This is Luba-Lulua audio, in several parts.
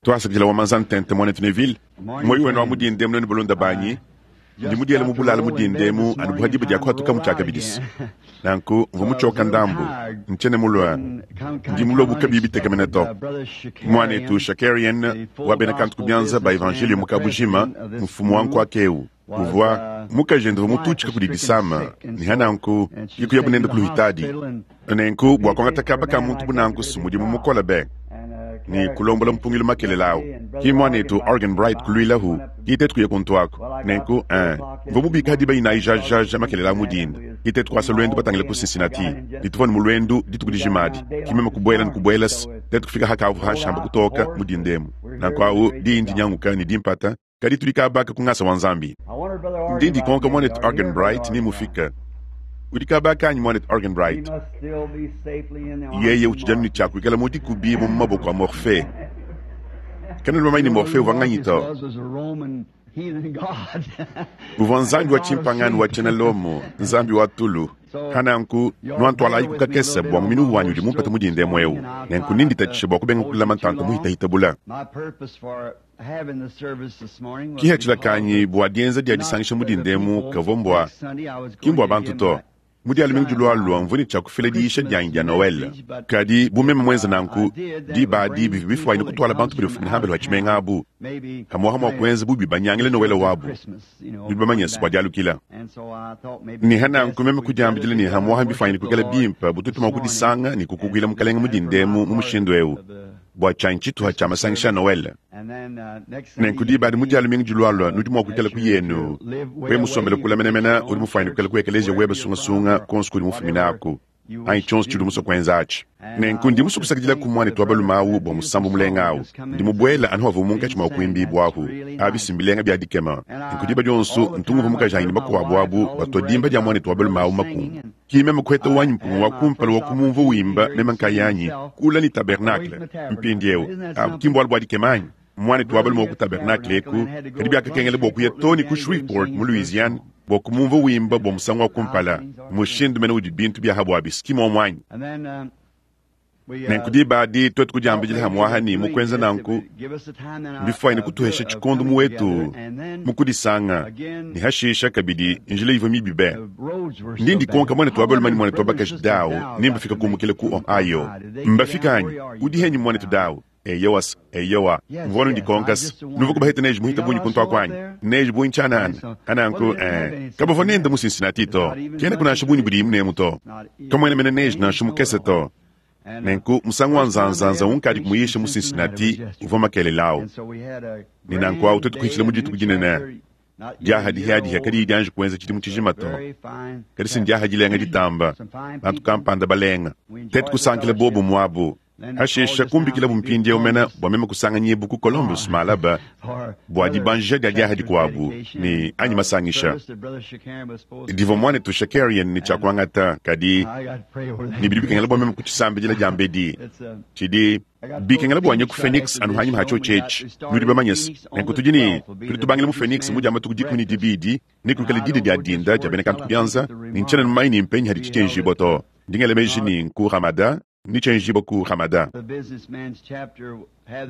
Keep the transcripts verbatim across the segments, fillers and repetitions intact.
Tuasakidila wa manza ntente muanetu Neville. Muoyo wenu wa mu dinda emu nuenu balunda banyi. Ndi mudiele mu bulala mu dinda emu anu bu ha diba dia kuhatuka mu tshiakabidisi. Nanku mvua mutshioka ndambu, ntshiena mulua, ndi mulua bu kabiyi bitekemena to. Muanetu Shakarian wa bena kantu ku bianza ba Evanjeliyo mu kabujima, mfumu wa nkuaka eu, uvua mukajende uvua mututshika kudi disama, ne ha nanku ke kuyabu nende ku luhitadi. Nenku bua kuangata kaba ka muntu bu nanku si mudimu mukole be. Ne kulombola mpungilu makelela awu. Ki muanetu Arganbright kuluilahu, ki tetu kuya kuntu aku. Nenku, ee, mvua mubika diba inayi jajaja makelela awu mu dinda, ki tetu kuasa luendu batangile ku Cincinnati. Ne tuvua ne mu luendu dituku dijima adi. Ki meme kubuela ne kubuela's, tetu kufika hakavua hanshi amba kutoka mu dinda emu. Nanku awu, diyi ndinyanguka ne dimpata, kadi tudi kaba aka ku ngasa wa Nzambi. Ndi ndikonka muanetu Arganbright ni mufika. Udi kaba aka anyi, muanetu Arganbright? Yeye utshidi anu ne tshia kuikala mu dikubibua mu maboko a Morphee. Kanuena bamanye ne Morphee uvua nganyi to. Uvua nzambi wa tshimpangano wa tshiena Lomo, nzambi wa tulu. Pa nanku, nuantualayiku kakese bua muminu wanyi udi mumpete mu dinda emu eu, nenku nenditatshishe bua kubenga kulama ntanta muhitahita bula. Kihatshila kanyi bua dienza dia disangisha mu dinda emu kavua mbua, ki mbua bantu to. Mu Dia lumingu dilualua mvua ne tshia kufila diyisha dianyi dia Noele. Kadi bu meme muenze nanku, diba adi bivua bifuanyine kutuala bantu badi bafumine hambelu ha tshimenga abu pamu'apa mua kuenza bu bibanyangile Noele wabu. Nudi bamanye se, bua dialukila. Ne ha nanku meme kudiambidila ne hamu'aha mbifuanyine kuikala bimpe bu tuetu mua kudisanga ne kukukuila Mukalenge mu dinda emu mu mushindu eu bua tshianyi tshituha tshia masangisha a Noele. Nenku diba adi mu Dia lumingu dilualua nudi mua kuikala ku yenu. Wewe musombele kule menemene, udi mufuanyine kuikala ku ekeleziya webe sungasunga kuonso kuudi mufumine aku, anyi tshionso tshiudi musue kuenza atshi. Nenku ndi musue kusakidilaku muanetu wa balume awu bua musambu mulenga awu. Ndi mubuele anu avua munkatshi mua kuimbibua ahu. Abi si mbilenga bia dikema! Nenku diba dionso ntu ngumvua mukajanyi ne bakuabu abu batua dimba dia muanetu wa balume awu makungu. Ki meme kuheta wanyi mpunga wa kumpala wa kumumvua wimba meme nkayanyi kula ne tabernakle. Mpindieu, abu ki mbualu bua dikema anyi? Muanetu wa balume wa ku tabernakle eku, kadi biakakengela bua kuya too ne ku Shreveport mu Louisiane bua kumumvua wimba bua musangu wa kumpala. Mushindu mene udi bintu bia ha buabi, si muomu anyi? Nenku diba adi tuetu kudiambidila hamuaha ne mu kuenza nanku mbifuanyine kutuhesha tshikondo mu wetu mu kudisanga ne hashisha kabidi njila ivua mibi be. Ndi ndikonka muanetu wa balume ne muanetu wa bakaji Dow ne mbafika kumukila ku Ohio. Mbafika anyi? Udi henyi muanetu Dow? Eyowa, eyowa, mvua anu ndikonka se, nuvua kubaheta neji muhita bungi kuntu aku anyi? Neji bungi tshianana. Pananku, ee, kabavua nende mu Cincinnati to. Kenaku nansha bungi budimu nemu to. Kamuena mene neji nansha mukese to. Nenku musangu wa nzanzanza unkadi kumuyisha mu Cincinnati uvua makelela au. Ne nanku au tuetu kuhitshila mu dituku dinene diaha dihiadihia kadiyi dianji kuenza tshidimu tshijima to. Kadi si ndiaha dilenga ditamba, bantu kampanda balenga. Tetu kusankila bobu muabu. Hashisha kumbikilabu mpindieu mene bua meme kusanganyibu ku Columbus malaba bua dibanjija dia diaha dikuabu ne anyi masangisha divua muanetu Shakarian ne tshia kuangata, kadi ne bidi bikengela bua meme kutshisambidila diambedi. Tshidi bikengela bua nye ku Phoenix anu hanyima ha tshiotshi etshi. Nudi bamanye se, nenku tudi ne tudi tubangila mu Phoenix mu dia matuku dikumi ne dibidi, ne kuikale didi dia dinda dia bena kantu ku bianza, ne ntshiena mumanye ne mpenyi hadi tshitshienjibua to. Ndi ngela meji ne nku Ramada. Ne tshienjibua ku Ramada.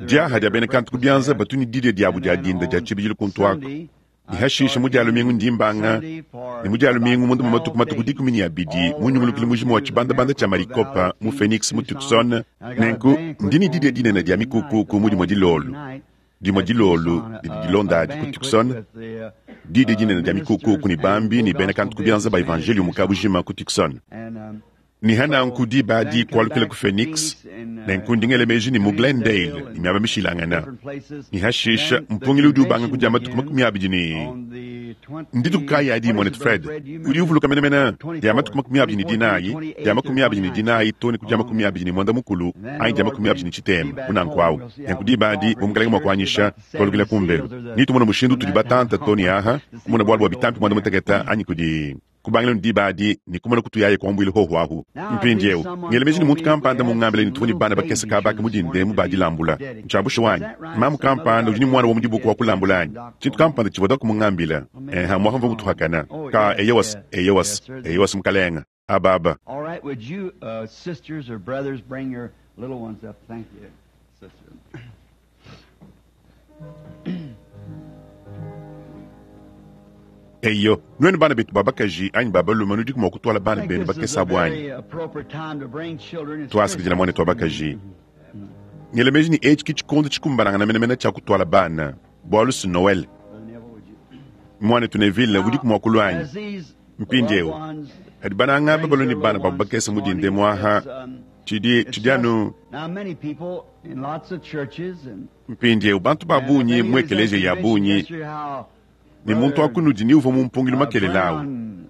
Diaha dia bena kantu ku bianza batu ne didia diabu dia dinda dia tshibidilu kuntu aku, ne hashisha mu Dia lumingu ndi mbanga, ne mu Dia lumingu munda mua matuku matuku dikumi ne abidi mu nyungulukilu mujima wa tshibandabanda tshia Maricopa mu Phoenix mu Tucson. Nenku ndi ne didia dinene dia mikukuku mu dimue dilolo, dimue dilolo didi dilonda adi ku Tucson, didia dinene dia mikukuku ne bambi ne bena kantu ku bianza ba evanjeliyo mu kabujima ku Tucson. Ne ha nanku diba adi kualukila ku Phoenix, nenku ndi ngela meji ne mu Glendale ne miaba mishilangana. Ne hashisha mpungilu udi ubanga ku dia matuku makumi abidi ne ndituku kayi adi, muanetu Fred? Udi uvuluka menemene dia matuku makumi abidi ne dinayi, dia makumi abidi ne dinayi too ne ku dia makumi abidi ne muanda mukulu anyi dia makumi abidi ne tshitema, bu nanku awu. Nenku diba adi, bu Mukalenge mua kuanyisha, tualukila kumbelu ne tumona mushindu utudi batanta too ne aha, kumona bualu bua bitampi muanda mutekete anyi kudi Kubangila ne diba adi ne kumona kutuyaye kuambuila hohu ahu. Mpindieu, ngela meji ne muntu kampanda mungambile ne tuvua ne bana bakese kaba aka mu dinda emu ba dilambula. Ntshia bushuwa anyi? Mamu kampanda udi ne muana wa mu dibuku wa kulambula anyi? Tshintu kampanda tshivua Doc mungambile. Eh, amuapa mvua mutuhakana. Ka, eyowas, eyowas, eyowas, mukalenga. Aba, aba. All right, would you, uh, sisters or brothers, bring your little ones up? Thank you, sister. Eyo, nuenu bana betu ba bakaji anyi ba balume nudiku mua kutwala bana benu bakese abu anyi? Twasakidila mwanetu wa bakaji. Ngela meji ne etshi ke tshikondo tshikumbanangana menemene tshia kutwala bana, bwalu si Noël. Mwanetu Neville, udiku mua kulua anyi? Mpindieu, hadi bananga aba balue ne bana babu bakese mu dinde muaha, tshidi, tshidi anu mpindieu bantu ba bungi mu ekeleziya ya bungi, ne muntu wa kunudi ni uvua mu mpungilu makelela awu,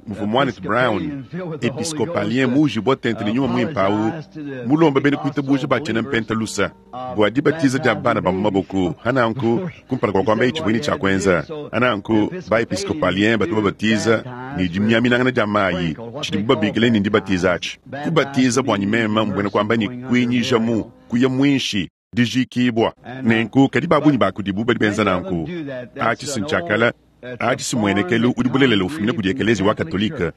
muvua mwanetu Brown, episcopalien muujibua tente ne nyuma muimpe awu, mulomba bena kuitabuja ba tshiena mpenta lusa bua dibatiza dia bana ba mu maboko. Hananku, kumpala kua kuamba etshi buini tshia kuenza, hananku ba episcopalien batu babatiza ne dimiaminangana dia mayi, tshidibu babikila ne ndibatiza atshi. Kubatiza buanyi meme mbuena kuamba ne kuinyija mu, kuya muinshi, dijikibua. Nenku kadi ba bungi ba kudibu badi benza nanku. Atshi si ntshiakala, atshi si muenekelu udi bulelela ufumina kudi ekeleziya wa Katolike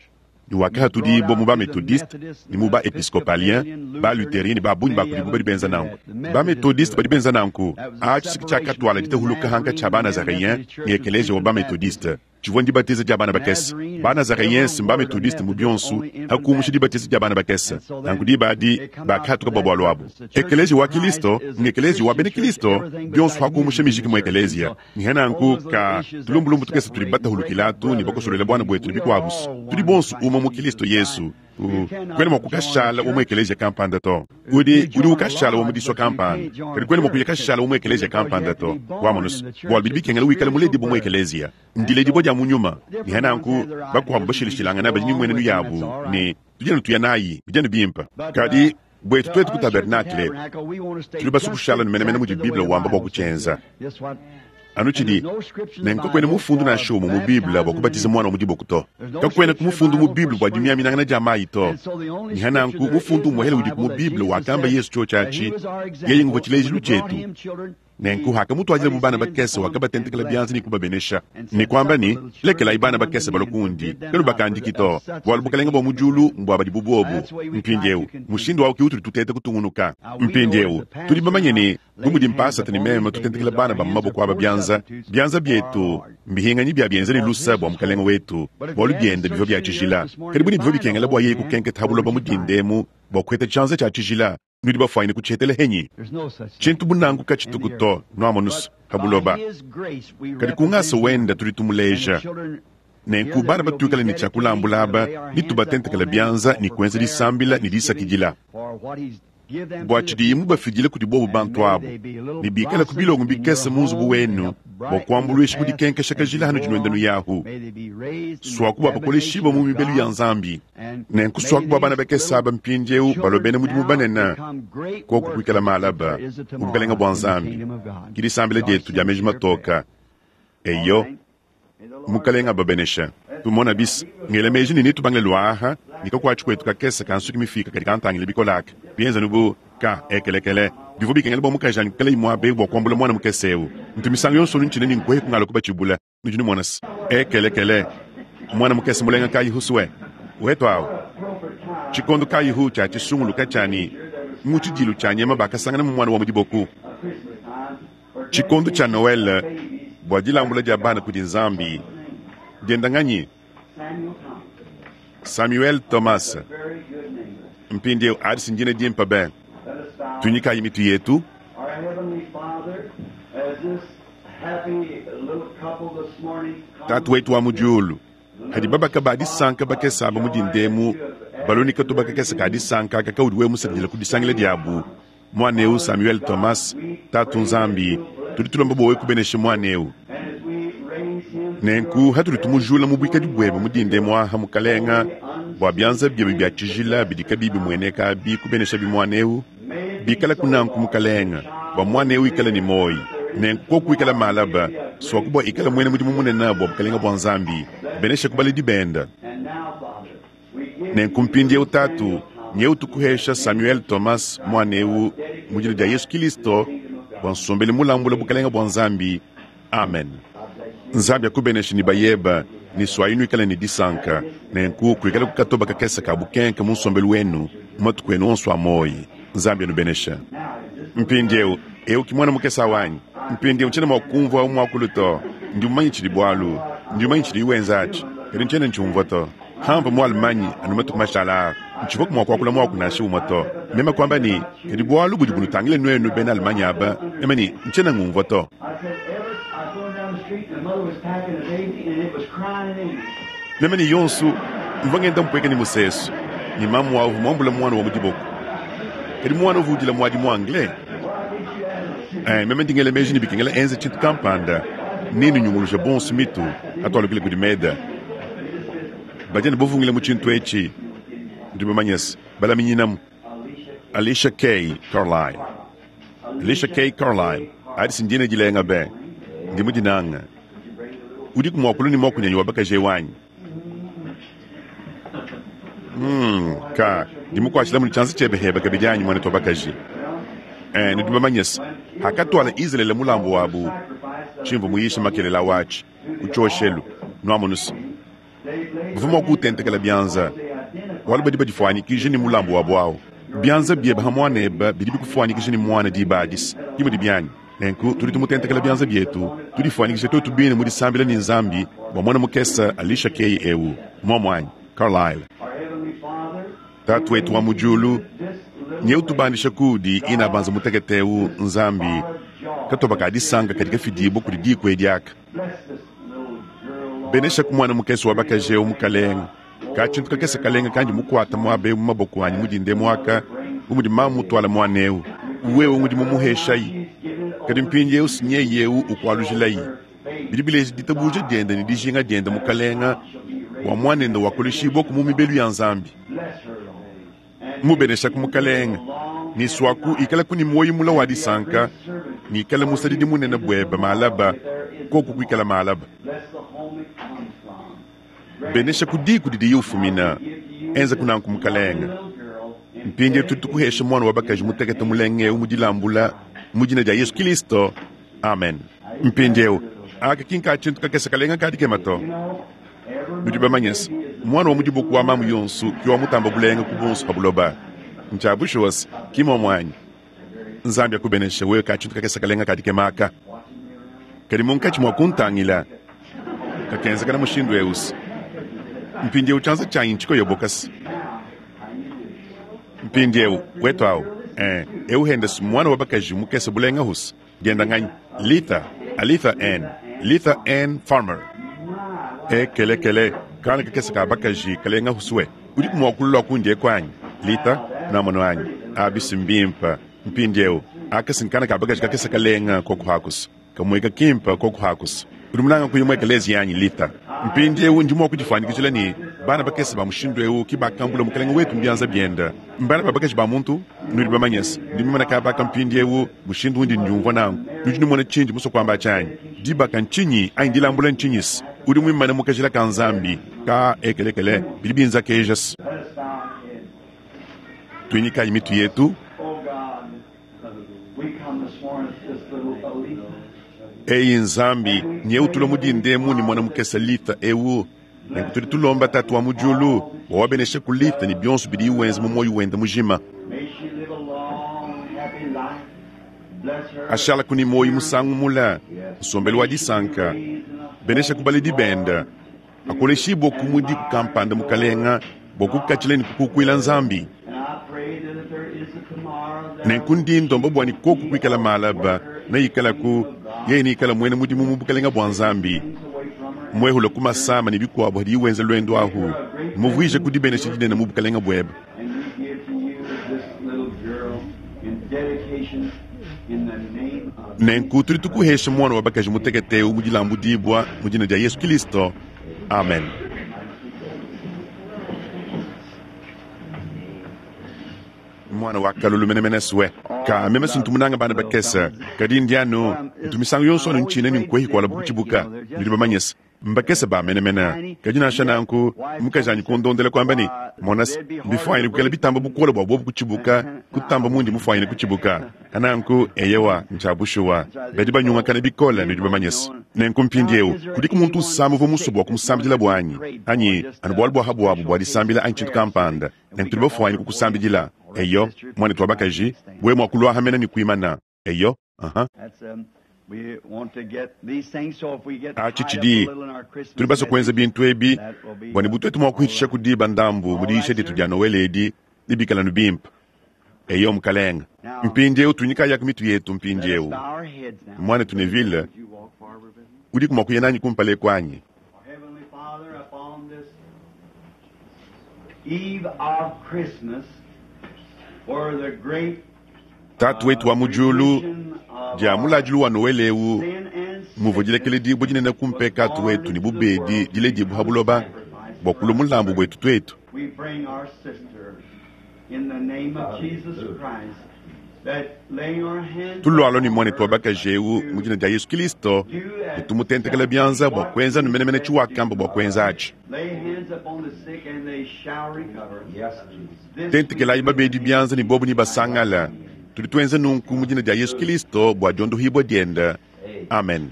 ne wakahatudibua mu ba Methodiste ne mu ba Episcopalien, ba Lutherien ne ba bungi ba kudibu badi benza nanku. Ba Methodiste badi benza nanku. Atshi si tshiakatuala ditahuluka hankatshi a ba Nazareyen ne ekeleziya wa ba Methodiste. Tshivua ndibatiza dia bana bakese. Ba Nazareens mba Methodiste mu bionso, hakumusha dibatiza dia bana bakese. Nanku diba adi bakahatuka bua bualu abu. Ekeleziya wa Kilisto ngekeleziya wa bena Kilisto, bionso hakumusha mijiki mu ekeleziya. Niha nanku ka tulumbulumbu tukese tudi batahulukilatu ne bakosolela buana buetu ne bikuabu. Tudi bonso umue mu Kilisto Yesu. Kwena mua kukashala wa mu ekeleziya kampanda to. Udi, udi ukashala wa mu disua kampanda, kadi kwena mua kuya kashala wa mu ekeleziya kampanda to. Wamonusu, bualu bidi bikengela wikale muledibua mu ekeleziya. Ndiledibua dia mu nyuma. Niha nanku bakuabu bashilashilangana badi ne mmuenenu yabu ne tudi anu tuya nayi, bidi anu bimpe. Kadi buetu tuetu ku tabernakle, tudi basue kushala menemene mudi Bible wamba bua kutshienza. Anu tshidi ne kakuena mufundu nansha umue mu Bible bua kubatiza muana wa mu diboko to. Kakuena mufundu mu Bible bua dimiaminangana dia mayi to. Niha nanku mufundu umuehele udiku mu Bible wakamba Yesu tshiotshi atshi, yeye nguvua tshilejilu tshietu. Nenku hakamutuadila bu bana bakese, wakabatentekela bianza ne kubabenesha ne kuamba ne, lekelayi bana bakese balue kundi, kanubakandiki to, bualu bukalenge bua mu diulu mbua badi bu buobu. Mpindieu mushindu awu ke utudi tuteta kutungunuka. Mpindieu tudi bamanye ne, bu mudi mpasata ne meme tutentekela bana ba mu maboko aba bianza, bianza bietu mbihinganyi bia bienza ne lusa bua mukalenge wetu, bualu biende bivua bia tshijila. Kadi bu ne bivua bikengela bua yeye kukenketa ha buloba mu dindemu bua kuheta tshianza tshia tshijila, nudi bafuanyine kutshihetela henyi? Tshintu bu nanku katshituku to, nuamonusu ha buloba. Kadi ku ngasa wenda tudi tumuleja. Nenku bana batuikale ne tshia kulambula aba, ne tubatentekela bianza ne kuenza disambila ne disakidila bua tshidiye mubafidile kudi bobu bantu abu, ne bikale ku bilongo bikese mu nzubu wenu bua kuambuluisha ku dikenkesha kajila hanudi nuenda nuyahu. Suaku bua bakoleshibua mu mibelu ya Nzambi. Nenku suaku bua bana bakese aba mpindieu balue bena mudimu banene, koku kuikala malaba mu bukalenge bua Nzambi. Ke disambila dietu dia meji matoka. Eyo, Mukalenge ababenesha. Tumona bis, ngela meji ne netubangile luaha ne kakuatshi kuetu kakese ka nsuki mifika kadi kantangile bikolaka bienza nubu ka ekelekele. Bivua bikengela bua mukaji anyi kuikala muaba eu bua kuambula muana mukese eu. Ntu misangu yonso ntshina ne nkuhe kungala kubatshibula. Nudi numona se ekelekele muana mukese mulenga kayi husue wetu awu. Tshikondo kayi hu tshia tshisunguluka tshiani mu tshidilu tshia nyama bakasangana mu muana wa mu diboku. Tshikondo tshia Noël bua dilambula dia bana kudi Nzambi dienda nganyi? Samuel Thomas. Mpindieu adi ndina dimpe be. Tunyikayi mitu yetu. Our Heavenly Father, as this happy little couple this morning comes Tatu wetu wa mu diulu, hadi babaka ba disanka bakese aba mu dindemu, balonika to bakakese ka disanka kakaudi we musakidila ku disangila diabu. Mwaneu Samuel Thomas, Tatu Nzambi, tudi tulomba bua wewe kubenesha mwaneu. and as we raise him Nenku hatudi tumujula mu buikadi buebe mu dindemu aha mukalenga, bua bianza biebe bia tshijila bidi kabiyi bimueneka bi kubenesha bi mwaneu, bikala kunanku mukalenga, bua mwaneu ikale ne moyi. Nenku koku ikala malaba, suaku bua ikala muena mudimu munene bua bukalenga bua Nzambi, benesha ku baledi benda. and now, Father, we give Nenku mpindieu Tatu, nyeu tukuhesha Samuel Thomas mwaneu mu dina dia Yesu Kilisto bua nsombele mulambula bukalenga bua Nzambi. Amen. Nzambi akubenesha ne bayeba ne swayinu ikale ne disanka, nenku kuikala kukatoba kakese ka bukenke mu nsombelu wenu mu matuku enu onso a moyi. Nzambi anubenesha. Mpindieu eu ki mwana mukese awanyi. Mpindieu ntshiena mua kumvua muakulu to. Ndi mumanye tshidi bualu, ndi mumanye tshidi wenza atshi. Kadi ntshiena ntshiumvua to. Pamvua mu Allemagne anu matuku mashala aa, ntshivuaku mua kuakula muaku nansha umue to. Meme kuamba ne, Kadi bualu budi bunutangile nuenu bena Allemagne aba, meme ne, ntshiena ngumvua to. I said, ever, I was going down the street and the mother was packing a baby and it was crying in English. Meme ne yonso mvua ngenda mpueka ne musesu ne mamu wawu uvua muambule muana wa mu diboko. Kadi muana uvua udila muadi mu anglais. Eh, meme ndi ngela meji ne bikengela enze tshintu kampanda ne nunyunguluja bonso mitu atualukile kudi Meda. Badi ne bavungile mu tshintu etshi. Ndi bamanye se balaminyinamu. Alicia K. Carlyle. Alicia K. Carlyle. Adi si ndine dilenga be. Ndi mudinanga. Udiku muakulu ne muakunyanyi wa bakaji wanyi. Hmm, ka ndi mukuashila mu tshianza tshiebe heba kabidi anyi mwana wa bakaji. Eh, nudi bamanye se hakatwala Israele mulambu wabu tshimvu muyisha makelela wachi kuchoshelu nwamunusa bavua mua kuutentekela bianza bualu badi badifuanyikije ne mulambu wabu awu. Bianza biebe ha muanebe bidi bikufuanyikije ne muana diba adisa dimue dibianyi. Nenku tudi tumutentekela bianza bietu tudifuanyikije twetu bine mu disambila ne Nzambi bua muana mukese Alicia Kay ewu muamuanyi Carlyle. Our Heavenly Father, Tatu wetu wa mu diulu, nye utubandisha kudi ina banza mutekete ewu Nzambi katoba ka disanga kadi kafidibwa kudi diku edi aka. bless this little girl, Lord. Benesha ku mwana mukese wa bakaji ewu mukalenga ka tshintu kakese kalenga kandi mukwata muaba ewu mu maboko anyi mudinde mwaka bu mudi mamu mutwala muana ewu wewe ngudi mumuheshayi kadi mpindi ewu sinyeye ewu ukwalujilayi bidi bileja ditabuja diende ne dijinga diende mukalenga wa muanende wakoleshibwa ku mu mibelu ya Nzambi. Bless her, Lord. Mubenesha ku mukalenga ni swaku ikala kuni moyo mula wa disanka ni ikala musadidi munene bweba malaba koku kuikala malaba. Bless the home it comes from. Benesha ku diku didi yufumina enza kunanku mukalenga. Little girl, in Mpindi tudi tukuhesha mwana wa bakaji mutekete mulenge ewu mudilambula mu dina dia Yesu Kristo. Amen. Mpindi ewu aka kinka tshintu kakese kalenga kadi kema to. you know, every Nudi bamanye se mwana wa mudibuku wa mamu yonso ki wa mutamba bulenga ku bonso pa buloba. Ntshiabushuwase ki muanyi. Nzambi akubeneshe wewe ka tshintu kakese kalenga kadi kemaka. Kadi munkatshi mua kuntangila kakenzekana mushindu ewusi. Mpindi ewu tshianza tshianyi ntshikoyobokasi. Mpindi ewu wetu awu eh, ewu henda si mwana wa bakaji mukese bulenga husi dienda nganyi Litha Alitha N Litha N Farmer. E kele kele kana kakese ka bakaji kalenga husuwe udi muakulula kundi ekwanyi Litha namono anyi abisi mbimpa mpindi ewu akasi nkana ka bakaji kakese kalenga kokuhakusa kamweka kimpa kokuhakusa udi munanga kuyimweka lezi yanyi Litha. Mpindi ewu ndi mua kudifuanyikijila ne bana bakese ba mushindu ewu ki bakambula mukalenga wetu mbianza bienda mbana ba bakaji ba muntu nudi bamanyese ndi mimana ka baka mpindi ewu mushindu undi ndiumvua nangu nudi numona tshindi muso kuamba tshianyi dibaka ntshinyi anyi dilambula ntshinyisi udi muimane mukajila ka Nzambi ka ekelekele bidi binza kejasi. Let us bow our heads. Tuinyikayi mitu yetu. Oh God, we come this morning with this little Alita. Eyi Nzambi nye utula mudindemu ni mwana mukese Litha ewu nenku tudi tulomba tatu wa mu diulu bua wabeneshe ku Litha ne bionso bidi iwenza mu moyo wende mujima. May she live a long, happy life. Bless her. Ashala kuni moyo musangu mula nsombelu wa disanka benesha ku baledi benda akoleshibwa ku mudi kukampanda mukalenga bua kukatshila ne kukukuila Nzambi. And I pray that if there is a tomorrow, there Nenku ndi ndomba bua ne koku kuikala malaba neikalaku yeye neikala mwene mudimu mu bukalenga bua Nzambi. things away from her. Mwehula ku masama ne bikuabu hadi iwenza lwendo ahu muvuije kudibenesha dinene mu bukalenga bwebe. And we give to you this little girl in dedication in the name of Nenku tudi tukuhesha mwana wa bakaji mutekete ewu mu dilambudibwa mu dina dia Yesu Kristo. Amen. Mwana wa kalulu menemene suwe ka meme sintu munanga bana bakese kadi ndiano ntu misangu yonso anu ntshina ne nkwehi kuala bukutshibuka nudi bamanyese mbakese ba menemene kadi nansha nanku mukaji anyi kundondela kuamba ne monasi mbifuanyine kukela bitamba bukola bua bobu kutshibuka kutamba mundi mufuanyine kutshibuka kananku eyewa ntshiabushuwa badi banyungakana bikole nudi bamanyese. Nenku mpindi ewu kudiku muntu usama uvua muso bua kumusambidila bwanyi anyi anu bualu bua habuabu bua disambila anyi tshintu kampanda nenku tudi bafuanyine kukusambidila. Eyo mwana twa bakaji we mwakulwahamena ni kuimana eyo aha. That's um, Atshi tshidi tudi basue kuenza bintu ebi bua ne butuetu mua kuhitisha ku diba ndambu mu diyisha dietu dia Noele edi ne bikalanu bimpe. Eyo mukalenga. Mpindieu tunyikayaku mitu yetu mpindieu. Mwanetu Neville, udiku mua kuya nanyi kumpala eku anyi? Heavenly Father, upon this eve of Christmas, for the great Tatu wetu wa mu diulu, dia muladilu wa Noele eu muvua dilekele dibue dinene ku mpekatu wetu ne bubedi diledibua ha buloba bua kulua mulambu buetu tuetu. we bring our sister in the name of Jesus Christ, that laying our hands Tulualua ne mwanetu wa bakaji eu mu dina dia Yesu Kristo ne tumutentekela bianza bua kuenza numenemene tshiwakamba bua kuenza atshi. lay hands upon the sick and they shall recover. Yes, Jesus. This Tentekelayi babedi bianza ne bobu ne basangala. Tudi tuenza nunku mu dina dia Yesu Kristo bua diondohibua dienda. Amen.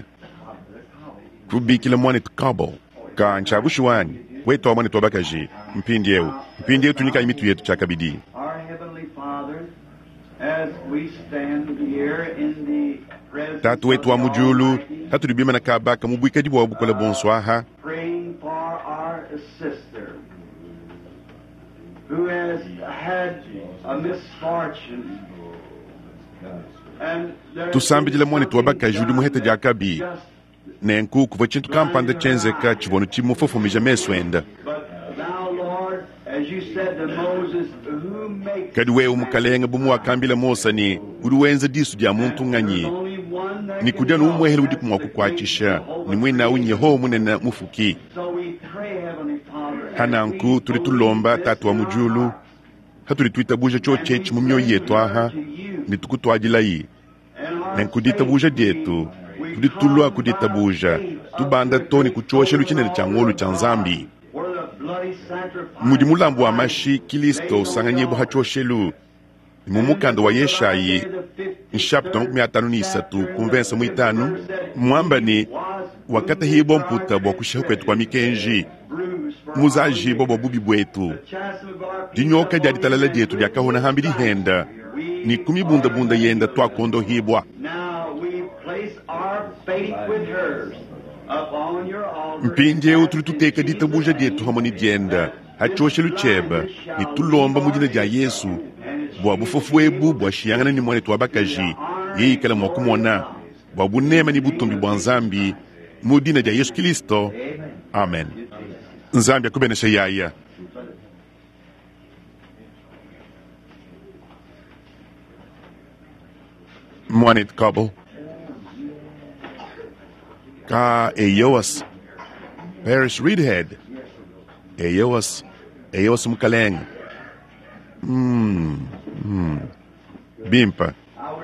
Kubikila mwanetu Kabo ka ntshiabushiwanyi wetu wa mwanetu wa bakaji mpindi eu mpindi eu tunyikayi mitu yetu tshiakabidi. Our Heavenly Father, as we stand here in the presence Tatu wetu wa of mu the diulu Almighty, hatudi bimana kabaka mu buikadi bua bukola bonso aha praying for our sister who has had a misfortune. And there Tusambidila is mwanetu wa bakaji udi muhete diakabi. just- Nenku kuvua tshintu kampanda tshienzeka tshivua tshimufofomeja mesu enda. But thou, Lord, as you said to Moses, who makes Kadi wewe mukalenga bu muwakambila Mose ne udi wenza disu dia muntu nganyi There's only one that ni can kudia n'umwehele help. udi kumua That's the kukuatshisha great Jehovah ni mwinawu Creator. Yehowa munene mufuki. So we pray, Heavenly Father, as Hananku we tudi tulomba believe tatu wa this mu in our diulu hearts, hatudi tuitabuja tshiotshi mu mioyo yetu aha ne tukutuadilayi. and our Nenku ditabuja faith, dietu we tudi tulua come ku ditabuja by faith tubanda up to to ne the ku tshioshelu tshinene tshia ngolu tshia Nzambi. where the bloody sacrifice Mudi mulambu wa mashi Kristo usanganyibwa ha tshioshelu ni mu mukanda wa Yeshayi nshapita makumi atanu ni isatu kumvensa muitanu mwamba ni wakatahibwa mputa bua kushiha kwetu kwa mikenji muzajibwa bua bubi buetu dinyoka dia ditalala dietu diakahona hambi dihenda ni kumibundabunda yenda twakondohibwa. Now we place our faith with hers upon your altar. Mpindieu tudi tuteka ditabuja dietu hamwe ni dienda ha tshioshelu tshiebe ne tulomba mu dina dia Yesu bua bufofu ebu buashiyangana ne mwanetu wa bakaji yeikala mua kumona bua bunema ne butumbi bua Nzambi mu dina dia Yesu Kristo. Amen. Nzambi akubenesha yaya. Mwanetu Kabo ka eyoas Paris Reidhead eyoas eyoas mukalenga mm, mm. Bimpa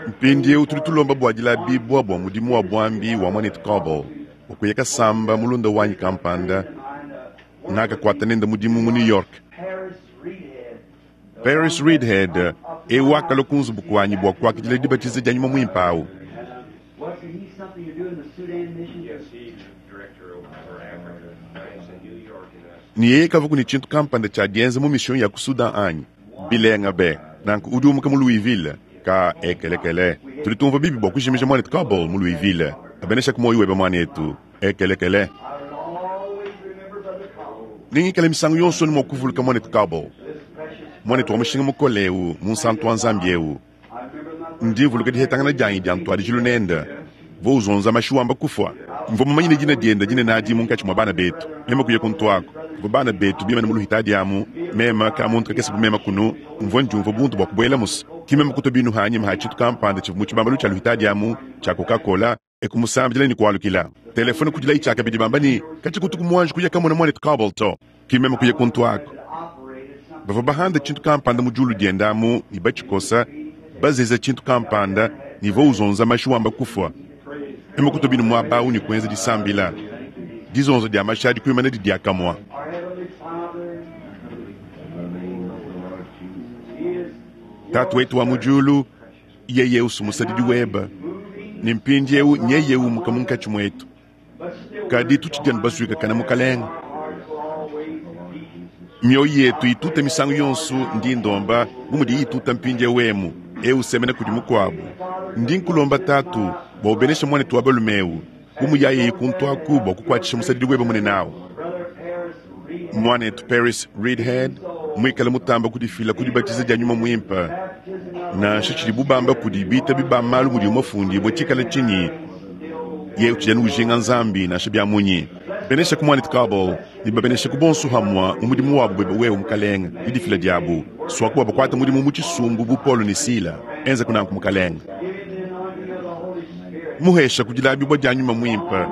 mpindieu tudi tulomba bua dilabibua bua mudimu wa buambi wa mwanetu Kabo ukuyeka samba mulunda wanyi kampanda ngakakuata nenda mudimu mu New York. Paris Reidhead. Paris Reidhead ewakala kunzubu kuanyi bua kuakidila dibatiza dia nyuma muimpe awu. Wasn't he something to do in the Sudan mission? Yes, he's director over for Africa. He's in New York and us. Ni yeye kava kuni tshintu kampanda tshia dienza mu mission ya ku Sudan anyi bilenga be nanku udi umuka mu Louisville ka ekelekele tudi tumva bibi bua kujimija mwanetu Kabul mu Louisville abenesha moyo webe mwanetu ekelekele. I will always remember Brother Cobble, Ningikala misangu yonso ni mua kuvuluka mwanetu Kabul this precious. mwanetu wa mushinga mukole eu mu nsantu wa Nzambi eu. I remember my Ndi vuluka dihetangana dianyi dia ntwadijilu nenda vo uzonza mashiwamba kufwa mvua mumanyine dina dienda dinene adi munkatshi mua bana betu mema kuya kuntuako mvua bana betu bimane mu luhita diamu mema ka muntu kakese bu mema kunu mvua ndiumvua buntu bua kubuela musi ki mema kutua binu hanyima ha tshintu kampanda tshivua mu tshibambalu tshia luhita diamu tshia Coca-Cola ekumusambidila ni kualukila telefone kudila itshakabidi bamba ni katshi kutuku muanji kuya kamona mwanetu Kabul to ki mema kuya kuntuako operated something. bavua bahanda tshintu kampanda mu diulu diendamu ne batshikosa bazeza tshintu kampanda ne vo uzonza mashi wamba kufwa ema kutua binu muaba awu ne kuenza disambila dizonzo dia mashi adi kuimana di diakamua. Our Heavenly Father, He is Tatu wetu wa mu diulu yeye usumusadidi weba ne mpindieu nyeye umuka munkatshi muetu but still kadi tutshidianu basuika kana mukalenga our hearts will always beat. mioyo yetu ituta misangu yonso ndi ndomba bu mudi ituta mpindieu emu eu semena kudi mukuabu ndi nkulomba tatu Bua ubenesha mwanetu wa balume eu, bu muyaye kuntu aku bua kukuatshisha musadidi webe munene awu. Mwanetu Paris Reidhead muikale mutamba kudifila ku dibatiza dia nyuma muimpe, nansha tshidi bubamba kudi bitabi ba malu mudi mafundibue tshikala tshinyi, ye utshidi ujinga Nzambi nansha bia munyi. Benesha ku mwanetu Cauble ne babenesha ku bonso hamwa mu mudimu wabu bebe wewe mukalenga didifila diabu swaku bakwata mudimu mu tshisumbu bu Paulo ne Sila enza kunanku mukalenga. Muhesha kudilabibwa dia nyuma muimpe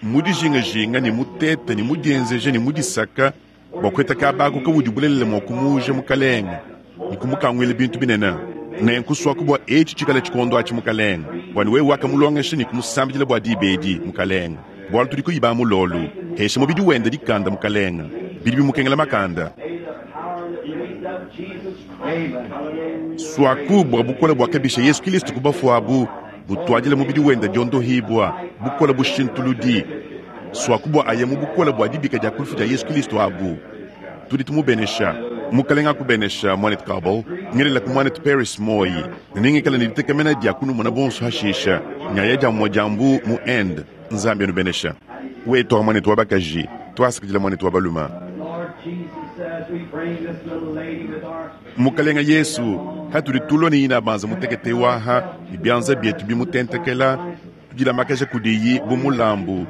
mudijingajinga ne mutete ne mudienzeje ne mudisaka bua kueta kabako kawudi bulelele mua kumuja mukalenga ne kumukanguila bintu binene. Nenku swaku bua etshi tshikala tshikondo atshi mukalenga, bua wewe wakamulongesha ne kumusambidila bua dibedi mukalenga, bualu tudi kuyiba mulolu hesha mubidi wenda dikanda mukalenga bidi bimukengela makanda. Swaku bua bukola bua kabisha Yesu Kristo kubafuabu butwadila mubidi wenda diondohibwa bukola bushintuludi swaku bua aya mu bukola bua dibika dia kulufu dia Yesu Kristo abu. Tudi tumubenesha mukalenga akubenesha mwanetu Cauble ngelela ku mwanetu Paris Moyi ningikala ne ditekamena dia kunumona bonso hashisha nyaya dia mwa diambu mu end Nzambi anubenesha wetu wa mwanetu wa bakaji twasakidila mwanetu wa baluma. Mukalenga Yesu hatuli tulwa ne ina banza mutekete waha ibyanza byetu bimutentekela tudila makaja kudiyi bu mulambu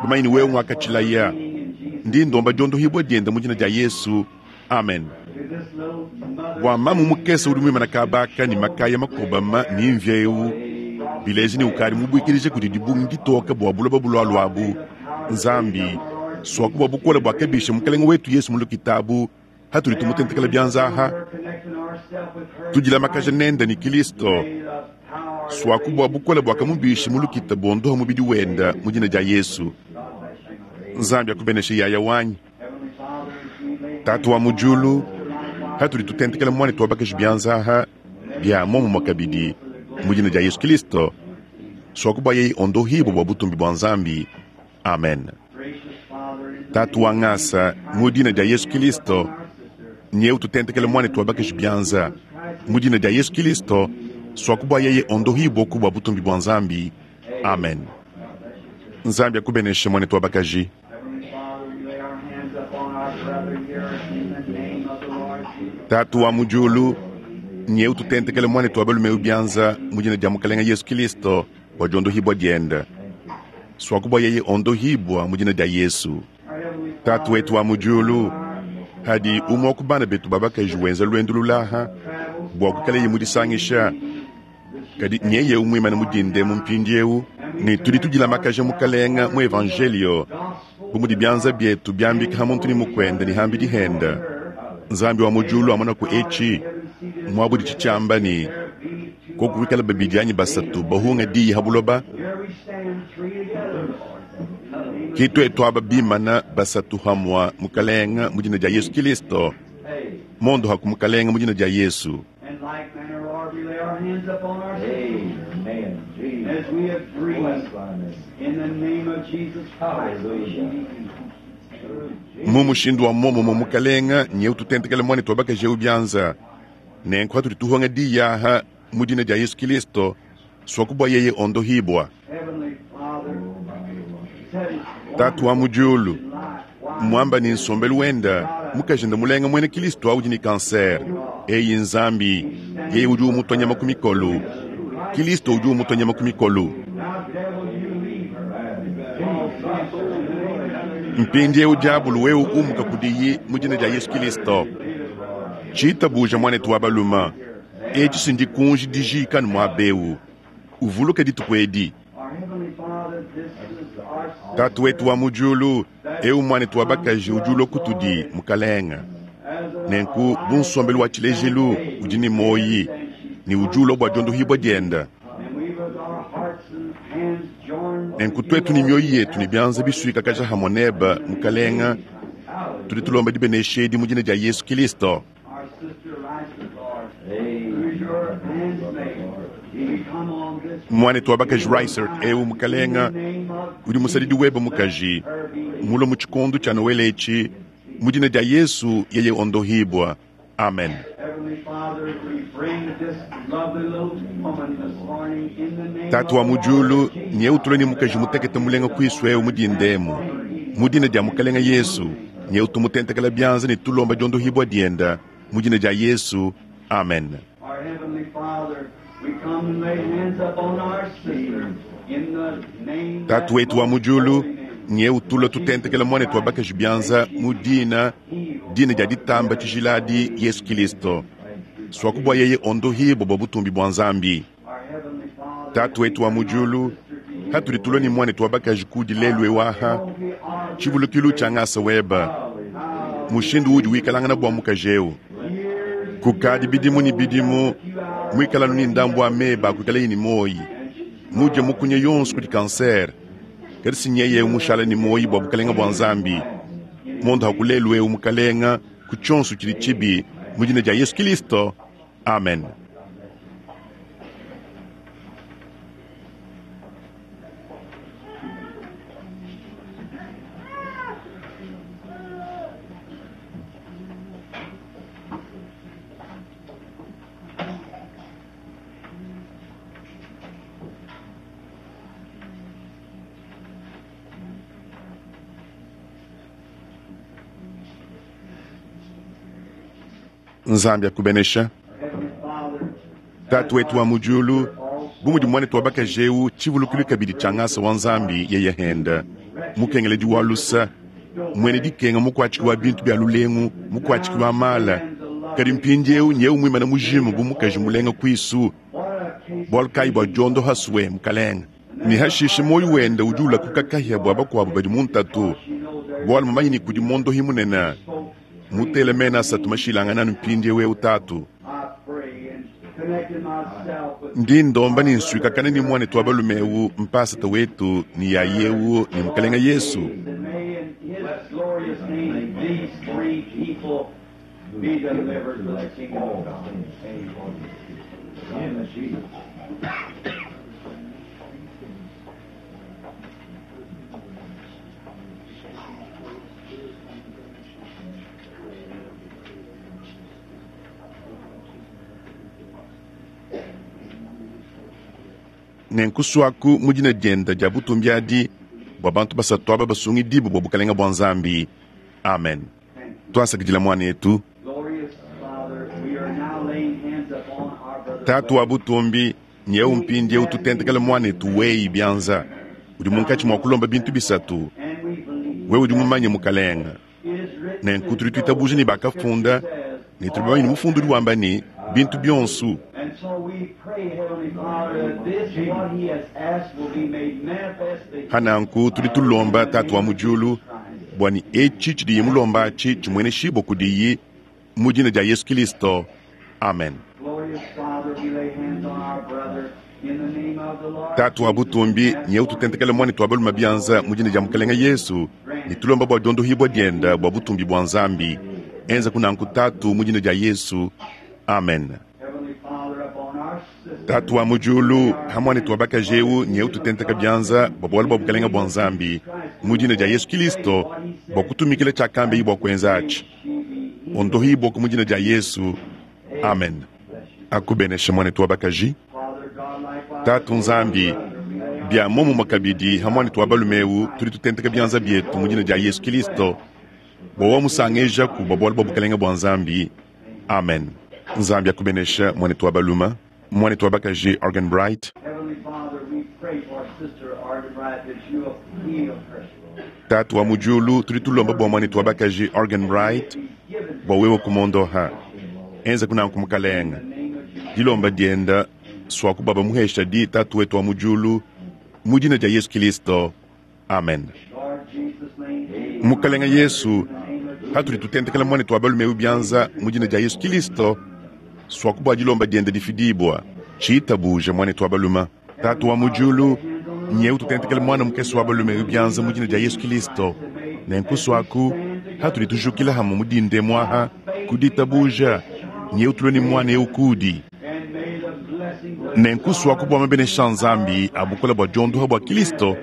bumayini wewe mwakatshilaya ndi ndomba diondohibwa dienda mu dina dia Yesu, amen. Bua mamu mukese udi muimana kabaka ne makaya makobama ne mvya eu bileji ne ukadi mubwikilije kudi dibungi ditoka bua buloba bulwalu Nzambi swaku bua bukola bua kabisha mukalenga wetu Yesu mu lukitabu hatuli tumutentekela byanzaha tudila makaja nenda ni Kristo swaku bua bukola bua kamubisha mu lukita bondoha mubidi wenda mu dina dia Yesu. Nzambi akubeneshe yaya wanyi tatu wa mujulu hatuli tutentekela mwanetu wa bakaji byanzaha bya momumwa kabidi mu dina dia Yesu Kristo swaku bua yeyi ondohibo bua butumbi bua Nzambi, amen. Tatu wa ngasa mu dina dia Yesu Kristo nyeu tutentekele mwanetu wa bakaji byanza mu dina dia Yesu Kristo swaku bua yeye ondohibo ku bua butumbi bua Nzambi, amen. Nzambi akubeneshe mwanetu wa bakaji. Tatu wa mujulu nyeu tutentekele mwanetu wa balume byanza mu dina dia mukalenga Yesu Kristo bua diondohibwa dienda swaku bua yeye ondohibwa mu dina dia Yesu. Tatu wetu wa mujulu hadi umwe wa kubana betu babakaji wenza lwendo lulaha bua kukaleye mudisangisha kadi nyeye umwimana mudinde mu mpindiewu ne tudi tudila makaja mukalenga mu evangelio bu mudi byanza byetu byambika ha muntu ni mukwenda ni hambi dihenda. Nzambi wa mujulu amona ku etshi mwabudi tshitshiamba ni kokuwikala babidi anyi basatu bahunga diyi ha buloba kitwetu aba bimana basatu hamwa mukalenga mu dina dia Yesu Kristo mondo haku mukalenga mu dina dia Yesu. Mu mushindu wa momo mukalenga nyeu tutentekele mwanetu wa bakaji eu byanza nenku hatuli tuhonga diyaha mu dina dia Yesu Kristo swaku bua yeye ondohibwa. Tatu wa mujulu mwamba ni nsombelu wenda mukajenda mulenga mwene Kristo audi ni kanser eyi Nzambi yeye udi umutwanya makumi kolu Kristo udi umutwanya makumi kolu mpindi eu diabulu wewe umuka kudiyi mu dina dia Yesu Kristo tshitabuja mwanetu wa baluma etshi sindi kunji dijika ni mwabeu uvuluke dituku edi. Tatu wetu wa mujulu eu mwanetu wa bakaji udi kutudi mukalenga nenku bunsombelu wa tshilejelu udi ni moyi ni udi ulua bua diondohibwa dienda nenku twetu ni mioyo yetu ni byanza biswikakaja hamwe neba mukalenga tudi tulomba dibenesha edi mu dina dia Yesu Kristo. Mwanetu wa bakaji Reisert eu mukalenga udi musadidi webe mukaji mulo mu tshikondo tshia Noele etshi mu dina dia Yesu yeye ondohibwa Amen. Heavenly Father, we bring this lovely little woman this morning in the name Tatu wa of the mu diulu Lord Jesus. nye utule ni mukaji mutekete mulenga kwisu eu mudindemu mu dina dia mukalenga Yesu nye utumutentekela byanza ne tulomba diondohibwa dienda mu dina dia Yesu. Amen. Our Heavenly Father, we come and lay hands upon our sister in the name Tatu wetu wa mu diulu nye utula tutentekela mwanetu wa bakaji byanza mu dina dina dia ditamba tshijiladi Yesu Kristo swakubwa yeye ondohibwa bwa butumbi bwa Nzambi. Our Heavenly Father, Tatu wetu wa mu diulu hatuli tulwa ni mwanetu wa bakaji kudi lelu ewaha tshivulukilu tshia ngasa weba mushindu udi wikalangana bua mukaji eu kukadi bidimu ni bidimu mwikalanu ni ndambu wa meba akuikala ni moyi mudye mukunya yonso kudi kanser kadi sinyeye mushala ni moyi bua bukalenga bua Nzambi mondo hakulelu eu mukalenga ku tshionso tshidi tshibi mu dina dia Yesu Kristo. Amen. Nzambi akubenesha. Heavenly Father, Tatu wetu wa mu diulu bu mudi mwanetu wa bakaji eu tshivulukilu kabidi tshia ngasa wa Nzambi yeye henda mukengeledi wa lusa mwene dikenga mukuatshiki wa bintu bia lulengu mukuatshiki wa mala kadi mpindieu nyeu muimana mujimu bu mukaji mulenga kwisu what a case bualu kayi bua diondo hasue mukalenga ne hashishe moyo wenda udi ulakuka kahia bua bakuabu badi mu ntatu bualu mumanyi ni kudi mondohi munene mutele mena asatu mashilangana anu mpindieu eu tatu I pray and connecting myself with ndi ndomba ni nsuikakana ni mwanetu wa balume eu mpasata wetu ni yayewu ni mukalenga Yesu. And may in His glorious name these three people be delivered to the kingdom of God. Amen. Jesus. Nenkuswaku mu dina dienda dia butumbi adi bua bantu basatu aba basungidibu bua bukalenga bua Nzambi. Amen. Twasakidila mwanetu. Glorious Father, we are now laying hands upon our brother. Tatu wa butumbi nyeu mpindieu tutentekela mwanetu weyi byanza udi munkatshi mua kulomba bintu bisatu And we believe wewe udi mumanye mukalenga it is written nenku tudi tuitabuja ne bakafunda ne tudi bamanye ne mufundu udi wamba ne bintu bionso. And so we pray, Heavenly Father, that this what he has asked will be made manifest to him. Hananku tudi tulomba tatu wa mu diulu bua ni etshi tshidiye mulomba atshi tshimueneshibua kudiyi mu dina dia Yesu Kristo. Amen. Glorious Father, we lay hands on our brother in the name of the Lord. Tatu wa butumbi nyeu tutentekele mwanetu wa balume byanza mu dina dia mukalenga Yesu ne tulomba bua diondohibua dienda bua butumbi bua Nzambi enza kunanku tatu mu dina dia Yesu. Amen. Heavenly Father, upon our sister. Tatu wa mu diulu ha mwanetu wa bakaji eu nyeu tutenteka byanza bua bualu bua bukalenga bua Nzambi mu dina dia Yesu Kristo bua kutumikila tshiakambe bua kuenza atshi ondohibua ku mu dina dia Yesu. Amen. Akubenesha mwanetu wa bakaji. Father God, likewise, Tatu Nzambi bia momumue kabidi ha mwanetu wa balume eu tudi tutenteka byanza bietu mu dina dia Yesu Kristo bua wamusangejaku bua bualu bua bukalenga bua Nzambi. Amen. Nzambi akubenesha mwanetu wa balume, mwanetu wa bakaji Organ Bright. Heavenly Father, we pray for Sister Arden Wright that you will heal her. Tatu wa mu diulu tudi tulomba bua mwanetu wa bakaji Organ Bright bua wewe kumondoha enza kunanku mukalenga dilomba dienda swaku baba muhesha di tatu wetu wa mu diulu mu dina dia Yesu Kristo. Amen. Lord Jesus' name. Mukalenga Yesu hatuli tutentekela mwanetu wa balume eu byanza mu dina dia Yesu Kristo swaku bua dilomba dienda difidibua tshitabuja mwanetu wa balume. Tatu wa mu diulu nyeu tutentekele mwana mukese wa balume eu byanza mu dina dia Yesu Kristo nenku swaku hatuli tujukila hamwe mu dinde mwaha kuditabuja nyeu tulwe ni mwana eu kudi And may the blessings of nenku swaku bua mabenesha Nzambi abukola bua diondoha bua Kristo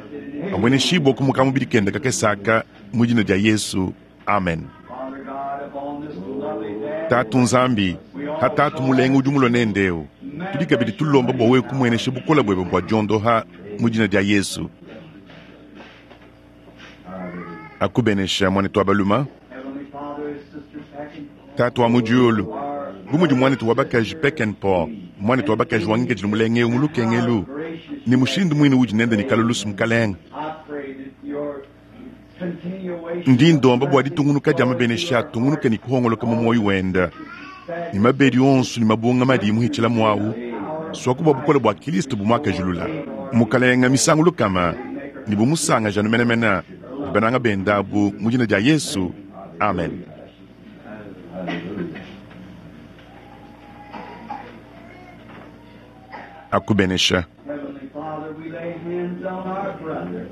amweneshibua kumuka mubidi kenda kakesaka mu dina dia Yesu. Amen. Father God upon this lovely day. Tatu Nzambi, ha tatu mulenga udi mulue nende eu. Tudi kabidi tulomba bua wewe kumuenesha bukola buebe bua diondoha mu dina dia Yesu. Akubenesha mwanetu wa baluma. Heavenly Father, Sister Peckinpah, Tatu wa mu diulu, bu mudi mwanetu wa bakaji Peckinpah, mwanetu wa bakaji wangikadile mulenge eu mu lukengelu, ne mushindu muine udi nende ne kalulusu mukalenga. I pray that your continuation Ndi ndomba bua ditungunuka dia mabenesha atungunuke ne kuhongoloka mu moyo wenda. Ne mabedi onso ne mabunga madi muhitshila muawu, swaku bua bukole bua Kristo bumuakajulula. Mukalenga misangu lukama ne bumusangajanu menemene ne bananga bendabu mu dina dia Yesu. Amen. Akubenesha. Heavenly Father, we lay hands on our brother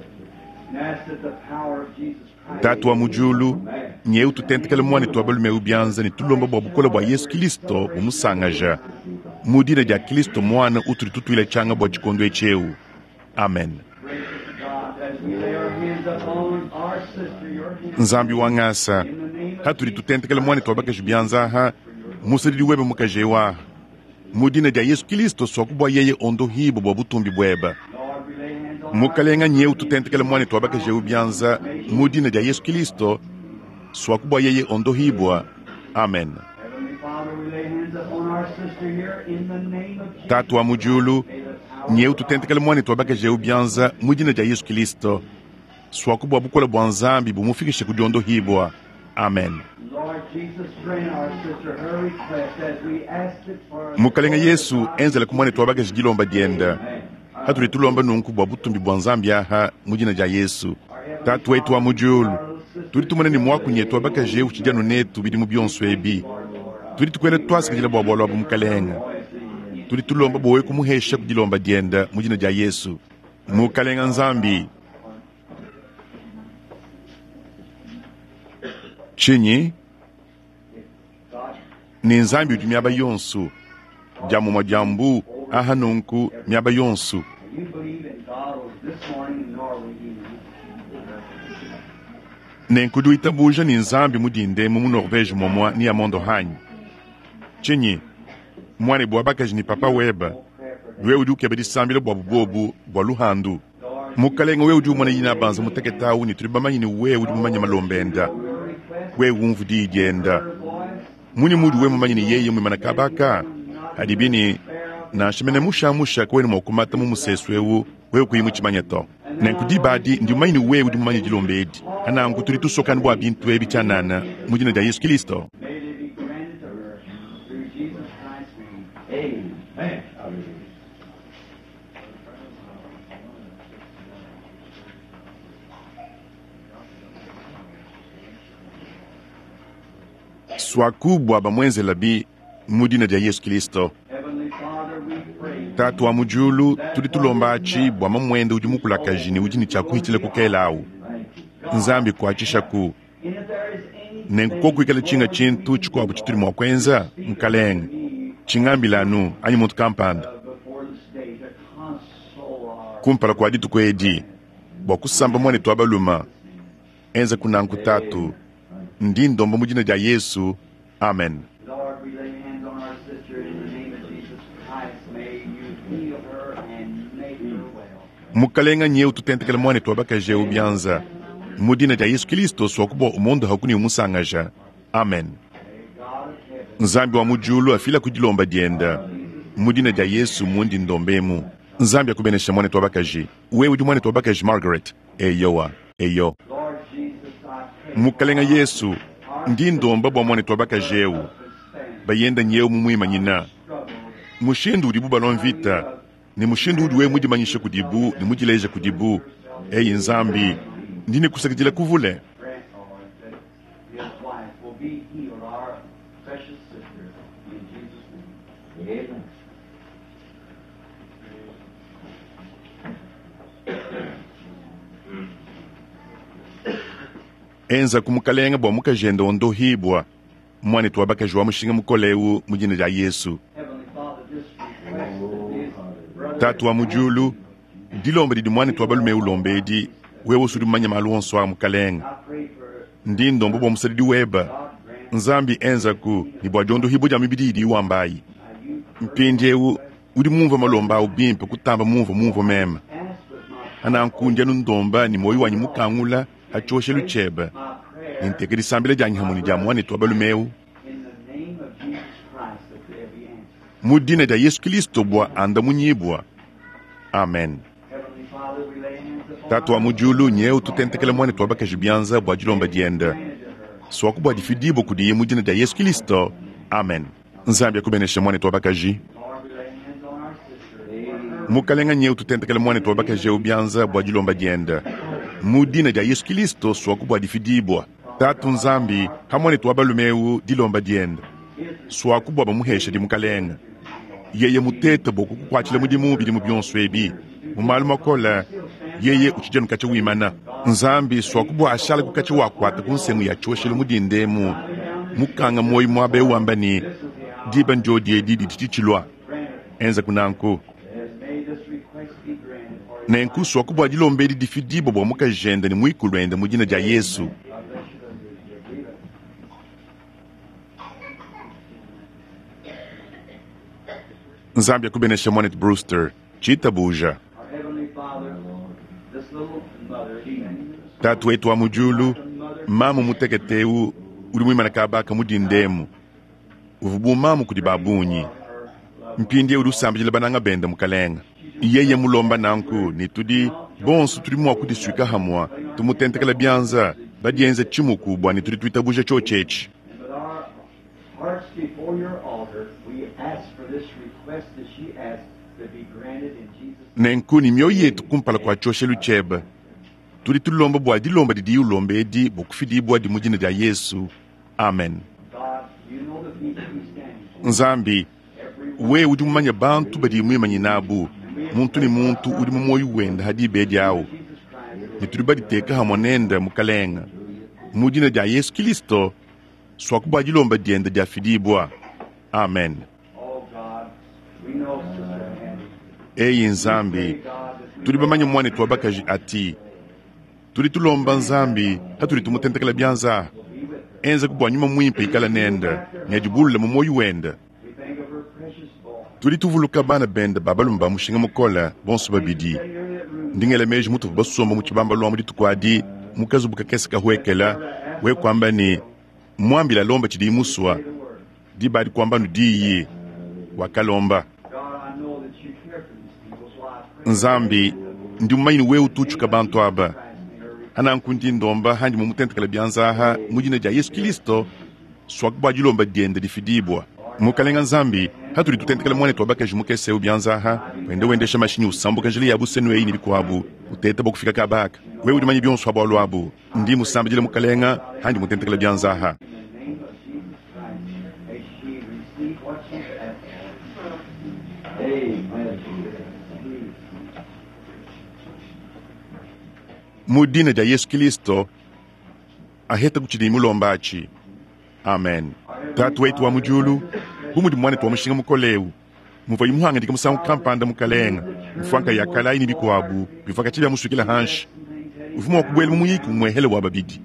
and ask that the power of Jesus Christ Tatu wa mu diulu, nyeu tutentekele mwanetu wa balume ubianza ne tulomba bua bukole bua Yesu Kristo bumusangaja. Mu dina dia Kristo mwana utuli tutuila changa bua tshikondo etshi. Amen. gracious God, as we lay our hands upon our sister, your hand. Nzambi wa ngasa, hatuli tutentekele mwanetu wa bakaji bianza aha, musadidi webe mukaji ewa. Mu dina dia Yesu Kristo swakubwa yeye ondohibo bua butumbi bweba. Lord, we lay hands on Mukalenga nyeu tutentekele mwanetu wa bakaji eu bianza mu dina dia Yesu Kristo swakubwa yeye ondohibwa. Amen. Heavenly Father, we lay hands upon our sister here in the name of Jesus. Tatu wa mu diulu, nyeu tutentekele mwanetu wa bakaji eu bianza mu dina dia Yesu Kristo swakubwa bukola bua Nzambi bumufikishe ku diondohibwa. Amen. Lord Jesus, grant our sister her request as we ask it for Mukalenga Yesu enzela ku mwanetu wa bakaji dilomba dienda. Hatuli tulomba nunku bua butumbi bua Nzambi aha mu dina dia Yesu. Tatu wetu wa mu diulu, tudi tumona ne mwakunyi etu wa bakaji eu tshidianu netu bidimu bionso ebi. Tudi tukwela twasikidila bua bualu abu mukalenga. Tudi tulomba bua wewe kumuhesha ku dilomba dienda mu dina dia Yesu. Mukalenga Nzambi, tshinyi ne Nzambi udi miaba yonso, diamumua dia mbu aha nunku miaba yonso. You believe in God this morning in Norway, you Nenku duitabuja ni Nzambi mudinde mu Norvege momwa ni amondo hanyi. Tshinyi mwane bua bakaji ni papa weba, wewe udi ukeba disambila bua bubobu bua luhandu. Mukalenga wewe udi umona yina banza muteketawu ne tuli bamanyi ne wewe udi mumanye malombenda. Wewe umvu diyi dienda. Muni mudi wewe mumanye ne yeye mwimana kabaka. Hadi bini nansha mene mushamusha kawena mua kumata mu musesu ewu wewe kuyi mutshimanye to. Nenku dibadi ndi mumanye ne wewe udi mumanye dilomba edi. Ananku tudi tusokana bua bintu ebi tshianana mu dina dia Yesu Kristo. May it be granted to her through Jesus Christ's name. Amen. Hallelujah. Swaku bua bamwenzela bi mu dina dia Yesu Kristo. Heavenly Father, we pray Tatu wa mu diulu, tudi tulomba atshi bua mamuende udi mukulakaji ne udi ne tshiakuhitshila kukela awu. Nzambi kuatshishaku. And if there is anything Nenku kokuikala tshinga tshintu tshikuabu tshitudi mua kuenza mukalenga. Tshingambila anu anyi muntu kampanda. before this day to console our Kumpala kua dituku edi bua kusamba mwanetu wa baluma enza kunanku tatu ndi ndomba mu dina dia Yesu. Amen. Lord, we lay hands on our sister in the name of Jesus Christ. May you heal her and make her well. Mukalenga nyeu tutentekele mwanetu wa bakaji eu bianza mu dina dia Yesu Kristo swakubwa umondo hakuni umusangaja. Amen. May God of heaven Nzambi wa mu diulu afila ku dilomba dienda mu dina dia Yesu mundi ndombemu. Nzambi akubenesha mwanetu wa bakaji. Wewe udi mwanetu wa bakaji Margaret. Eyowa, eyo. Lord Jesus, I pray Mukalenga Yesu ndi ndomba bua mwanetu wa bakaji eu bayenda nyeu mu muimanyina struggle mushindu udibu balwa mvita ne mushindu udi wewe mudimanyishe kudibu ne mudileje kudibu. Eyi Nzambi ndi nikusakidila kuvule. grant, Lord, that his wife will be healed, our precious sister, in Jesus' name. Amen. Enza ku mukalenga bua mukajende ondohibwa mwanetu wa bakaji wa mushinga mukole eu mu dina dia Yesu. Heavenly Father, this request that this brother Tatu wa mu diulu, dilomba didi mwanetu wa balume ulomba edi wewe usudi mumanye malu onso a mukalenga. I pray for Ndi ndomba bua musadidi weba God grant Nzambi enzaku ne bua diondohibua dia mibidi idi iwambayi. Mpindiewu udi mumvue malomba awu bimpe kutamba mumvue mumvue meme. Ananku ndi anu ndomba ne moyo wanyi mukangula ha tshioshelu tshiebe. Ne nteka disambila dianyi hamwe ne dia muanetu wa balume ewu. In the name of Jesus Christ, that there be answered. Mu dina dia Yesu Kristo bua andamunyibua. Amen. Heavenly Father, we lay hands upon Tatu wa mu diulu nyeu tutentekele muanetu wa bakaji bianza bua dilomba diende. Swaku bua difidibua kudiye mu dina dia Yesu Kristo. Amen. Nzambi akubeneshe muanetu wa bakaji. Lord, we lay hands on our sister. Mukalenga nyeu tutentekele muanetu wa bakaji eu bianza bua dilomba diende. Mu dina dia Yesu Kristo swaku bua difidibua. Tatu Nzambi, ha muanetu wa balume eu dilomba diende. Swaku bua bamuheshe di mukalenga. Yeye mutete bua kukukuatshila mudimu bidimu bionso ebi. Mu malu makola, yeye utshidi anu katshia wimana. Nzambi swaku bua ashala ku katshia wakuata ku nsengu ya tshioshelu mudindemu. Mukanga moyo muaba eu wamba ne, diba ndyodi edi didi tshitshilua. Enza kunanku. May this request be granted for his Nenku swaku bua dilomba edi difidibua bua mukajende ne muikulu ende mu dina dia Yesu. God bless you. Believe it. Nzambi akubenesha mwanetu Brewster. Tshitabuja. Our Heavenly Father, this little mother, Tatu wetu wa mu diulu, mamu mutekete eu udi muimana kabaka mudindemu. Uvu bu mamu kudi babunyi. Mpindie udi usambidila bananga bende mukalenga. Yeye mulomba nanku ne tudi bonso tudi mua kudisuika hamwa tumutentekela bianza badienze tshimuku bua ne tudi tuitabuja tshiotshi and with our hearts before your altar, we ask for this request that she asked to be granted in Jesus' Nenku ne mioyo yetu kumpala kua tshioshelu tshiebe. Tudi tulomba bua dilomba didi ulomba edi bua kufidibua di mu dina dia Yesu. Amen. God, you know the people who stand for. Nzambi, Every we udi mumanye bantu badi muimanyina nabu muntu ne muntu udi mu moyo wende hadiba edi awu. Jesus Christ, Ne tudi baditeka hamwe nende mukalenga. Mu dina dia Yesu Kristo, swaku bua dilomba diende diafidibua. Amen. oh God, we know Sister Hattie. Eyi Nzambi, tudi bamanye muanetu wa bakaji ati tudi tulomba Nzambi hatudi tumutentekela bianza. Enza ku bua nyuma muimpe ikala nende ne adibulula mu moyo wende. We think of her precious boy. Tudi tuvuluka bana bende ba balume ba mushinga mukola bonso babidi. Sitting in that room, Ndingela meji mutuvu basomba mu tshibamba lwa mu dituku adi mukazubu kakese kahwekela we kwamba ni mwambila lomba tshidi muswa the word. diba adi kwamba nu diyi wakalomba. God, I know that you care for these people, so I pray Nzambi ndi mumanyi ni wewe ututshuka bantu aba. Christ may her Ananku ndi ndomba handi mumutentekela bianza aha mu dina dia Yesu Kristo swaku bua dilomba diende difidibua. Mukalenga Nzambi hatudi tutentekela muanetu wa bakaji mukese eu bianza aha wende wendesha mashinyi usambuka njila ya busenu eyi ne bikuabu uteta bua kufika kabaka. Wewe udi manye bionso abu abu ndi musambidile mukalenga handi mutentekela bianza aha. In the name of Jesus Christ, may she receive what she's asked for. Amen. Mu dina dia Yesu Kristo aheta kutshidi mulomba atshi. Amen. Tatu wetu wa mu diulu, bu mudi muanetu wa mushinga mukole eu muvua imuhangadika musangu kampanda mukalenga mfuanka ya kalayi ne bikuabu bivua katshi bia musukila hanshi uvua mua kubuela mu muyiki umuehele wa babidi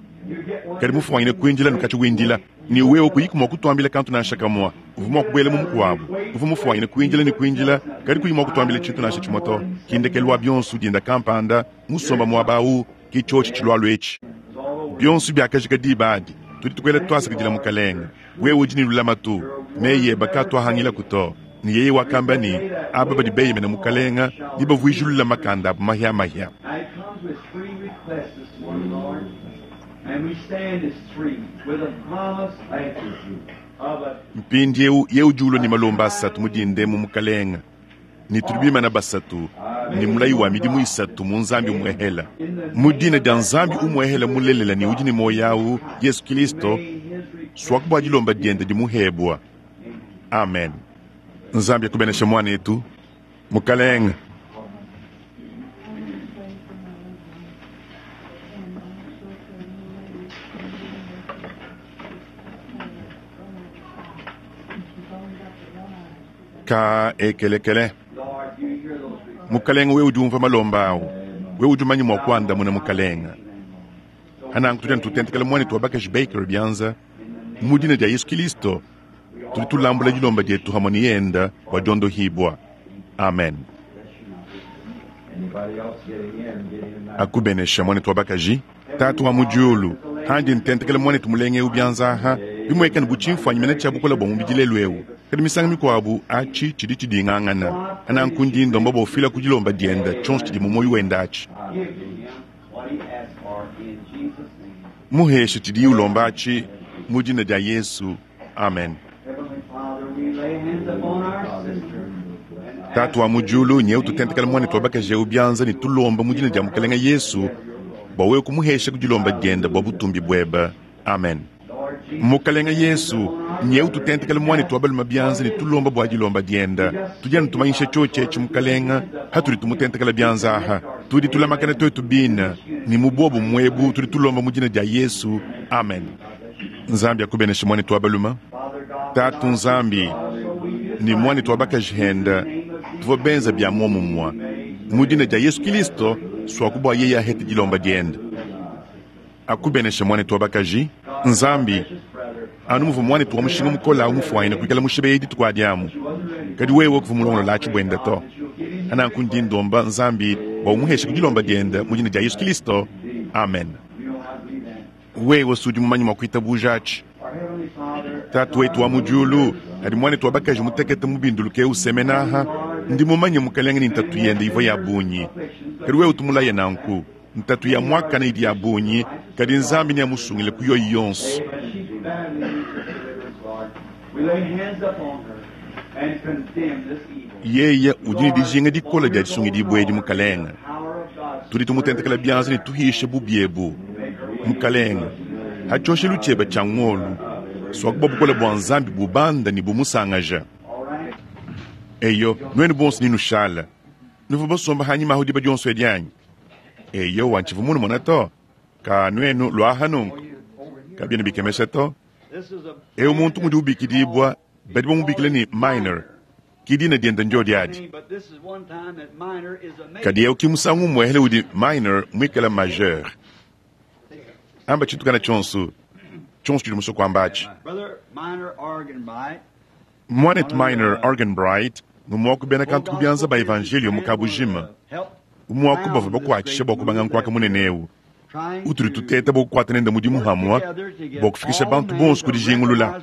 kadi mufuangine kuindila nukatshi windila ni wewe kuyiki mua kutuambila kantu nansha kamwa uvua mua kubuela mu mukuabu uvua mufuangine kuindila ne kuindila kadi kuyi mua kutuambila tshintu nansha tshimue to kindekelu wa bionso dinda kampanda musomba muaba awu ki tshiotshi tshilualu etshi bionso biakajika diba adi tudi tukwela twasakidila mukalenga wewe udi ne lulamatu meye bakatwahangila to ne yeye wakamba ne aba badi beyemena mukalenga ne bavuijilula makanda abu mahiamahia. Now he comes with three requests this morning, Lord, and we stand as three with a promise of a Mpindiewu ye udi ulua ne malomba asatu mu dindemu mukalenga ne tudi bimana basatu ne mulayi wa midimu isatu mu Nzambi umuehela mu dina dia Nzambi umuehela mulelela ne udi ne moyo awu Yesu Kristo may his request swaku bua dilomba diende dimuhebua. Amen. Nzambi akubenesha muanetu mukalenga. Ka ekelekele Lord, you hear those requests. mukalenga wewe udi umva malomba awu wewe udi umanye mua kuandamuna mukalenga. Ananku tudi anu tutentekela muanetu wa bakaji Baker bianza Mu dina dia Yesu Kilisto, tudi tulambula dilomba dietu hamwe ne yenda bua diondohibwa. Amen. Anybody else getting in, get in now. Akubenesha mwanetu wa bakaji, tatu wa mudiulu, handi ntentekele mwanetu mulenge eu byanzaha, bimwekane buchimfwanyi mene tshia bukola bwa mubidi lelu eu. Kadi misanga mikwabu achi tshidi tshidingangana. Ananku ndi ndomba bofila ku dilomba dienda tshionso tshidi mu moyo wenda achi. Give to him what he asked for in Jesus' name. Muheshe tshidi ulomba achi mu dina dia Yesu. Amen. Heavenly Father, we lay hands upon our sister. and Tatu wa mudiulu nyeu tutentekele mwanetu wa bakaji eu byanza ne tulomba mu dina dia mukalenga Yesu bua wewe kumuhesha ku dilomba dienda bua butumbi bweba. Amen. Lord Jesus, Mukalenga Yesu nyeu tutentekele mwanetu wa balume byanza ne tulomba bua dilomba dienda. Tudi anu tumanyisha tshiotshi mukalenga hatudi tumutentekela byanza aha. Tudi tulamakana twetu bina ni mu bobu mwebu tudi tulomba mu dina dia Yesu. Amen. Nzambi akubenesha mwanetu wa balume. Father God, Tatu Nzambi ni mwanetu wa bakaji henda tuvua benza bya muomumwa mu dina dia Yesu Kilisto swakubwa yeye ahete dilomba dienda. Akubenesha mwanetu wa bakaji. Nzambi anu muvua mwanetu wa mushinga mukola awu mufuanyine kuikala mushibe dituku adiamu kadi wewe kuva mulongolo lachi bwenda to ananku ndi ndomba Nzambi bua umuheshe ku dilomba dienda mu dina dia Yesu Kilisto. Amen. you know how to believe that. Wewe sudi mumanyi mwa kuitabuja achi. Our Heavenly Father, Tatu wetu wa mudiulu adi mwanetu wa bakaji mutekete mubinduluke usemenaha ndi mumanye mukalenga ni ntatu yende ivua ya bunyi kadi wewe utumulaye nanku ntatu ya mwakana idi ya bunyi kadi Nzambi ni amusungile ku yoyi yonso. but she badly needs this deliverance, Lord. We lay hands upon her and condemn this evil. Yeye udi ne dijinga dikola dia disungidibwa edi mukalenga. Power of God, Tudi tumutentekela byanza ne tuhishe bubyebu mukalenga hatshoshelu tshieba tshia ngolu swakuba bukola bua Nzambi bubanda ne bumusangaja. all right? Eyo nwenu bonso ninushala nuvu basomba hanyima aho diba dionso edianyi. Eyo wantshivu munu mona to ka nwenu lwaha nunku kabiena bikemesha to. This is a Eu muntu mudi ubikidibwa badi bamubikila ni minor kidina dienda njo diadi. but this is one time that minor is a major. Kadi eu kimusangu mwehele udi minor mwikala majeur. Amba tshitukana tshonso tshonso tshidi musoko ambachi. Brother Minor Arganbright, Mwanetu Minor Arganbright ngumwaku bena kantu kubyanza ba evangelio mukabujima help umwaku bavua bakuatshisha bua kubanga nkuaka munene eu trying utudi to tuteta bua kukuata nende mudimu hamwa bua kufikisha bantu bonso ku dijingulula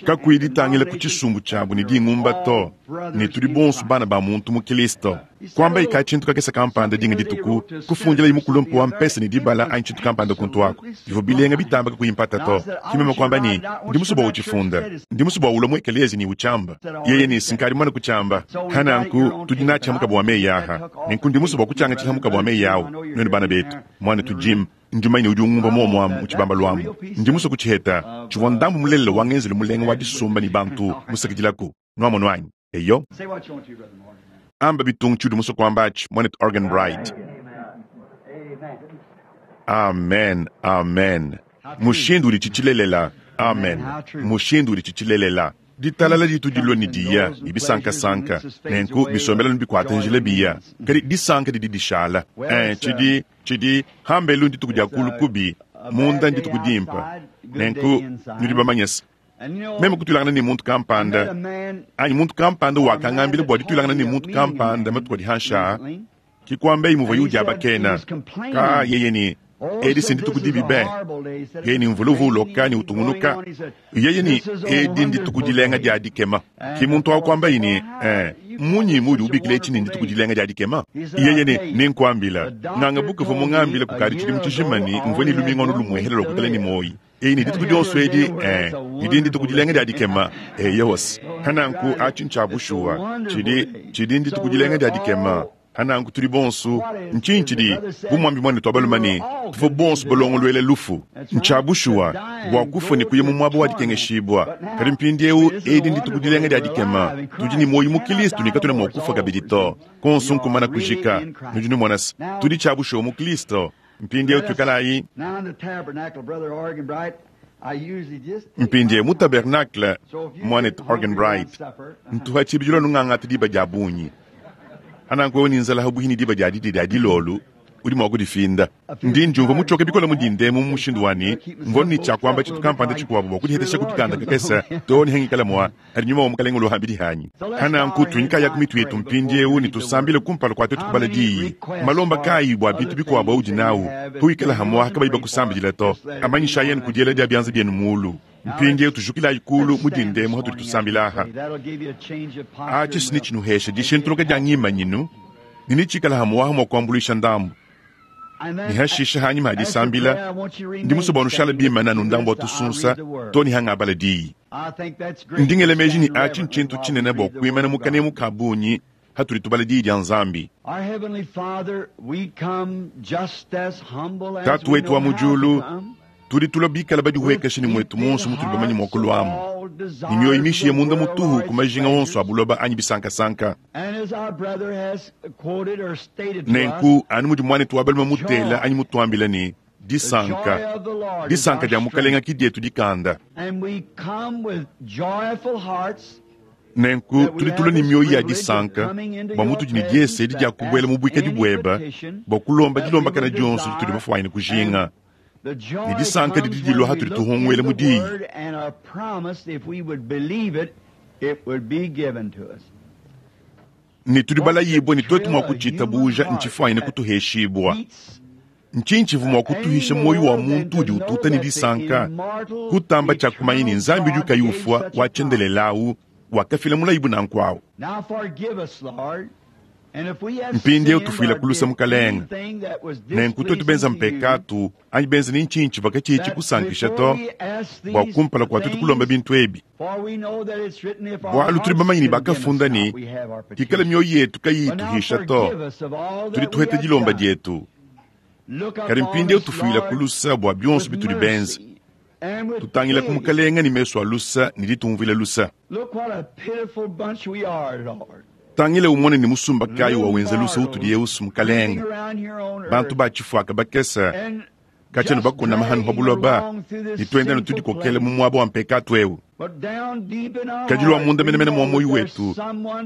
kakuyi ditangila ku tshisumbu tshiabu ne dingumba to ne tudi bonso bana ba muntu mu Kilisto. Kwamba ika tshintu kakesa kampanda dinga dituku kufundila imukulumpu wa mpesa ne dibala anyi tshintu kampanda kuntu ako bivua bilenga bitamba kakuyimpata to kimema kwamba ni ndi musu bua uchifunda ndi musu bua ulwa mu ekelezi ni uchamba yeye ni sinkali mwana kuchamba hananku tudi natshihamuka bua meyi aha nenku ndi musu bua kutshianga tshihamuka bua meyi awu nwenu bana betu mwana tu Jim njumaine udi ungumba muomuamu muchibamba lwamu ndi musu kutshiheta tshivua ndambu mulelela wa ngenzelu mulenga wa disumba ni bantu musakidilaku nwamonu anyi eyo Say what you want to, Brother Morgan. amba bitungu tshidi musu kwambachi mwanetu Arganbright. Amen. Amen, amen. Mushindu udi tshitshilelela. Amen. Mushindu udi tshitshilelela. Ditalala ditu dilua ne diya ne bisankasanka nenku bisombela bikuata njila biya kadi disanka didi dishala. Eh, tshidi tshidi hambelu ndituku dia kulu kubi munda ndituku dimpa nenku nudi bamanyesa And you know, meme kutulangana ne muntu I met a kampanda man anyi muntu kampanda wakangambila bua ditulangana ne muntu kampanda matuku adi hansha recently. kikwamba imuva yudi abakena ka yeye ni edi sindituku dibi be yeye ni mvula uloka ni utungunuka yeye ni edi ndituku dilenga dia dikema ki muntu wakwamba ini eh, munyi mudi ubikila etshi ni ndituku dilenga dia dikema yeye ni ninkwambila nganga bukuva mungambila kukadi tshidimu tshijimani mvue ni lumingono lumwehele lwa kutala ni moyi eyi ni dituku dionso edi eh, idi ndituku dilenga dia dikema eyosi hananku atshi ntsha bushuwa tshidi tshidi ndituku dilenga dia dikema hananku tuli bonso ntshinyi tshidi bumwambi mwane twabalumani tuvua bonso balongolwele lufu ntsha bushuwa bua kufua ne kuya mu muaba wa dikengeshibwa kadi mpindiewu edi ndituku dilenga dia dikema tudi ne moyo mu kilistu ne katuna mua kufua kabidi to konso nkumana kujika nudi numonasa tudi tsha bushuwa mu kilisto mpindiewu tuikalayi Now in the tabernacle, Brother Arganbright, I usually just take mpindie my mu tabernacle So if you mwanetu get hungry around Arganbright supper, ntuha tshibidilo nung'ang'ata diba dia bunyi ananku wewe ni nzala habuhi ni diba dia didi dia dilolu Udi mua kudifinda. Ndi ndiumvua mutshoke bikole mu dinda emu mu mushindu wa ne, mvua ne tshia kuamba tshintu kampanda tshikuabu bua kudihetesha ku dikanda kakese too ne hangikala mua adi nyuma wa Mukalenge uluhambidi hanyi. Hananku tunyikayaku mitu yetu mpindiewu ne tusambile kumpala kua tuetu kubala diyi. Malomba kayi bua bintu bikuabu audi nawu, huikala hamwaha kabayi bakusambidila to. Amanyishayi anu ku diela dia bianza bienu mulu. Mpindiewu tujukilayi kulu mu dinda emu hatudi tusambila aha. Atshi si netshinuhesha dishintuluka dia ngimanyinu, ne netshikala hamwaha mua kuambuluisha ndambu. Ne hashisha hanyima ha disambila, ndi musue bua nushala bimana anu ndambu wa tusunsa to ne hangabala diyi. Ndi ngela meji ne atshi ntshintu tshinene bua kuimana mu kanemu ka bungi hatudi tubala diyi dia Nzambi. Tatu wetu wa mu diulu, tudi tulua bikala badihuekesha ne muetu muonso mutudi bamanye mua kuluamu, ne mioyo mishiye munda mutuhu ku majinga onso a buloba anyi bisankasanka. Nenku anu mudi muanetu wa balume mutela anyi mutuambila ne disanka, disanka dia Mukalenga ki dietu dikanda. Nenku tudi tulua ne mioyo ya disanka bua mutudi ne diese edi dia kubuela mu buikadi bueba bua kulomba dilombakana dionso ditudi bafuanyine kujinga. Ne disanka didi dilua hatudi tuhunguela mu diyi. Ne tudi balayibue ne tuetu mua kutshitabuja ntshifuanyine kutuheshibua. Ntshinyi tshivua mua kutuhisha muoyo wa muntu udi ututa ne disanka kutamba tshia kumanya ne Nzambi udi kayi ufua wa tshiendelelawu wakafila mulayibu nanku awu. Mpindiewu tufuila kulusa Mukalenga. Nenku tuetu benza mpekatu anyi benza ne ntshinyi tshivua katshiyi tshikusankisha to bua kumpala kua tuetu kulomba bintu ebi. Bualu tudi bamanye ne bakafunda ne hikala mioyo yetu kayiyi ituhisha to, tudi tuheta dilomba dietu. Kadi mpindiewu tufuila kulusa bua bionso bitudi benza. Tutangila ku Mukalenga ne mesu a lusa ne ditumvuila lusa. Tangila umone ne musumba kayi wa wenza lusa utudi yeusu Mukalenga. Bantu ba tshifuaka bakesa katshiena bakona mahanu pa buloba ne tuenda ne tudikokela mu muaba wa mpekatu ewu. Kadi lua munda menemene mua moyo wetu,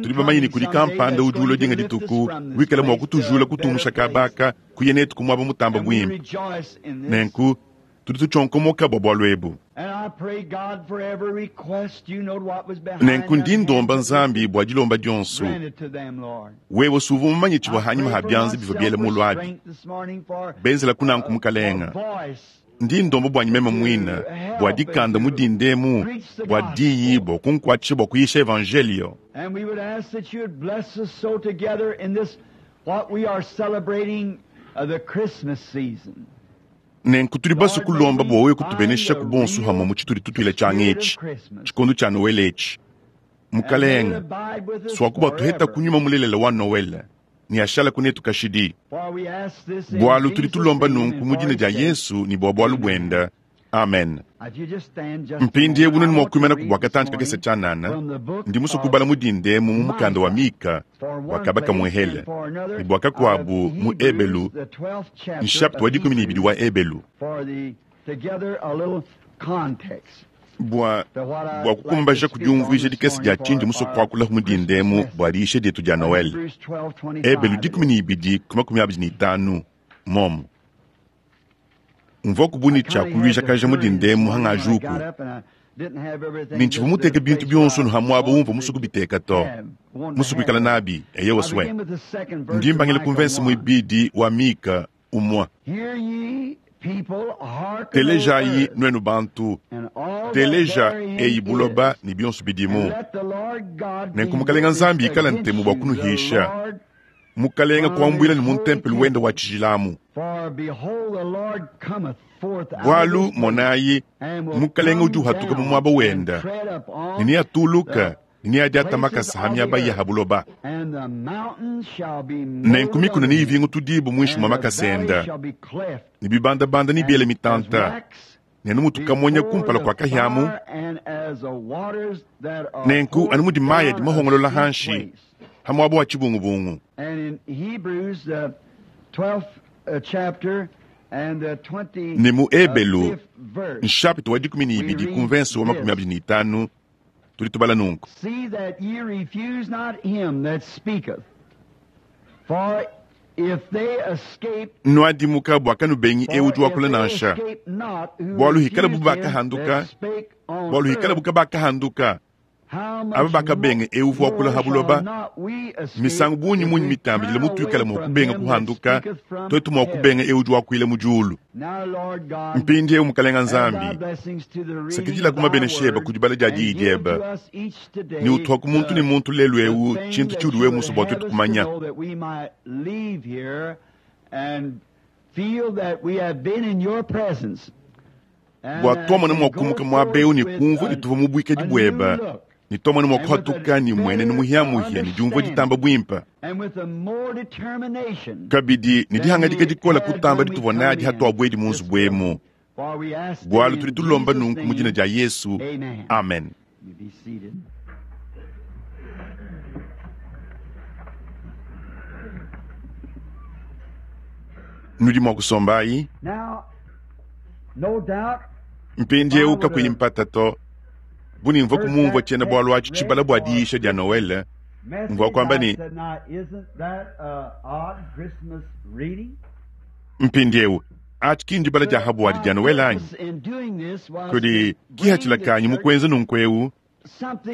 tudi bamanye ne kudi kampanda udi ulua dinga dituku wikala mua kutujula kutumusha kabaka kuya netu ku muaba mutamba buimpe. Nenku tudi tutshonkomoka bua bualu ebu. Nenku ndi ndomba Nzambi bua dilomba dionso. Wewe suvua mumanye tshivua hanyima ha bianza bivua biela mulu abi. Benzela kunanku Mukalenga. Ndi ndomba buanyi meme muina bua dikanda mu dindemu bua diyi bua kunkuatshisha bua kuyisha evangelio. Nenku tudi basue kulomba bua wewe kutubenesha ku bonso hamwe mu tshitudi tutuila tshianga etshi, tshikondo tshia Noel etshi. Mukalenga, swaku batuheta kunyuma mulelela wa Noel ne ashala kunetu kashidi. Bualu tudi tulomba nunku mu dina dia Yesu ne bua bualu buenda. Amen. Mpindiewu nunu mua kuimana ku bua katanji kakese tshianana, ndi musue kubala mu dindemu mu mukanda wa Mika wa kabaka muehele ne bua kakuabu mu Ebelu, nshapita wa dikumi ne ibidi wa Ebelu. Bua bua kukumbaja kudiumvuija dikese dia tshindi musue kuakula mu dindemu bua diisha dietu dia Noel. Ebelu dikumi ne ibidi ku makumi abidi ne itanu momo. Mvua kubuni tshia kuluijakaja mu dindemu hangajuku. Ne ntshivua muteke bintu bionso nu hamuaba umvua musue kubiteka to. Musue kuikala nabi, eye waswe. Ndi mbangila ku mvensi muibidi wa Mika umua. Telejayi nuenu bantu, teleja eyi buloba ne bionso bidimu. Nenku Mukalenga Nzambi ikala ntemu bua kunuhisha. Mukalenga kuambuila ne mu ntempelo wenda wa tshijilamu. Bualu monayi, Mukalenga udi uhatuka mu muaba wenda, ne neatuluka ne neadiata makasa ha miaba ya ha buloba. Nenku mikuna neivingu tudibu muinshi mua makasa enda, ne bibandabanda nebiele mitanta, ne numutukamonya kumpala kua kahiamu. Nenku anu mudi mayi adi mahongolola hanshi ha muaba wa tshibungubungu. Ne mu Ebelu, nshapita wa dikumi ne ibidi ku mvensi wa makumi abidi ne itanu, tudi tubala nunku. Nuadimuka bua kanubengi eu udi wakula nansha. Bualu hikalabu bakahanduka, bualu hikalabu kabakahanduka, aba bakabenga eu uvua wakula ha buloba, misangu bungi munyi mitambidile mutuikala mua kubenga kuhanduka, tuetu mua kubenga eu udi wakuila mu diulu. Mpindieu Mukalenga Nzambi, sakidila ku mabenesha ebe ku dibala dia diyi diebe, ne utuaku muntu ne muntu lelu eu tshintu tshiudi wewe musue bua tuetu kumanya. Bua tuamona mua kumuka muaba eu ne kumvua ne tuvua mu buikadi buebe, ne tuamona mua kuhatuka ne muenenu muhiamuhia ne diumvua ditamba buimpe. Kabidi ne dihangadika dikola kutamba dituvua nadi hatuabuedi mu nzubu emu. Bualu tudi tulomba nunku mu dina dia Yesu. Amen. Nudi mua kusombayi. Mpindieu kakuyi mpata to, bu nimvua kumumvua tshiena bualu atshi tshibala bua diisha dia Noele, mvua kuamba ne, mpindieu atshi ki ndibala dia habuadi dia Noele anyi? Kudi kihatshila mu kuenza nunku eu,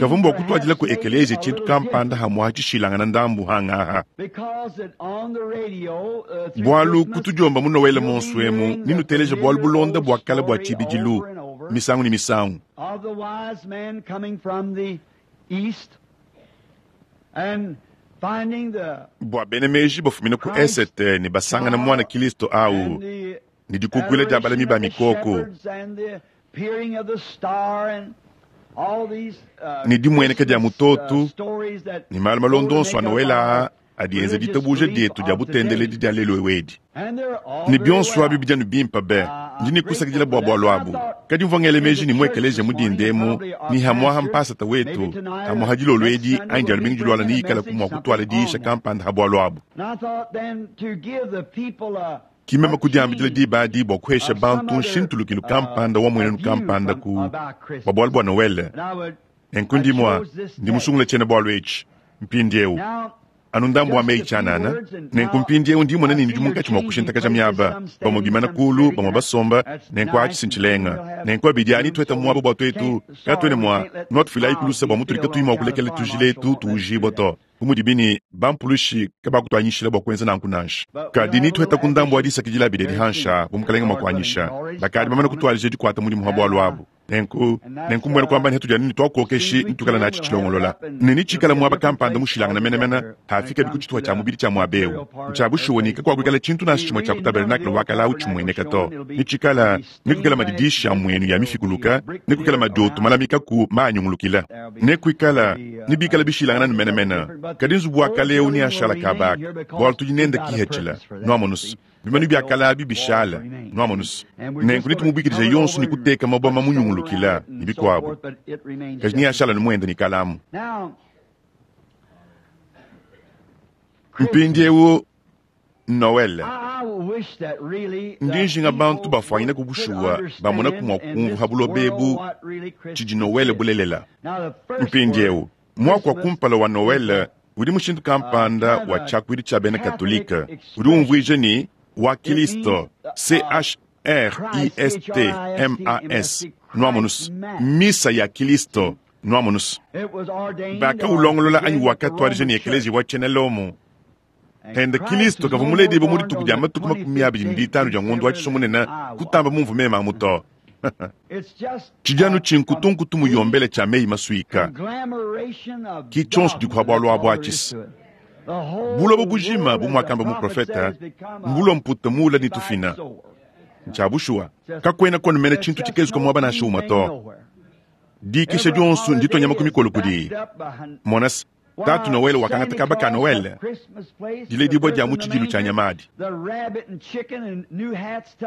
kavua mbua kutuadila ku ekelezia tshintu kampanda hamua tshishilangana ndambu hangaha. Bualu kutudiomba mu Noele monso emu ninuteleja bualu bulonda bua kala bua tshibidilu misangu ne misangu. Bua bena meji bafumina ku esete ne basangana mwana Kristo au ne dikukuila dia balami ba mikoko ne dimueneka dia mutoto ne malu malondo onso a Noele aa adi enza ditabuja dietu dia butendeledi dia lelu ewedi. Ne bionso abi bidianu bimpe be, ndi ne kusakidila bua bualu abu. Kadi mvua ngele meji ne muekeleja mu dindemu ni hamuaha mpasata wetu hamuaha dilolo edi anyi dia lumingu diluala ne ikala mua kutuala diisha kampanda ha bualu abu. Kimema kudiambidila diba adi bua kuhesha bantu nshintulukilu kampanda wa muenenu kampanda ku bua bualu bua Noele. Nenku ndi mua ndi musungule tshiena bualu etshi mpindieu. Anu ndambu wa meyi tshianana, nenku mpindieu ndi mona ne ndi munkatshi mua kushintakaja miaba, bamue bimana kulu, bamue basomba, nenku atshi sintshilenga. Nenku abidi ani tueta muaba bua tuetu, katuene mua nuatufilayi kulusa bua mutudi katuyi mua kulekela tujila etu tuujibua to. Bu mudibi ne bampulushi kabakutuanyishila bua kuenza nanku nansha. Kadi nitueta ku ndambu wa disakidila abidi adi hansha, bu mukalenga mua kuanyisha. Bakadi bamana kutualija dikuata mudimu wa bualu abu. Nenku, nenku mbwena kwamba nhetu dia nini twakuokeshi nitukala nachi tshilongolola. Ne nitshikala muaba kampanda mushilangana menemene, hafika biku tshituha tshia mubidi tshia muaba eu. Ntshiabushuwa ni kakuakuikala tshintu nansha tshimue tshia ku tabernacle wakala au tshimueneka to. Nitshikala, nikuikala madidisha muenu ya mifikuluka, nikuikala madoto malamika ku maanyungulukila. Nekuikala, nibikala bishilangana nu menemene. Kadi nzubu wa kale eu ni ashala kabaka, bualu tudi nenda kihetshila, nuamonusu. Bimanu bia kala abi bishala, nuamonusu. Nenku nitumubikidija yonso ni kuteka mabwa mamunyungulukila ni bikuabu. Kaji ni ashala ni mwenda ni kalamu. Mpindieu Noel. Ndi njinga bantu bafuanyina kubushuwa bamona kumua kumvu ha buloba ebu tshidi Noel bulelela. Mpindieu mwaku wa kumpala wa Noel udi mushindu kampanda wa tshiakuidi tshia bena Katolika udi umvuija ni wa Kristo, C H R I S T M A S, nuamonus, misa ya Kristo, nuamonus. Bakaulongolola anyi wakatuadija ni ekelezia wa tshiena Lomo. Henda Kristo kavua muledibe mu dituku dia matuku makumi abidi ne ditanu dia ngondo wa tshisomunene kutamba mumvu mema amu to. Tshidianu tshinkutunkutu muyombele tshia meyi masuika. Ki tshionso dikuha bualu abu atshisa. Buloba bujima bu muakamba muprofeta, mbulua mputa muula ni tufina. Ntshiabushuwa, kakuena konumena tshintu tshikezuka muaba nansha umue to. Dikisha dionso nditonyama ku mikolo kudi. Monas, tatu Noele wakangata kaba ka Noele, diledibua dia mu tshidilu tshia nyamadi.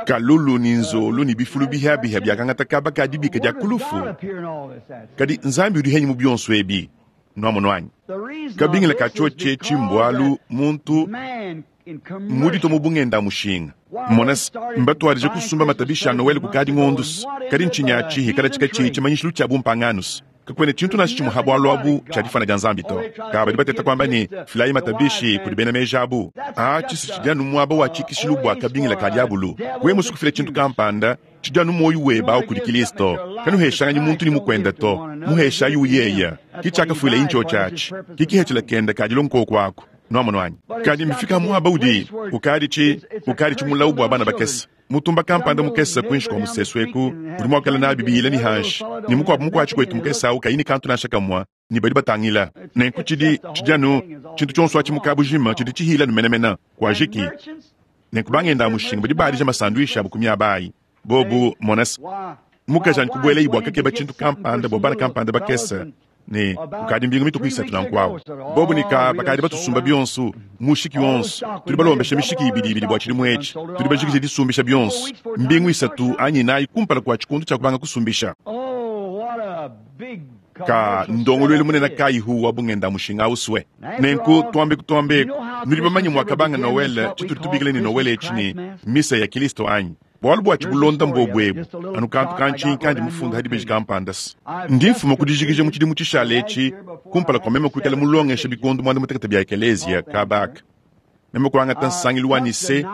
Kalulu ni nzolu ni bifulu bihabiha biakangata kaba ka dibika dia kulufu. Kadi Nzambi udi henyi mu bionso ebi, nuamono anyi. Kabingila ka tshiotshi etshi mbualu muntu mudito mu bungenda mushinga. Monas, mbatuadije kusumba matabisha a Noele kukadi ngondus. Kadi ntshinyi atshi hikala tshika tshiyi tshimanyishilu tshia bumpanganus. Kakwena tshintu nansha tshimwe ha bwalu abu tshia difana dia Nzambi to. Ka badi bateta kwamba ne, filayi matabishi kudi bena meji abu. A tshisi tshidi anu muaba wa tshikishilu bua kabingila ka diabulu. Wewe musukufila tshintu kampanda, tshidi anu muoyo webe awu kudi Kristo. Kanuheshanganyi muntu ni mukwenda to. Muheshayi uyeya. Ki tshiakafuila incho tshiatshi. Ki kihethela kenda ka dilongo kwako. Nwamonu wanyi. Kadi mfika muaba udi ukadi tshi ukadi tshimulawu bua bana bakese. Mutumba kampanda mukese kwinshi kwa musesu eku udi muakala nabi biyila ni hanshi ni mukuabu mukuatshi kwetu mukese awu kayini kantu nansha kamwa ni badi batangila nenku tshidi tshidi anu tshintu tshionso atshi mukabujima tshidi tshihila numenemena kwajiki nenku bangenda mushinga badi badija masanduisha abu kumiaba ayi bobu monas mukaji kubuela ibwa kakeba tshintu kampanda bua bana kampanda bakese ne ukadi mbingu mituku isatu nanku bobu nika bakadi batusumba bionso mushiki wonso tudi balombesha mishiki ibidi ibidi bua tshidimu etshi tudi bajikije disumbisha bionso mbingu isatu anyi nayi kumpala kua tshikundu tshia kubanga kusumbisha ka ndongoluelu munene kayihu wa bungenda mushinga uswe nenku twambe kutwambeku nudi bamanye mwakabanga Noel tshitudi tubikile ni Noel etshi ni misa ya Kristo anyi bwalu bwa tshibulonda mbobwebu anu kantu kanchinyi kandi mufunda hadi beji kampandasi ndi mfuma kudijikija mu tshidimu tshishala etshi kumpala kwa meme kuikala mulongesha bikondu mwanda mutekete bia ekelezia kabaka meme kuangata nsangilu wa Nise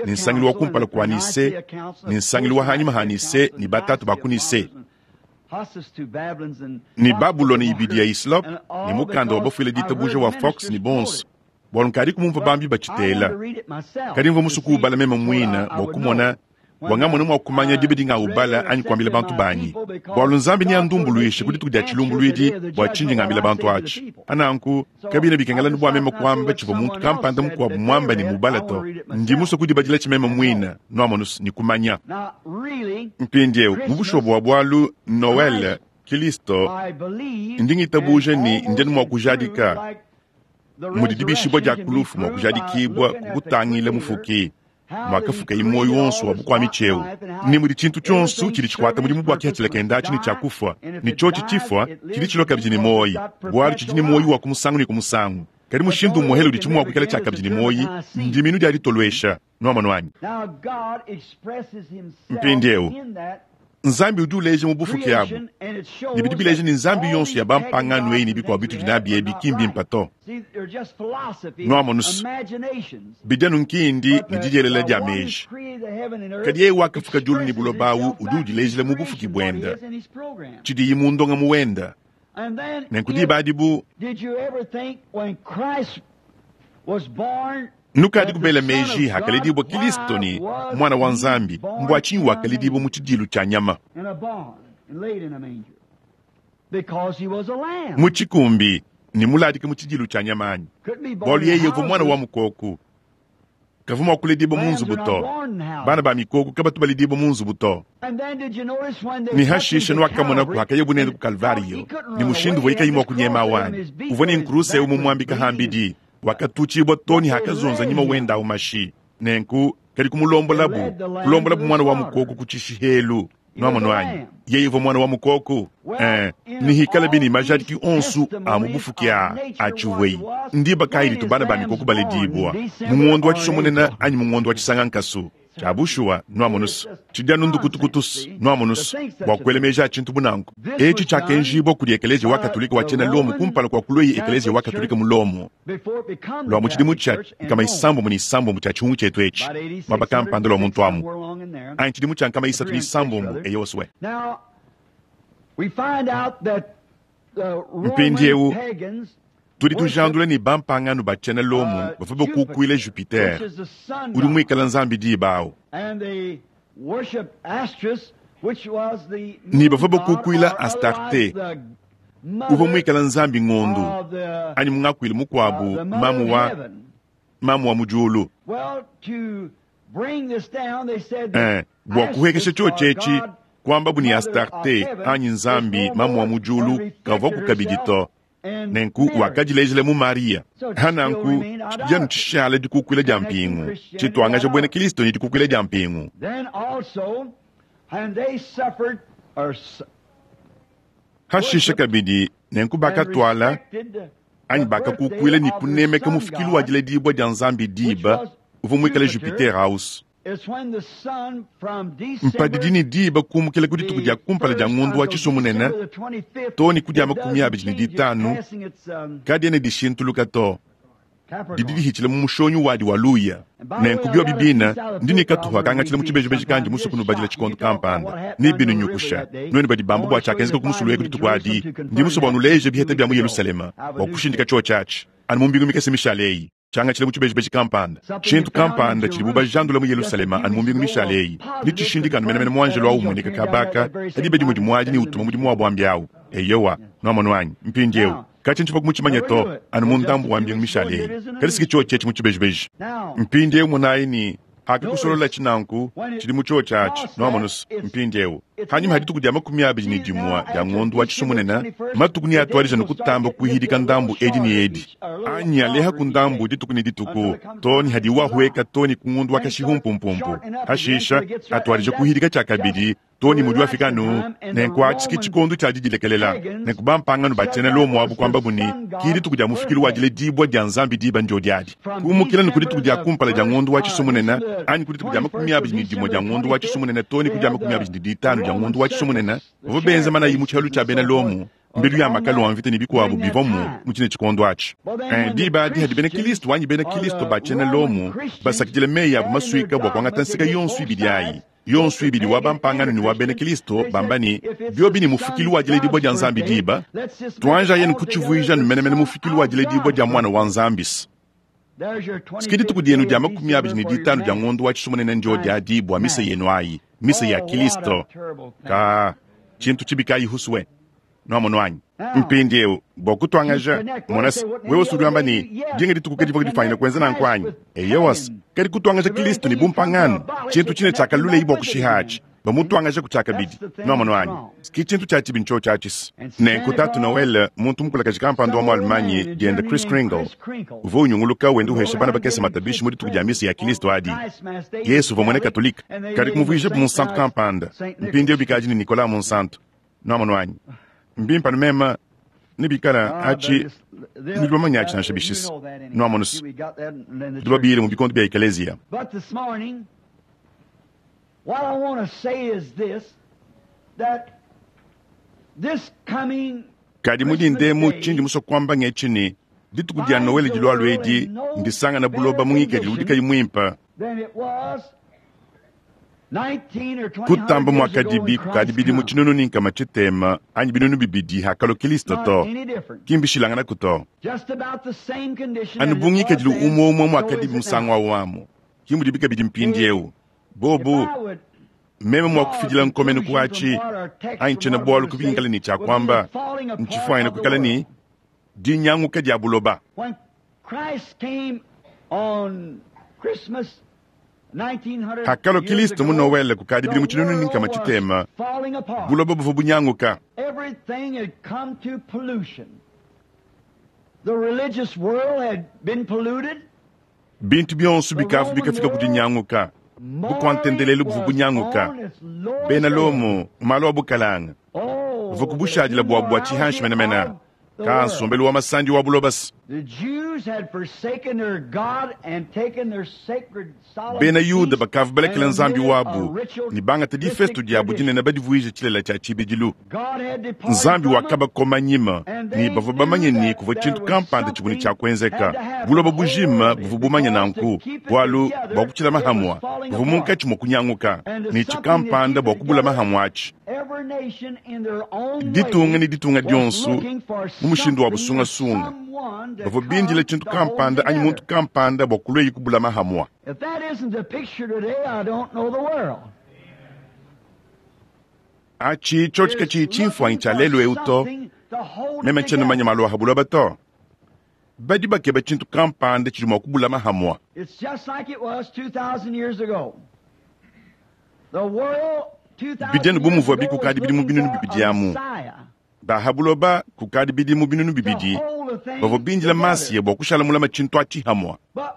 ni nsangilu wa kumpala kwa Nise ni nsangilu wa hanyima ha Nise ni batatu ba ku Nise ni Babuloni ibidi ya Islop ni mukanda wa bafuile ditabuja wa Fox ni bonso bwalu nkadi kumumva bambi batshitela kadi mva musuku ubala meme mwina bwa kumona bwangamona mwa kumanya dibe dinga ubala anyi kuambila bantu banyi bwalu nzambi ni andumbuluishe kudituku dia tshilumbuluidi bua tshinji ngambila bantu atshi ananku kabina bikengela bua meme kuamba tshivua muntu kampanda mukuabu muamba ni mubala to ndi musue kudibadila tshimeme mwina nuamonus ni kumanya mpindiewu mu bushuwa bua bwalu Noel Kristo ndi ngitabuja ni ndeni mua kujadika mudi dibishibwa dia kulufu mua kujadikibwa kukutangila mufuki mwakafuka imoyo wonso wa bukwami tsheu ni mudi tshintu tshionso tshidi tshikwata mudimu bua kihatshila kenda atshi ni tshia kufwa ni tshotshi tshifwa tshidi tshiloka bidi ni moyi bwalu tshidi ni moyi wa kumusangu ni kumusangu kadi mushindu umuhele udi tshimu wa kuikala tshia kabidi ni moyi ndiminu dia ditolwesha nwamonu wanyi mpindiewu Nzambi udi uleja mu bufuki abu ne bidi bileja ni nzambi yonso ya bampangano eyi ne bikuabu bitudi nabi ebi ki mbimpa to nwamonu bidi anu nkindi ne didielela dia meji kadi yeye wakafuka diulu ne buloba awu udi udilejela mu bufuki buenda tshidiyi mu ndonga mu wenda nenku diba adibu nukadi kubela meji hakalidibwa Kristo ni mwana wa Nzambi mbwa tshinyi wakalidibwa mu tshidilu tshia nyama mu tshikumbi ni muladika mu tshidilu tshia nyama anyi bwalu yeye uvua mwana wa mukoku kavua mua kuledibwa mu nzubu to bana ba mikoku kabatu balidibwa mu nzubu to ni hashisha nuakamonaku hakaye bunene ku Kalvario ni mushindu uvua mua kunyema awanyi uvua ni nkuruse umu muambika hambidi wakatuchibwa toni hakazonza nyima wenda umashi nenku kadi kumulombolabu kulombolabu mwana wa mukoku kuchishihelu nwamonu anyi yeye uvua mwana wa mukoku eh, nihikala bini majadiki onsu a mubufuki a atshiweyi ndiba kayi litu bana ba mikoko baledibwa mungondo wa tshisomonena anyi mungondo wa tshisangankasu tshia bushuwa nwamonusu tshidi anu ndukutukutusu nwamonusu bua kuela meji a tshintu bunanku etshi tshiakenjibwa kudi ekelezia wa katolika wa tshiena Lomo kumpala kua kulweyi ekelezia wa katolika mu Lomo lwa mu tshidimu tshia nkama isambombo ni isambombo tshia tshihungu tshietu etshi muaba kampanda lwa muntu amu anyi tshidimu tshia nkama isatu ni isambombo eyoswe mpindiewu tudi tujandula ni bampangano ba tshiena Lomo bavua bakukuila Jupiter udi muikala nzambi diba awu ni bavua bakukuila Astarte uvua muikala nzambi ngondu anyi mungakuile mukuabu mamu wa mamu wa mudiulu eh, bua kuhekesha tshiotshi etshi kuamba bu ni Astarte anyi nzambi mamu wa mudiulu kavua kukabidi to nenku wakadilejela mu Maria hananku tshidi tshishala dikukuila dia mpingu tshituangaja buena Kristo ni dikukuila dia mpingu hashisha kabidi nenku bakatwala anyi bakakukuila ni kunemeka mufikilu wa diledibwa dia nzambi diba uvua muikale Jupiter house Mpadidi ne diba kumukila ku dituku dia kumpala dia ngondo wa Tshisua-munene too ne ku dia makumi abidi ne ditanu, kadiena dishintuluka to. Didi dihitshila mu mushonyi wadi wa luya. Nenku biobi bina ndi ne katupa kangatshila mu tshibejibeji kandi musue kunubadila tshikondo kampanda ne binunyukusha nuenu badi bamba bua tshiakenzeka ku musulu weku dituku adi. Ndi musue bua nuleje biheta bia mu Yerusalema bua kushindika tshiotshi atshi anu mu mbingu mikese mishale eyi. Tshiangatshila mu tshibejibeji kampanda, tshintu kampanda tshidibu bajandula mu Yerusalema anu mu mbingu mishale eyi, ne tshishindika anu menemene muanjelo awu umueneka kabaka adi badi mudi muadi ne utuma mudimu wa buambi awu. Eyowa, nuamonu anyi mpindieu katshi ntshipa kumutshimanya to anu mu ndambu wa mbingu mishale eyi, kadi siki tshiotshi etshi mu tshibejibeji. Mpindieu monayi ne akakusolola tshinanku tshidi mu tshiotshi atshi nuamonusu. Mpindieu hanyuma ha dituku dia makumi abidi ne dimua dia ngondo wa Tshisua-munene, matuku ne atuadija ne kutamba kuhidika ndambu edi ne edi anyi aleha ku ndambu dituku ne dituku to ne hadi wahueka to ne ku ngondo wa kashihu-mpumpumpu. Hashisha atuadija kuhidika tshiakabidi to ne mudi wafika anu nenku atshi tshikondo tshia didilekelela. Nenku bampangano batshiena Lomo abu kuambabu ne ki dituku dia mufikilu wa diledibua dia Nzambi diba ndio diadi. Kumukila ne ku dituku dia kumpala dia ngondo wa Tshisua-munene anyi ku dituku dia makumi abidi ne dimue dia ngondo wa Tshisua-munene to ne ku dia makumi abidi ne ditanu dia ngondo wa Tshisua-munene, bavua benza manayi mu tshialu tshia bena Lomo, mbilu ya makalo a mvita ne bikuabu bivua mu mu tshine tshikondo atshi. Diba adi hadi bena Kristo anyi bena Kristo ba tshiena Lomo basakidile meyi abu masuika bua kuangata nseka yonso ibidi ayi, yonso ibidi wa bampangano ne wa bena Kristo, bamba ne biobi ne mufikilu wa diledibua dia Nzambi diba, tuanja yenu kutshivuija menemene mufikilu wa diledibua dia mwana wa Nzambi. Siki dituku dienu dia makumi abidi ne ditanu dia ngondo wa Tshisua-munene ndio diadi bua misa yenu ayi, misa ya Kristo. Ka tshintu tshibi kayi huswe nuamono anyi. Mpindieu bua kutuangaja monasi wewe usudi wamba ne dinga dituku kadivua difanyina kuenza nanku anyi. Eyowas, kadi kutuangaja Kristo ne bumpangano tshintu tshine tshiakalulei bua kushiha atshi bamutuangaja ku tshiakabidi nuamono anyi. Ki tshintu tshia tshibi ntsho tshiatshisi. Nenku tatu Noel, muntu mukulakaji kampanda wa mu Allemagne diende Chris Kringle, uvua unyunguluka wenda uhesha bana bakese matabishi mu dituku dia misa ya Kristo adi. Yesu uvua muena Katolika, kadi kumuvuijabu munsantu kampanda. Mpindieu bikadi ne Nicolas munsantu nuamono anyi. Mbimpa mema ne bikala atshi nudi atshi nansha bishisa nuamonusu tudi babiyile mu bikondo bia ekeleziya. But this morning, what I want to say is this, that this coming Kadi mudi ndemu tshindi musue kuamba ngetshi ne dituku dia Noel dilualu edi ndisangana buloba mu ngikadilu udi kayi muimpe than it was nineteen or twenty kutamba years ago mwakadibi when kukadi Christ bidimu come. tshinunu ne nkama tshitema anyi binunu bibidi hakalua Kristo Not to any different. kimbishilanganaku to. Just about the same condition Anu as it bu was ngikadilu then, umwe umwe so is mwakadibi it musangu now. awu amu kimudibi kabidi mpindieu bobu If I would meme mwakufidila nkomenu kuatshi anyi tshiena bualu kubinkala ne tshiakuamba ntshifuanyina kuikala ne dinyanguka dia buloba. When Christ came on Christmas nineteen hundred Hakalua years Kristo mu ago, Noel kukadi bidimu the tshinunu ne world nkama was tshitema, falling apart. buloba buvua bunyanguka. Everything had come to pollution. The religious world had been polluted. Bintu bionso bikavu bikafika ku dinyanguka. Bukwantendelelu buvua bunyanguka. Bena Lomo malu a bukalanga Oh, buvua kubushadila bua bua tshihanshi menemene ka nsombelu wa masandi wa bulobasi. The Jews had forsaken their God and taken their sacred solemn Bena Yuda feast bakavu balekela and Nzambi omitted a wabu ritual ne bangata difesto diabu dinene badivuije tshilela tshia tshibidilu. God had departed Nzambi from them, wakabakoma nyima ne bavua bamanye ne kuvua tshintu kampanda tshivua ne tshia kuenzeka. Buloba bujima buvua bumanye nanku bualu bua kutshila mahamwa buvua munkatshi mua kunyanguka ne tshikampanda bua kubula mahamwa atshi. Every nation in their own Ditunga way ne ditunga was dionso looking for mu mushindu wa something or busungasunga someone to bavua come bindila tshintu to hold kampanda anyi together. muntu kampanda bua kulweyi kubula mahamwa. If that isn't the picture today, I don't know the world. Atshi tshiotshika tshiyi tshimfuanyi tshia lelu eu to meme ntshiena manya malu a buloba to. Badi bakeba tshintu kampanda tshidi mua kubula mahamwa. It's just like it was two thousand years ago. The world two thousand Bidianu bu years muvua ago was bikukadi bidimu looking binunu for bibidi a amu. Messiah Baha buloba kukadi bidimu binunu to bibidi hold the thing bavua bindila together. masiya bua kushala mulama tshintu atshi hamwa. But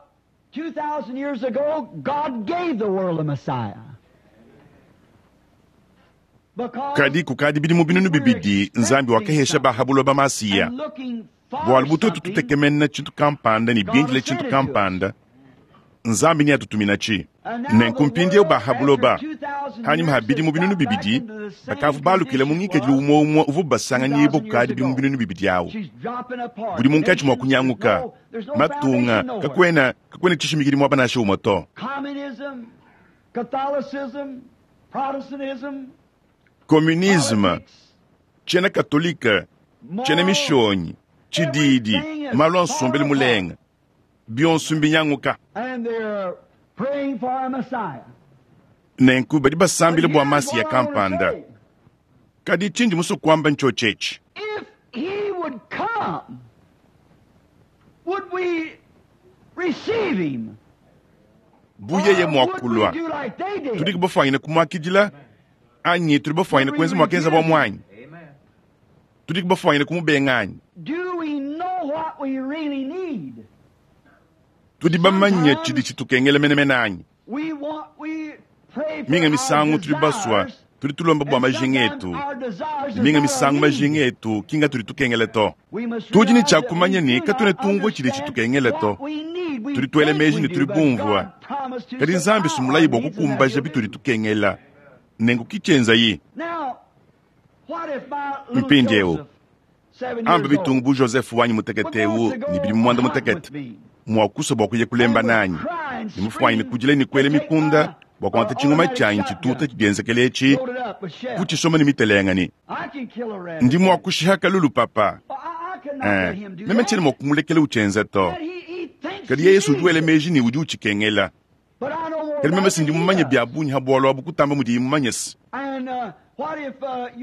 two thousand years ago, God gave the world a Messiah. Because Kadi kukadi bidimu binunu we were bibidi Nzambi expecting wakahesha baha something buloba masiya. and looking for Bualu bututu something, tutekemena tshintu kampanda ne God bindila has tshintu sent it to us. kampanda. Nzambi neatutuminatshi. Nenku mpindieu ba ha buloba, hanyima ha bidimu binunu bibidi, bakavua balukila mu ngikadilu umue umue uvua basanganyibua kukadi bidimu binunu bibidi awu. Budi munkatshi mua kunyanguka, matunga, kakuena, kakuena tshishimikidi muaba nansha umue to. Communisme, tshiena katolika, tshiena mishonyi, tshididi, malu a nsombelu mulenga, bionso mbinyanguka. Nenku badi basambila bua Masiya kampanda. Kadi tshindi musue kuamba ntshiotshi etshi. Bu yeye mua kulua, tudi bafuanyine kumuakidila anyi tudi bafuanyine kuenza muakenza bua muanyi? Tudi bafuanyine kumubenga anyi? Tudi bamanye tshidi tshitukengela menemene anyi? Minga misangu tudi basua, tudi tulomba bua majinga etu. Minga misangu majinga etu kinga tudi tukengela to. Tudi ne tshia kumanya ne katuena tumvua tshidi tshitukengela to. Tudi tuela meji ne tudi bumvua. Kadi Nzambi sumulayi bua kukumbaja bitudi tukengela. Nenku kitshienzayi. Mpindieu amba bitungu bu Joseph wanyi mutekete eu ne bidimu muanda mutekete mua kusua bua kuya kulemba nanyi ne mufuanyine kudila ne kuela mikunda bua kuangata tshingoma tshianyi tshituta tshidienzekele etshi kutshisoma ne mitelenga ne ndi mua kushiha kalulu papa. Eh, meme tshiena mua kumulekela utshienza to. Kadi Yesu udi wela meji ne udi utshikengela. Kadi meme sindi mumanye bia bungi ha bualu abu kutamba mudiye mumanye se.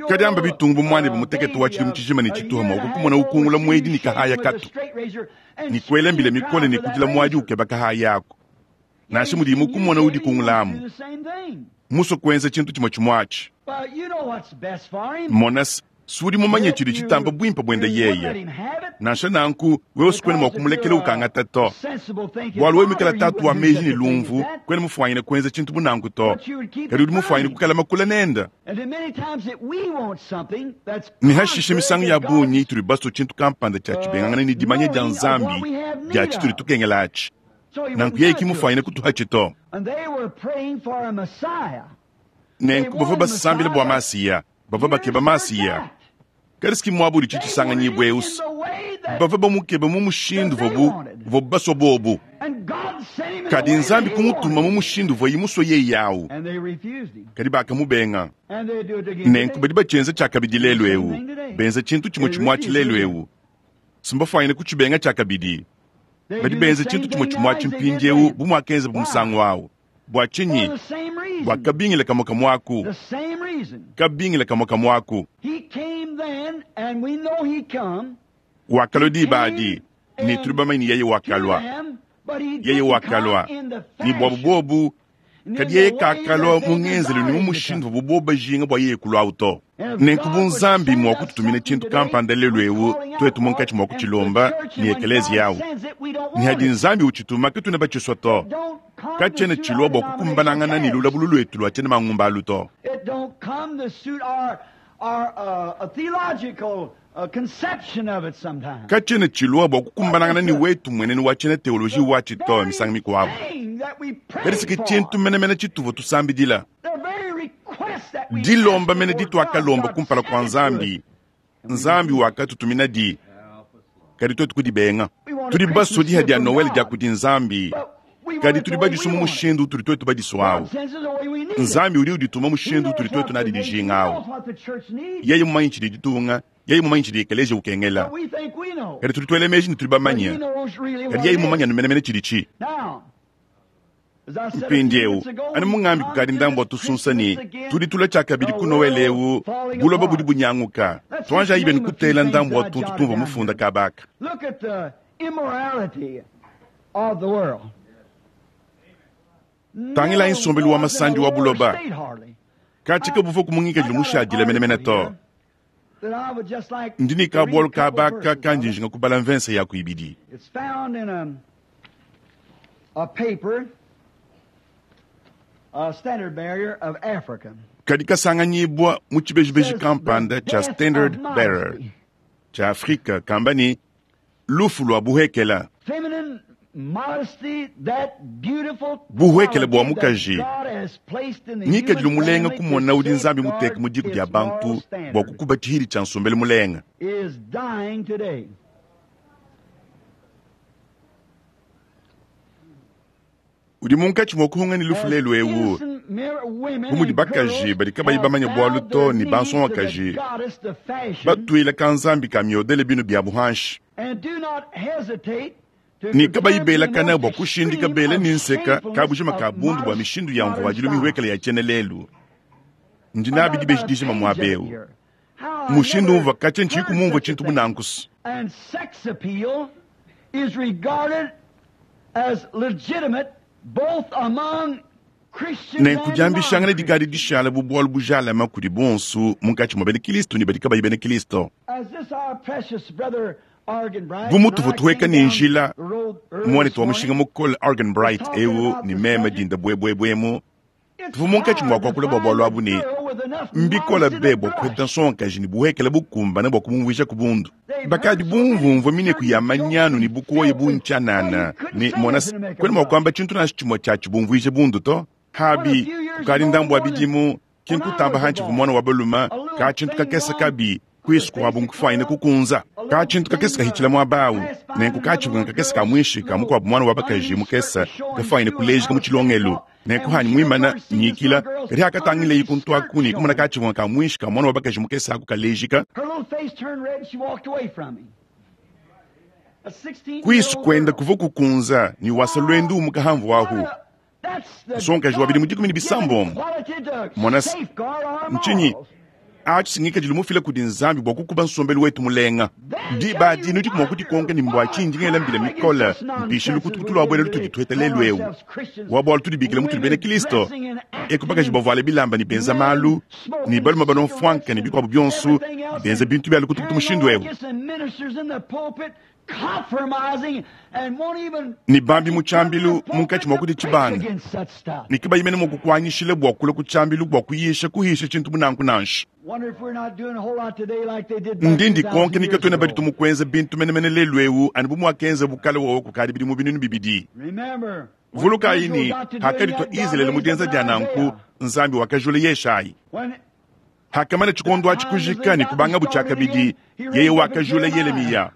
Kadi amba bitungu bu muanebe mutekete wa tshidimu tshijima ne tshituha mua kukumona ukungula muedi ne kahaya katu ne kuela mbila mikole ne kudila muadi ukeba kahaya ako. Nansha mudiye mukumona udi kungulamu musue kuenza tshintu tshimue tshimue atshi. Mona sudi mumanye tshidi tshitamba buimpe buende yeye. Nansha nanku wewe sikuena mua kumulekela ukangata to. Bualu wewe mwikala tatu wa meji ne lumvu, kuena mufuanyine kuenza tshintu bu nanku to. Kadi udi mufuanyine kukala makula nenda. Ne hashishe misangu ya bungi tudi basue tshintu kampanda tshia tshibengangana ne dimanya dia Nzambi dia tshitudi tukengela atshi. Nanku yeye ki mufuanyine kutuhatshi to. Nenku bavua basambila bua Masiya, bavua bakeba Masiya. Kadi siki muabu udi tshitshisanganyibua eusi. Bavua bamukeba mu mushindu vobu vobu basua bobu. Kadi Nzambi kumutuma mu mushindu voyi musue yeye yawu. Kadi bakamubenga. Nenku badi batshienza tshiakabidi lelu eu. Benza tshintu tshimue tshimue atshi lelu eu. Simbafuanyine kutshibenga tshiakabidi. Badi benza tshintu tshimue tshimue atshi mpindieu bu muakenza bu musangu awu. Bua tshinyi? Bua kabingila kamue kamue aku. Kabingila kamue kamue aku. Wakalua diba adi, ne tudi bamanye yeye wakalua. Yeye wakalua, ne buabu bobu, kadi yeye kakalua mu ngenzelu ne mu mushindu bu bobu bajinga bua yeye kulua to. Nenku bu Nzambi mua kututumina tshintu kampanda lelu eu, tuetu munkatshi mua kutshilomba ne ekelezia yawu. Ne hadi Nzambi utshituma katuna batshisua to. Katshiena tshilua bua kukumbanangana ne lulabulu luetu lua tshiena mangumba alu to. Katshiena tshilua bua kukumbanangana ne wetu mwenenu wa tshiena teoloji wa tshito misangu mikuabu. Kadi siki tshintu menemene tshituvua tusambidila. Dilomba mene dituakalomba kumpala kua Nzambi, Nzambi wakatutumina di, kadi tuetu kudibenga. Tudi basue diha dia Noel dia kudi Nzambi, kadi tudi badisua mu mushindu utudi tuetu badisua awu. Nzambi udi udituma mushindu utudi tuetu nadi dijinga awu. Yeye mumanyi tshidi ditunga, yeye mumanyi tshidi ekelesia ukengela. Kadi tudi tuela meji ne tudi bamanye, kadi yeye mumanye anu menemene tshidi tshi. Mpindieu anu mungambi kukadi ndambu wa tusunsa ne tudi tula tshiakabidi ku Noel eu buloba budi bunyanguka. Tuanja ibeni kutela ndambu wa tuntu tumvua mufunda kabaka. Tangila insombelu wa masandi wa buloba. Katika buvua kumungikadilu mushadile menemene to. Ndi ne kabualu kabaka kandi njinga kubala mvensa ya kuibidi. A paper, a standard bearer of Africa. Kadi kasanganyibwa mu tshibejibeji kampanda cha Standard Bearer cha Afrika kamba ni lufu lua buhekela. Feminine Buhwekele bwa mukaji ngikadilu mulenga kumona udi nzambi muteke mu diku dia bantu bwa kukuba tshihidi tshia nsombelu mulenga. Udi munkatshi mua kuhunga ne lufu lelu ewu bu mudi bakaji badi kabayi bamanya bwalu to ne bansongakaji batwila ka nzambi ka miodele binu bya buhanshi ne kabayi belakana bwa kushindika bela ne nseka kabujima ka bundu bwa mishindu ya mvuadilu mihwekele ya tshiena lelu. Ndi nabi dibeji dijima muaba ewu mushindu umva katshia ntshiyi kumumvua tshintu bunankusu. Nenkudiambishangana dikadi dishala bu bwalu bujalama kudi bonsu munkatshi mua bena Kristo ne badi kabayi bena Kristo. Bu mutuvu tuhweka ne njila muanetu wa mushinga mukole Argan Bright ewu ne meme dinda bwebwebwemu tuvu munkatshi mua kuakula bua bwalu abu ne mbikola be bua kuheta nsongakaji ne buhekele bukumbana bua kumumvuija ku bundu. Bakadi bumvumvua mineku ya manyanu ne bukoya buntshianana ne mona kwena mua kuamba tshintu nansha tshimue tshia tshibumvuije bundu to. Habi kukadi ndambu wa bidimu kinkutamba hantshi vu mwana wa baluma ka tshintu kakese kabi kwisu kwabu nkufuayine kukunza ka tshintu kakese kahitshila muaba awu nenku katshivunga kakese ka mwishi ka mukuabu mwana wa bakaji mukese kafuayine kulejika mu tshilongelu. Nenku hanyi mwimana nyikila kadi hakatangile kuntu aku ne kumona katshivunga ka mwishi ka mwana wa bakaji mukese aku kalejika. Kwisu kwenda kuva kukunza ni wasa lwendu umukahamvu ahu. Nsongakaji wa bidimu dikumi ne bisambombo mona ntshinyi atshi mufila kudi nzambi bua kukuba nsombelu wetu mulenga. Diba dinu diku mua kudikonka ne mbua tshindi ngela mbila mikola mpishe lukutukutu lua bwela lutudi tuheta lelu ewu wa bwalu tudibikila mutudi bena Kristo eku bakaji bavuale bilamba ne benza malu ne baluma balomfwanka ne bikuabu bionsu benza bintu bya lukutukutu mushindu ewu ne bambi mu tshiambilu munkatshi mua kudi tshibanga ne kibayimene mua kukuanyishile bua kula ku tshiambilu bua kuyisha kuhisha tshintu bunanku nansha. Ndi ndikonke nika twena badi tumukuenza bintu menemene lelu ewu anu bu muakenza bukale wowo kukadi bidimu binunu bibidi. Vulukayi ni hakadi twa Israele mu dienza dia nanku nzambi wakajula Yeshayi. Hakamana tshikondo atshi kujika ne kubanga butshakabidi yeye wakajula Yeremiya.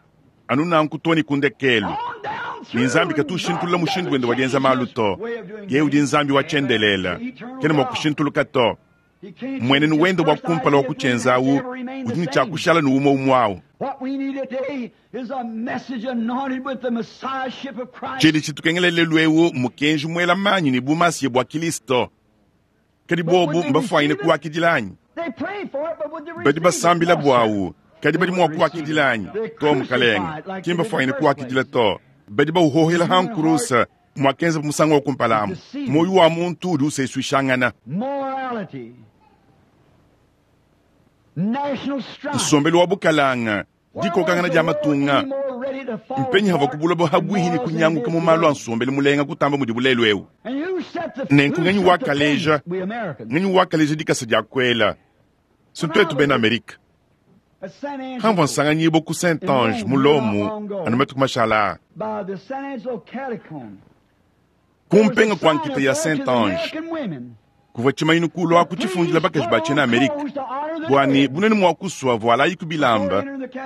Anu nanku to ne kundekelu ni nzambi katushintulula mushindu wende wa dienza malu to. Yeye udi nzambi wa tshiendelela kena mua kushintuluka to. Mwenenu wende wa kumpala wa kutshienzawu udi ne tshiakushala ne umwe umwe awu. Tshidi tshitukengela lelu ewu mukenji muela manyi ne bumasiye bua Kristo. Kadi bobu mbafuanyine kuwakidila anyi? Badi basambila bwawu kadi badi mua kuwakidila anyi? To mukalenga kimbafuanyine kuwakidila to. Badi bauhohela hankurusa mwakenza musango wa kumpalamu. Moyo wa muntu udi useswishangana. Nsombelu wa bukalanga dikokangana dia matunga mpenyi hava kubulobo habwihi ne kunyanguka mu malu a nsombelu mulenga kutamba mudi bulelu ewu. Nenku ngenyi wakaleja ngenyi wakaleja dikasa dia kwela sintu bena Amerika. Hamvua nsanganyibo ku Saint-Ange mu Lomu anu matuku mashala. Kumpenga kwa nkita ya Saint-Ange kuvua tshimayinu kulua kutshifundila bakaji ba tshiena Amerika bwani bunene mua kusua vualayi ku bilamba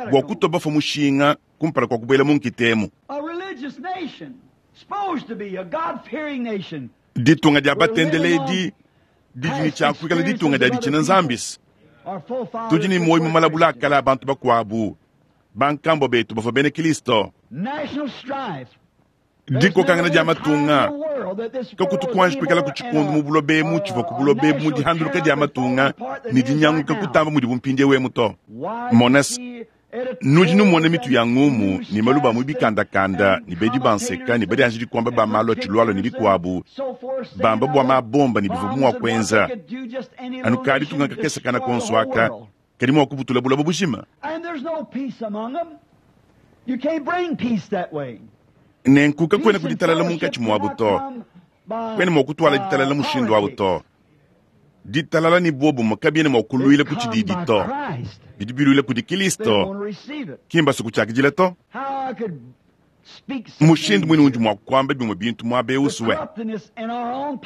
bua kutoba fa mushinga kumpala kwa kubuela mu nkitemu. Ditunga dia batendeledi didi ne tshiakuikala ditunga dia ditshina nzambisi. Tudi ne moyo mu malabula akala abantu bakuabu bankambo betu bavua bena Kristo. Dikokangana dia matunga kakutukuanji kuikala ku tshikundu mu bulobe tshivua ku bulobe mu dihanduluka dia matunga ne dinyanguka kutamba mudi bumpindie wemu to. Monas nudi numona mitu ya ngumu ne maluba mu bikandakanda ne bedi banseka ne badi anji dikomba ba malu a tshilwalo ne bikuabu bamba bua mabomba ne bivua mua kuenza anu kadi tunga kakese kana konso aka kadi mua kubutula buloba bujima. Nenku kakwena kuditalala munkatshi muabu to. Kwena mua kutwala ditalala mushindu awu to. Ditalala ni bobu makabiene mua kuluila ku tshididi to. Bidi biluila kudi Kristo. Kimba suku tshiakidila to. Mushindu mwine undi mwa kuamba bimwe bintu muaba eu suwe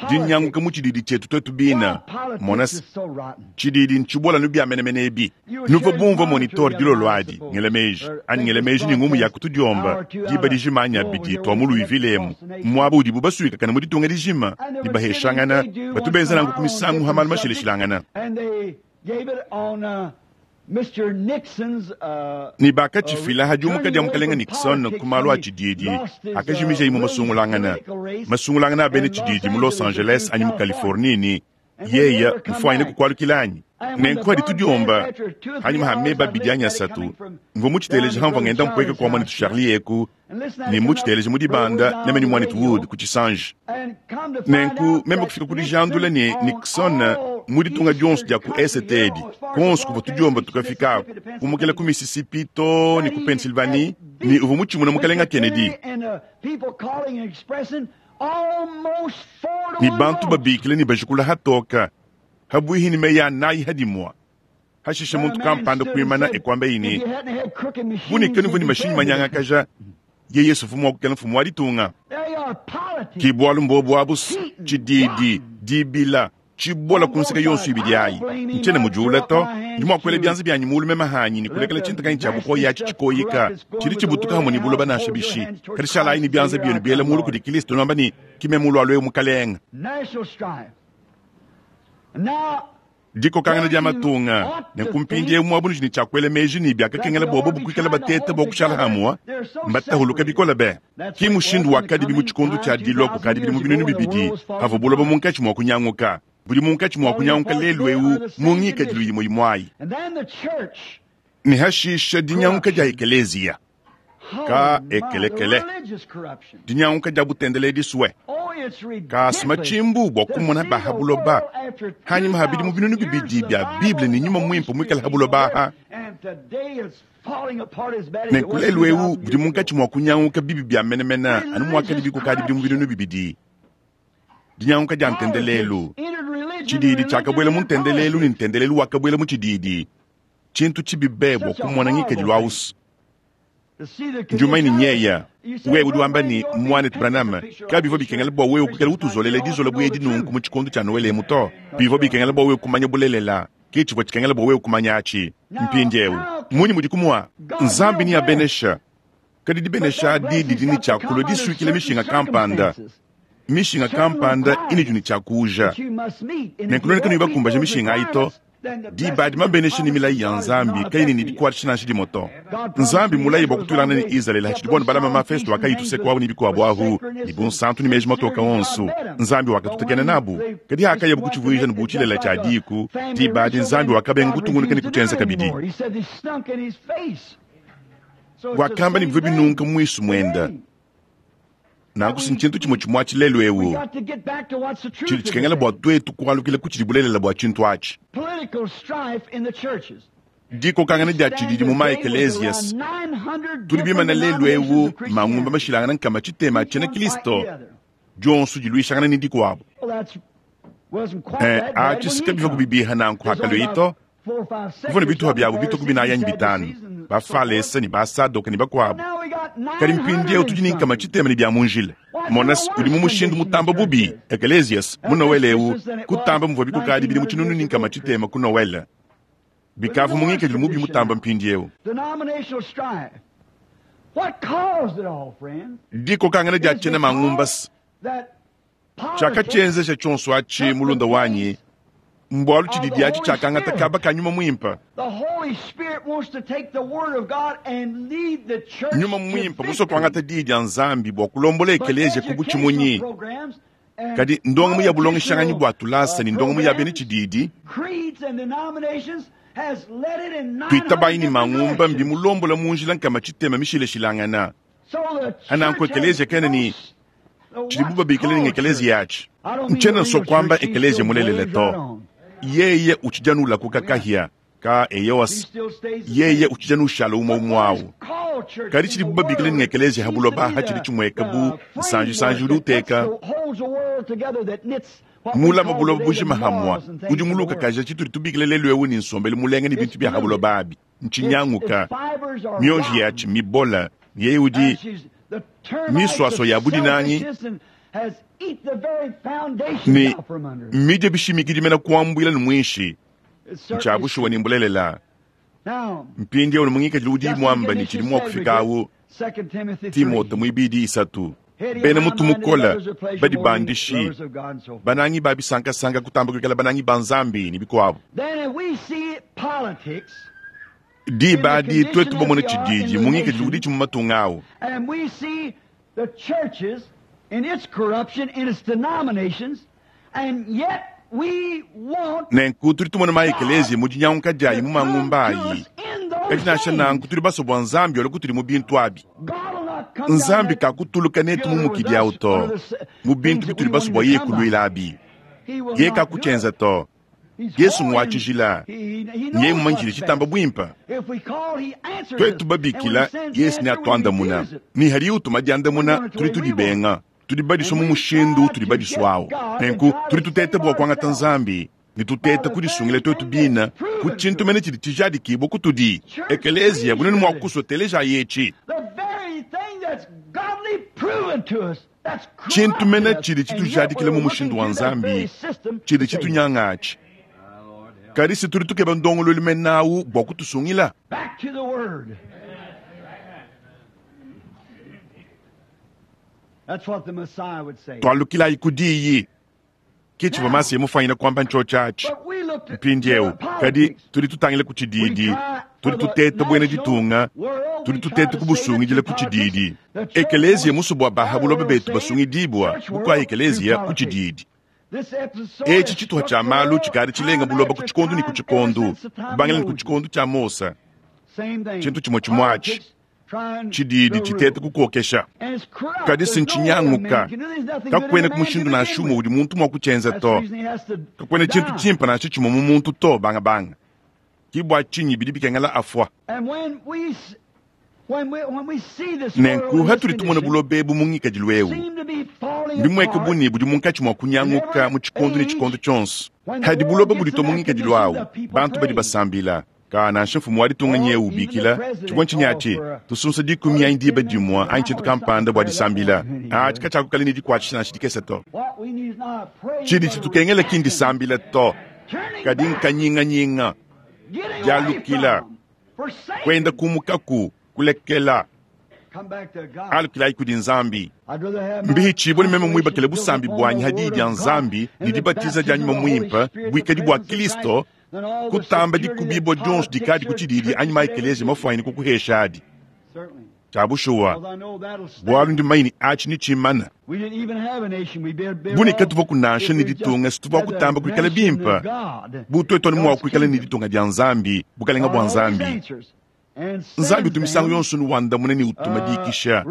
dinyanguka mu tshididi tshietu twetu bina mona se tshididi ntshibola nu bia menemene ebi nuvua bumvua monitor dilolo adi ngela meji anyi ngela meji ni ngumu ya kutudiomba diba dijima anyi abidi twa mu Louisville emu muaba udibu basuikakana mu ditunga dijima ne baheshangana batu benza nanku ku misangu ha malu mashileshilangana ne bakatshifila ha diumuka dia mukalenga Nixon ku malu a tshididi akajimija imwe masungulangana masungulangana a bena tshididi mu Los Angeles anyi mu Californie ni yeya mfuanyine kukualukila anyi nenku adi tudiomba hanyuma ha meba abidi anyi asatu mvua mutshiteleja hamvua ngenda mpueka kua muanetu Charlie eku ne mutshiteleja mu dibanda meme ni muanetu Wood ku tshisanji nenku meme kufika ku dijandula ne Nixon mu ditunga dionso dia ku est edi konso kuvua tudiomba tukafika aku kumukela ku Mississippi to ne ku Pennsylvanie ni uvua mutshimuna mukalenga Kennedy ni bantu babikile ni bajikula hatoka habuihi ni meyi anayi hadimwa hashisha muntu kampanda kuimana ekuamba ini bunikenu ni mashinyi manyangakaja ye Yesu mfumu wa kukela mfumu wa ditunga ki bwalu mbobu abu tshididi dibila tshibola kunseka yonso ibidi ayi ntshiena mudiula to ndi mua kuela bianza bianyi mulu meme hanyi ni kulekela tshintakanyi tshia bukoya atshi tshikoyika tshidi tshibutuka hamwe ni buloba nansha bishi kadi shalayi ni bianza bienu biela mulu kudi Kristo nuamba ni kime mulu alue mukalenga dikokangana dia matunga nenku mpindieu muabu nudi ne tshiakuela meji ne biakakengela bobo bukuikala batete bua kushala hamwa mbatahuluka bikola be ki mushindu wakadi mu tshikondo tshia dilua kukadi bidimu binunu bibidi pavua buloba munkatshi mua kunyanguka budi munkatshi mua kunyanguka lelu eu mu ngikadilu imue imuayi ne hashisha dinyanguka dia ekeleziya ka ekelekele dinyanguka dia butendeledi suwe kasuma tshimbu bua kumona baha buloba hanyuma ha bidimu binunu bibidi bia bible ne nyuma muimpe muikale ha buloba aha nenku lelu eu budi munkatshi mua kunyanguka bibi bia menemene anu muakadi bikukadi bidimu binunu bibidi dinyanguka dia ntendelelu tshididi tshiakabuela mu ntendelelu ne ntendelelu wakabuela mu tshididi tshintu tshibi bua kumona ngikadilu ausu njumai ni nyeya wewe udi wamba ni mwanetu Branham kabivua bikengela bua wewe kukela utuzolela dizola buedi nunku mu tshikondo tshia Noele emu to bivua bikengela bua wewe kumanya bulelela ke tshivua tshikengela bua wewe kumanya atshi mpindiewu munyi mudi kumua Nzambi ni abenesha kadi dibenesha adi didi ni tshiakulua disuikile mishinga kampanda mishinga kampanda inidi ni tshiakuja nenkuloneka nuyi bakumbaja mishinga ayi to diba dimabenesha ni milayi ya Nzambi kayini ni dikuatsha nansha dimoto Nzambi mulayi bua kutulangana ni Israeli hatshidi bonu balama mafesto akayituseka wabu ni bikuabu ahu ni bunsantu ni meji matoka onso Nzambi wakatutekena nabu kadi akaya bukutshivuija ni butshilela tshia diku diba adi Nzambi wakabenga kutungunuka ni kutshenza kabidi wakamba ni bivua binunka mwisu mwenda nanku ntshintu tshimue tshimue atshi lelu eu tshidi tshikengela bua twetu kualukila ku tshidi bulelela bua tshintu atshi dikokangana dia tshididi mu maekelezias tudi bimana lelu eu mangumba mashilangana nkama tshitema tshiena Kristo dionso diluishangana ni dikuabu eh, atshi sika bivua kubibiha nanku hakalio ito kuvua ne bituha biabu bituku binayi anyi bitanu bafalesa ni basadoka ni bakuabu kadi mpindieu tudi ni nkama tshitema ni bia mu njila monas udi mu mushindu mutamba bubi ekelesias mu Noele eu kutamba muvua bikukadi bidi mu tshinunu ni nkama tshitema ku Noele bikavu mu ngikadilu mubi mutamba mpindieu dikokangana dia tshiena mangumbasa tshiakatshienzesha tshionso atshi mulunda wanyi mbwalu tshididi atshi tshiakangata kaba ka nyuma muimpe nyuma muimpe musua kuangata diyi dia Nzambi bua kulombola ekeleziya ku butshimunyi kadi ndongamu ya bulongeshanganyi bua tulasa ni ndongamu ya bena tshididi tuitabayi ni mangumba mbimulombola mu njila nkama tshitema mishileshilangana ananku ekeleziya kene ni tshidibu babikile ni ekeleziya atshi ntshiena nsua kuamba ekeleziya mulelele to yeye utshijanula kukakahia ka eyoas yeye utshijanu ushala umwe umwawu kadi tshidibu babikile ni ekeleziya ha buloba ha tshidi tshimueka bu nsanji-sanji udi uteka mulama buloba bujima hamwa udi muluka kaja tshitudi tubikile lelu eu ni nsombelu mulenga ni bintu bia ha buloba abi ntshinyanguka mionji yatshi mibola ni yeye udi Miswaswa ya budinangi ne midye bishimikidi mena kuambuila ne muinshi ntshia bushuwa ne mbulelela. Mpindieu ne mungikadilu udi muamba ne tshidi mua kufika awu Timote muibidi isatu. Bena mutu mukola badi bandishi banangi ba bisankasanka kutamba kuikala banangi ba Nzambi ne bikuabu. Diba adi twetu bamone tshididi mungikadilu udi tshimu matunga awu. Nenku tudi tumona maekeleziya mu dinyanguka diayi mu mangumba ayi. Kadi nansha nanku tudi basue bua Nzambi olwe kutudi mu bintu abi. Nzambi kakutuluka netu mu mukidi awu to mu bintu bitudi basue bua yeye kuluila abi. Yeye kakutshienza to. Yesu ngwatshijila nyeye mumanyishile tshitamba buimpa. Twetu babikila Yesu ne atuandamuna ni hadi utuma diandamuna tudi tudibenga. Tudi badiswa mu mushindu tudi badiswa awu. Nenku tudi tuteta bua kuangata Nzambi ne tuteta kudisungila twetu bina ku tshintu mene tshidi tshijadikibua kutudi. Ekeleziya bunene mua kuswa teleja yetshi. Tshintu mene tshidi tshitujadikila mu mushindu wa Nzambi tshidi tshitunyangatshi. Kadi si tudi tukeba ndongoluelu menawu bua kutusungila. Tualukilayi ku diyi. Ke tshivua Masiya mufanyine kuamba ntshotshatshi. Mpindieu, kadi tudi tutangila ku tshididi, tudi tuteta buena ditunga, tudi tuteta kubusungidila ku tshididi. Ekeleziya musue bua baha buloba betu basungidibua bukua ekeleziya ku tshididi. Etshi tshituha tshia malu tshikadi tshilenga buloba ku tshikondu ne ku tshikondu, kubangila ne ku tshikondu tshia Mosa. Tshintu tshimue tshimuatshi tshididi tshiteta kukokesha. Kadi si ntshinyanguka, kakuena ku mushindu nansha umue udi muntu mua kutshienza to. Kakuena tshintu tshimpe nansha tshimue mu muntu to bangabanga. Ke bua tshinyi bidi bikengela afua. Nenku hatudi tumona buloba ebu mu ngikadilu eu, mbimueke bu ne budi munkatshi mua kunyanguka mu tshikondu ne tshikondu tshionso. Hadi buloba buditua mu ngikadilu awu, bantu badi basambila. Ka nansha mfumu wa ditunga nyeu ubikila tshivua ntshinyatshi tusunsa dikumi anyi diba dimue anyi tshintu kampanda bua disambila. Atshi katshiakukala ne dikuatshisha nansha dikese to. Tshidi tshitukengela ki ndisambila to, kadi nkanyinganyinga, dialukila, kuenda kumukaku, kulekela. Alukilayi kudi Nzambi. Mbihitshibue ne meme muibakile busambi buanyi hadiyi dia Nzambi ne dibatiza dia nyuma muimpe buikadi bua Kristo kutamba dikubibua dionso dikadi ku tshididi anyi maekeleziya mafuanyine kukuhesha adi. Tshia bushuwa, bualu ndi mumanye ne atshi ne tshimana. Bu ne katuvua kunansha ne ditunga situvua kutamba kuikala bimpe. Bu twetu anu mua kuikala ne ditunga dia Nzambi, bukalenga bua Nzambi. Nzambi utu misangu yonso nuwandamuna ne utuma dikisha.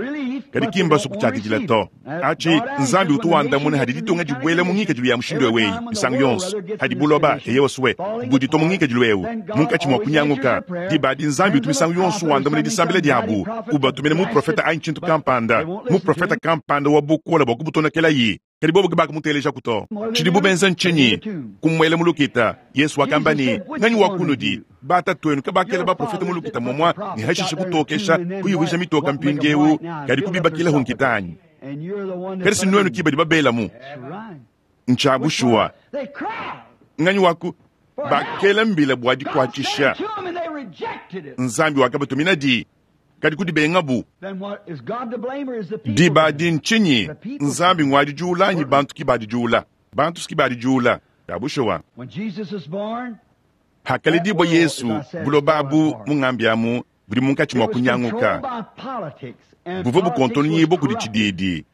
Kadi ki mbasue kutshiakidila to. Atshi Nzambi utu wandamuna hadi ditunga dibuela mu ngikadilu ya mushindu eweyi misangu yonso. Hadi buloba eye wasue buditua mu ngikadilu ewu munkatshi mua kunyanguka. Diba adi Nzambi utu misangu yonso wandamuna disambila diabu, ubatumina muprofeta anyi tshintu kampanda, muprofeta kampanda wa bukola bua kubutonokelayi. Kadi bobo ke bakamutelejaku to. Tshidibu benza ntshinyi? Kumuela mu lukita. Yesu wakamba ne, nganyi wa kunudi batatuenu kabakela baprofeta mu lukita momua ne hashishe kutokesha kuyuvuija mitoka mpindieu kadi kubibakilaho nkita anyi? Kadi si nuenu ki badi babelamu. Ntshia bushuwa. Nganyi wa ku bakela mbila bua dikuatshisha. Nzambi wakabatumina di kadi kudibengabu. Diba adi ntshinyi? Nzambi ngwadidiula anyi bantu ki badidiula? Bantu si ki badidiula. Ya bushuwa. Hakaledibua Yesu, buloba abu mungambi amu budi munkatshi mua kunyanguka. Buvua bukontononyibua kudi tshididi.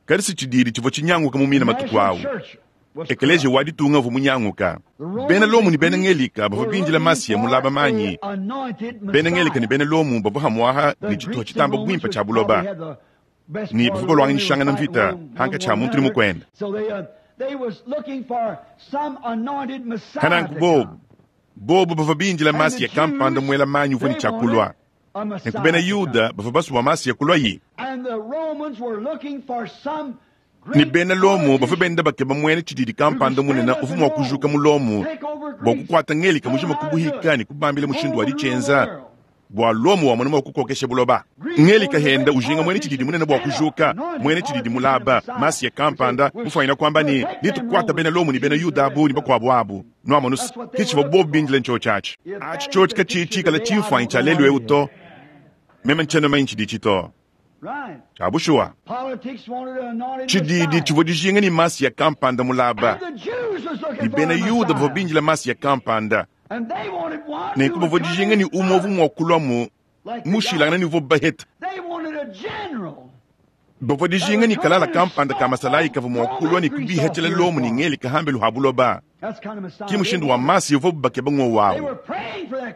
Kadi si tshididi tshivua tshinyanguka mu mina matuku awu. Ekeleziya wa ditunga uvua munyanguka. Bena Lomo ne bena Ngelika bavua bindila Masiya mulaba manyi. Bena Ngelika ne bena Lomo bavua hamuaha ne tshituha tshitamba buimpe tshia buloba ne bavua baluanganyishangana mvita hankatshi ha muntu ne mukuende. Kananku bobu bobu bavua bindila Masiya kampanda muela manyi uvua ne tshiakulua. Nenku bena Yuda bavua basue bua Masiya kulua-yi. Ne bena Lomo bavua benda bakeba muena tshididi kampanda munene uvua mua kujuka mu Lomo bua kukuata Ngelika mujima kubuhika ne kubambila mushindu wa ditshienza Bua Lomo wamona mua kukokesha buloba. Ngelika henda ujinga mwene tshididi munene bua kujuka, mwene tshididi mulaba, Masiya kampanda, mufwanyina kwamba ne, nitukwata bena Lomo ne bena Yuda abu ne bakwabo abu. Nwamonu se, ke tshivua bobu bindile ntshiotshi atshi. Atshi tshiotshi katshiyi tshikala tshimfuanyi tshia lelu eu to. Meme ntshiena mumanye tshiditshi to. Tshia bushuwa, tshididi tshivua dijinga ne Masiya kampanda mulaba, ne bena Yuda bavua bindila Masiya kampanda. Nenku bavua dijinga ne umue uvua mua kuluamu mushilangane ne uvuabu baheta. Bavua dijinga ne kalala kampanda ka masalayi kavua mua kulua ne kubihatshila Lomo ne ngelika hambelu ha buloba. Ki mushindu wa Masiya uvuabu bakeba ng'wowu awu.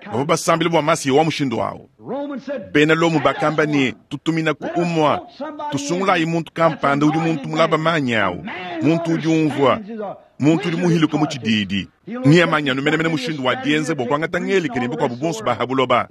Bavua basambila bua Masiya wa mushindu awu. Bena Lomo bakamba ne, Tutuminaku umua, tusungulayi muntu kampanda udi muntu mulaba manyi awu, muntu udi umvua, muntu udi muhiluke mu tshididi. Neamanye anu menemene mushindu wa dienza bua kuangata ngelika ne bakuabu bonso ba ha buloba.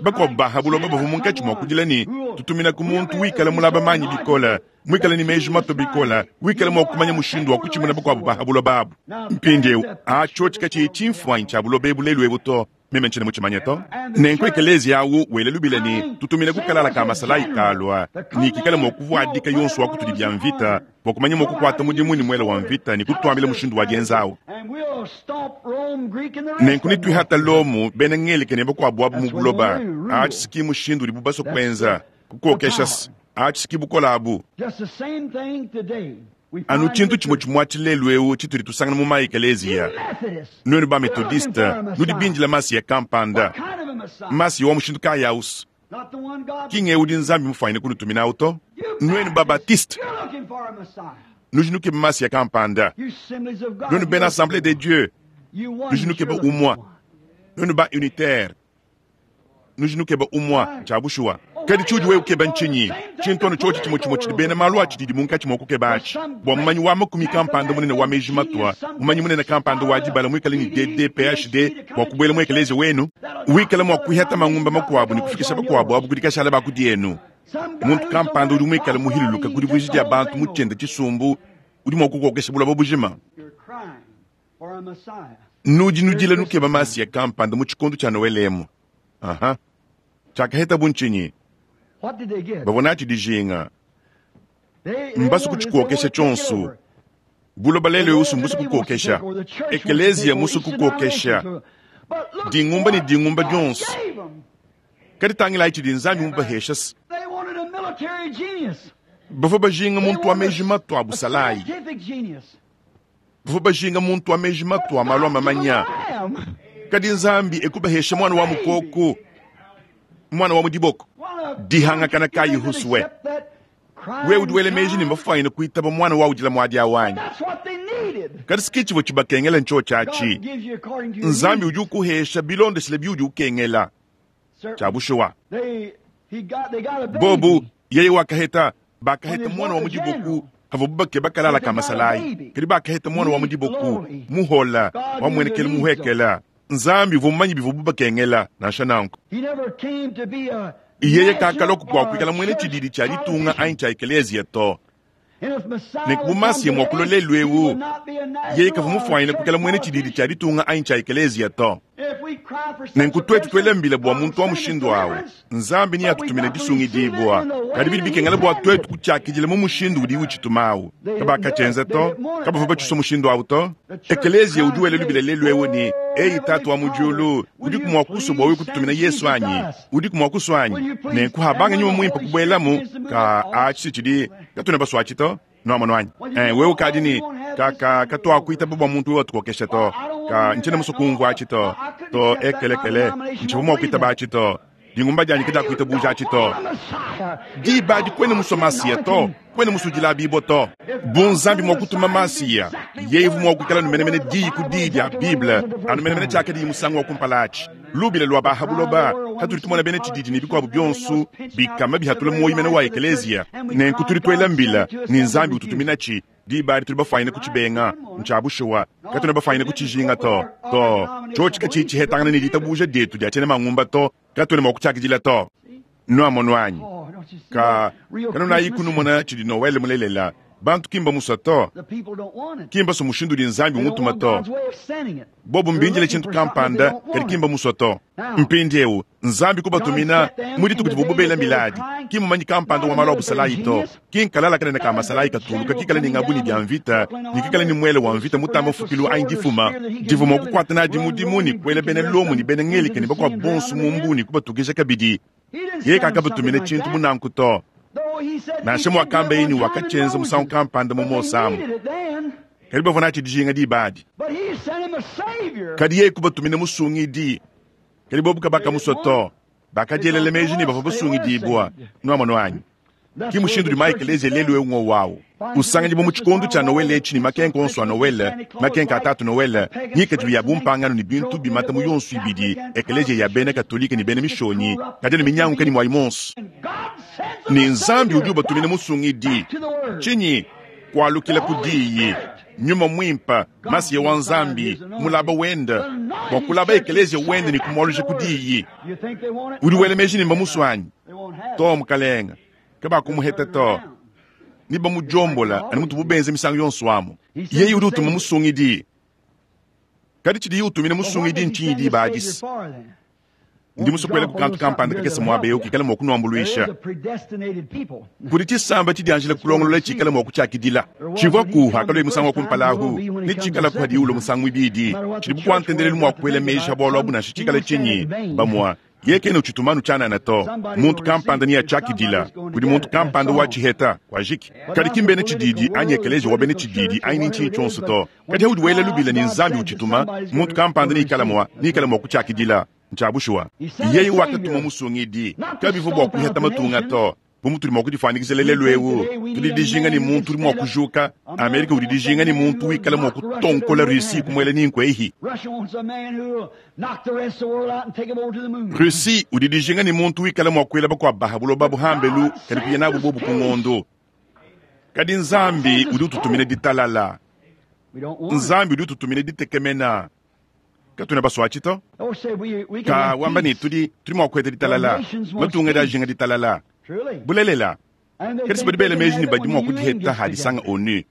Bakuabu ba ha buloba bavua munkatshi mua kudila ne, Tutuminaku muntu wikala mulaba manyi bikole, muikale ne meji matue bikole, wikala mua kumanya mushindu wa kutshimuna bakuabu ba ha buloba abu. Mpindieu, atshiotshi katshiyi tshimfuanyi tshia buloba ebu lelu ebu to. Meme ntshiena mutshimanye to. Nenku ekeleziya awu wela lubila ne, Tutumine ku kalala ka masalayi kalua, ne kikale mua kuvuadika yonso wa kutudi bia mvita, bua kumanya mua kukuata mudimu ne muele wa mvita ne kutuambila mushindu wa dienza awu. Nenku netuihata Lomo, bena Ngelika ne bakuabu abu mu buloba. Atshi si ki mushindu udibu basue kuenza, kukokesha se. Atshi si ki bukole abu. Anu tshintu tshimue tshimue atshi lelu eu tshitudi tusangana mu ma-ekeleziya. Nuenu ba-Methodiste nudi bindila Masiya kampanda. Masiya wa mushindu kayi au's? Ki ng'eu udi Nzambi mufwanyine kunutuminawu to. Nuenu ba-Baptiste nudi nukeba Masiya kampanda. Nuenu bena Assemblee de Dieu nudi nukeba umue. Nuenu ba-Unitaire nudi nukeba umue. Ntshia bushuwa. Kadi tshiudi wewe ukeba ntshinyi? Tshintu anu tshiotshi tshimue tshimue tshidi bena malu a tshididi munkatshi mua kukeba atshi, bua mumanyi wa makumi kampanda munene wa meji matua, mumanyi munene kampanda wa dibala muikale ne D D P H D bua kubuela mu ekeleziya wenu, wikala mua kuihata mangumba makuabu ne kufikisha bakuabu abu kudi kashala ba kudi enu. Muntu kampanda udi muikale muhiluluka ku divuija dia bantu mu tshiende tshisumbu udi mua kukokesha buloba bujima. Nudi nudila nukeba Masiya kampanda mu tshikondo tshia Noele emu. Aha. Tshiakahetabu ntshinyi? Bavua natshi dijinga. Mbasue kutshikokesha tshionso. Buloba lelu eu mbusue kukokesha. Ekeleziya musue kukokesha. Dingumba ne dingumba dionso. Kadi tangilayi tshidi Nzambi mubahesha se. Bavua bajinga muntu wa meji matua a busalayi. Bavua bajinga muntu wa meji matua a malu a mamanya. Kadi Nzambi ekubahesha muana wa mukoko, muana wa mu diboko. Dihangakana kayi husue? Wewe udi wela meji ne mbafwanyine kuitaba muana wa udila muadi awu anyi? Kadi si tshivua tshibakengela ntshiotshi atshi. Nzambi udi ukuhesha bilondeshile biudi ukengela. Tshia bushuwa. Bobu, yeye wakaheta, bakaheta muana wa mu diboko havuabu bakeba kalala ka masalayi. Kadi bakaheta muana wa mu diboko, muhola, wamuenekela muhuekela. Nzambi uvua mumanye bivuabu bakengela, nansha nanku. Yeye kakalua bua kuikala muena tshididi tshia ditunga anyi tshia ekeleziya to. Nenku bu Masiya mua kulua lelu eu, yeye kavua mufuanyine kuikala muena tshididi tshia ditunga anyi tshia ekeleziya to. Nenku tuetu tuele mbila bua muntu wa mushindu au, Nzambi neatutumine disungidibua. Kadi bidi bikengela bua tuetu kutshiakidila mu mushindu udiye utshituma au. Kabakatshienza to, kabavua batshisua mushindu au to. Ekeleziya udi wela lubila lelu eu ne, Eyi Tatu wa mu diulu, udiku mua kusua bua wewe kututumina Yesu anyi? Udiku mua kusua anyi? Nenku habanga nyuma muimpe kubuelamu, ka atshi tshidi katuena basua atshi to. Nuamonu anyi? Eh, wewe ukadi ne ka ka katuakuitaba bua muntu wewe atukokesha to. Ka ntshiena musue kumvua atshi to. To ekelekele, ntshivua mua kuitaba atshi to. Dingumba dianyi kadiakuitabuja atshi to. Diba adi kuena musue Masiya to, kuena musue dilabibua to. Bu Nzambi mua kutuma Masiya, yeye uvua mua kuikala anu menemene diyi ku diyi dia Bible, anu menemene tshiakadiyi musangu wa kumpala atshi. Lubila lua ba ha buloba, hatudi tumona bena tshididi ne bikuabu bionso bikama bihatula muoyo mene wa ekeleziya. Nenku tudi tuela mbila ne Nzambi ututuminatshi. Diba adi tudi bafwanyine kutshibenga. Ntshia bushuwa, katuena bafwanyine kutshijinga to. To, tshiotshi katshiyi tshihetangana ne ditabuja dietu dia tshiena mangumba to, katuena mua kutshiakidila to. Nuamonu anyi? Ka, kanunayi kunumona tshidi Noele mulelela, Bantu ki mbamusua to, ki mbasue mushindu udi Nzambi umutuma to. Bobu mbindile tshintu kampanda, kadi ki mbamusua to. Mpindieu Nzambi kubatumina mu dituku divuabu bela miladi, ki mmumanyi kampanda wa malu a busalayi to, ki nkalala kanene ka masalayi katuluka kikale ne ngabu ne bia mvita ne kikale ne muele wa mvita mutamba mfukilu anyi difuma divua mua kukuata nadi mudimu ne kuela bena Lomo ne bena Ngelika ne bakuabu bonso mu mbu ne kubatukija kabidi. Yeye kakabatumina tshintu bu nanku to. Nansha muakamba ne wakatshienza musangu kampanda mu Mose amu, kadi bavua natshi dijinga diba adi. Kadi yeye kubatumina musungidi, kadi bobu kabakamusua to. Bakadielela meji ne bavua basungidibua. Nuamonu anyi? Ki mushindu udi maekeleziya lelu eu ngowawu usanganyibua mu tshikondo tshia Noele etshi ne makenka onso a Noele, makenka a tatu Noele, ngikadilu ya bumpangano ne bintu bimata mu yonso ibidi, ekeleziya ya bena Katolike ne bena Mishonyi, kadi ne minyanguka ne muayi monso. Ne Nzambi udi ubatumina musungidi. Tshinyi? Kualukila ku diyi, Nyuma Muimpe, Masiya wa Nzambi, mulaba wende, bua kulaba ekeleziya wende ne kumualuja ku diyi. Udi wela meji ne mbamusua anyi? To, mukalenga, kabakumuheta to. Ni bamudiombola anu mutubu benza misangu yonso amu. Yeye udi utuma musungidi. Kadi tshidiye utumina musungidi ntshinyi diba adi? Ndi musue kuela ku kantu kampanda kakese muaba eu kikale mua kunuambuluisha. Kudi tshisamba tshidianjila kulongolola tshikale mua kutshiakidila. Tshivua ku hakalua musangu wa kumpala ahu, ne tshikala ku hadiye ulua musangu muibidi. Tshidi bukua ntendelelu mua kuela meji a bualu abu nansha tshikale tshinyi bamua. Yeye kena utshituma anu tshianana to. Muntu kampanda neatshiakidila. Kudi muntu kampanda wa tshiheta wajiki. Kadi ki mbena tshididi anyi ekeleziya wa bena tshididi anyi ntshinyi tshionso to. Kadi haudi wela lubila ne Nzambi utshituma, muntu kampanda neikale mua neikale mua kutshiakidila. Ntshia bushuwa. Yeye wakatuma musungidi. Kabivua bua kuheta matunga to. Bu mutudi mua kudifuanyikijila lelu eu, tudi dijinga ne muntu udi mua kujuka. Amerika udi dijinga ne muntu wikala mua kutonkola Russie kumuela ninkwe ehi. Russie udi dijinga ne muntu wikala mua kuela bakuabu baha buloba buhambelu kadi kuya nabu bobu ku ngondo. Kadi Nzambi udi ututumina ditalala. Nzambi udi ututumina ditekemena. Katuena basua to. Ka wamba ne tudi tudi mua kuheta ditalala. Matunga adi ajinga ditalala. Bulelela. Kadi si badi bela meji ne badi mua kudiheta hadisanga ONU.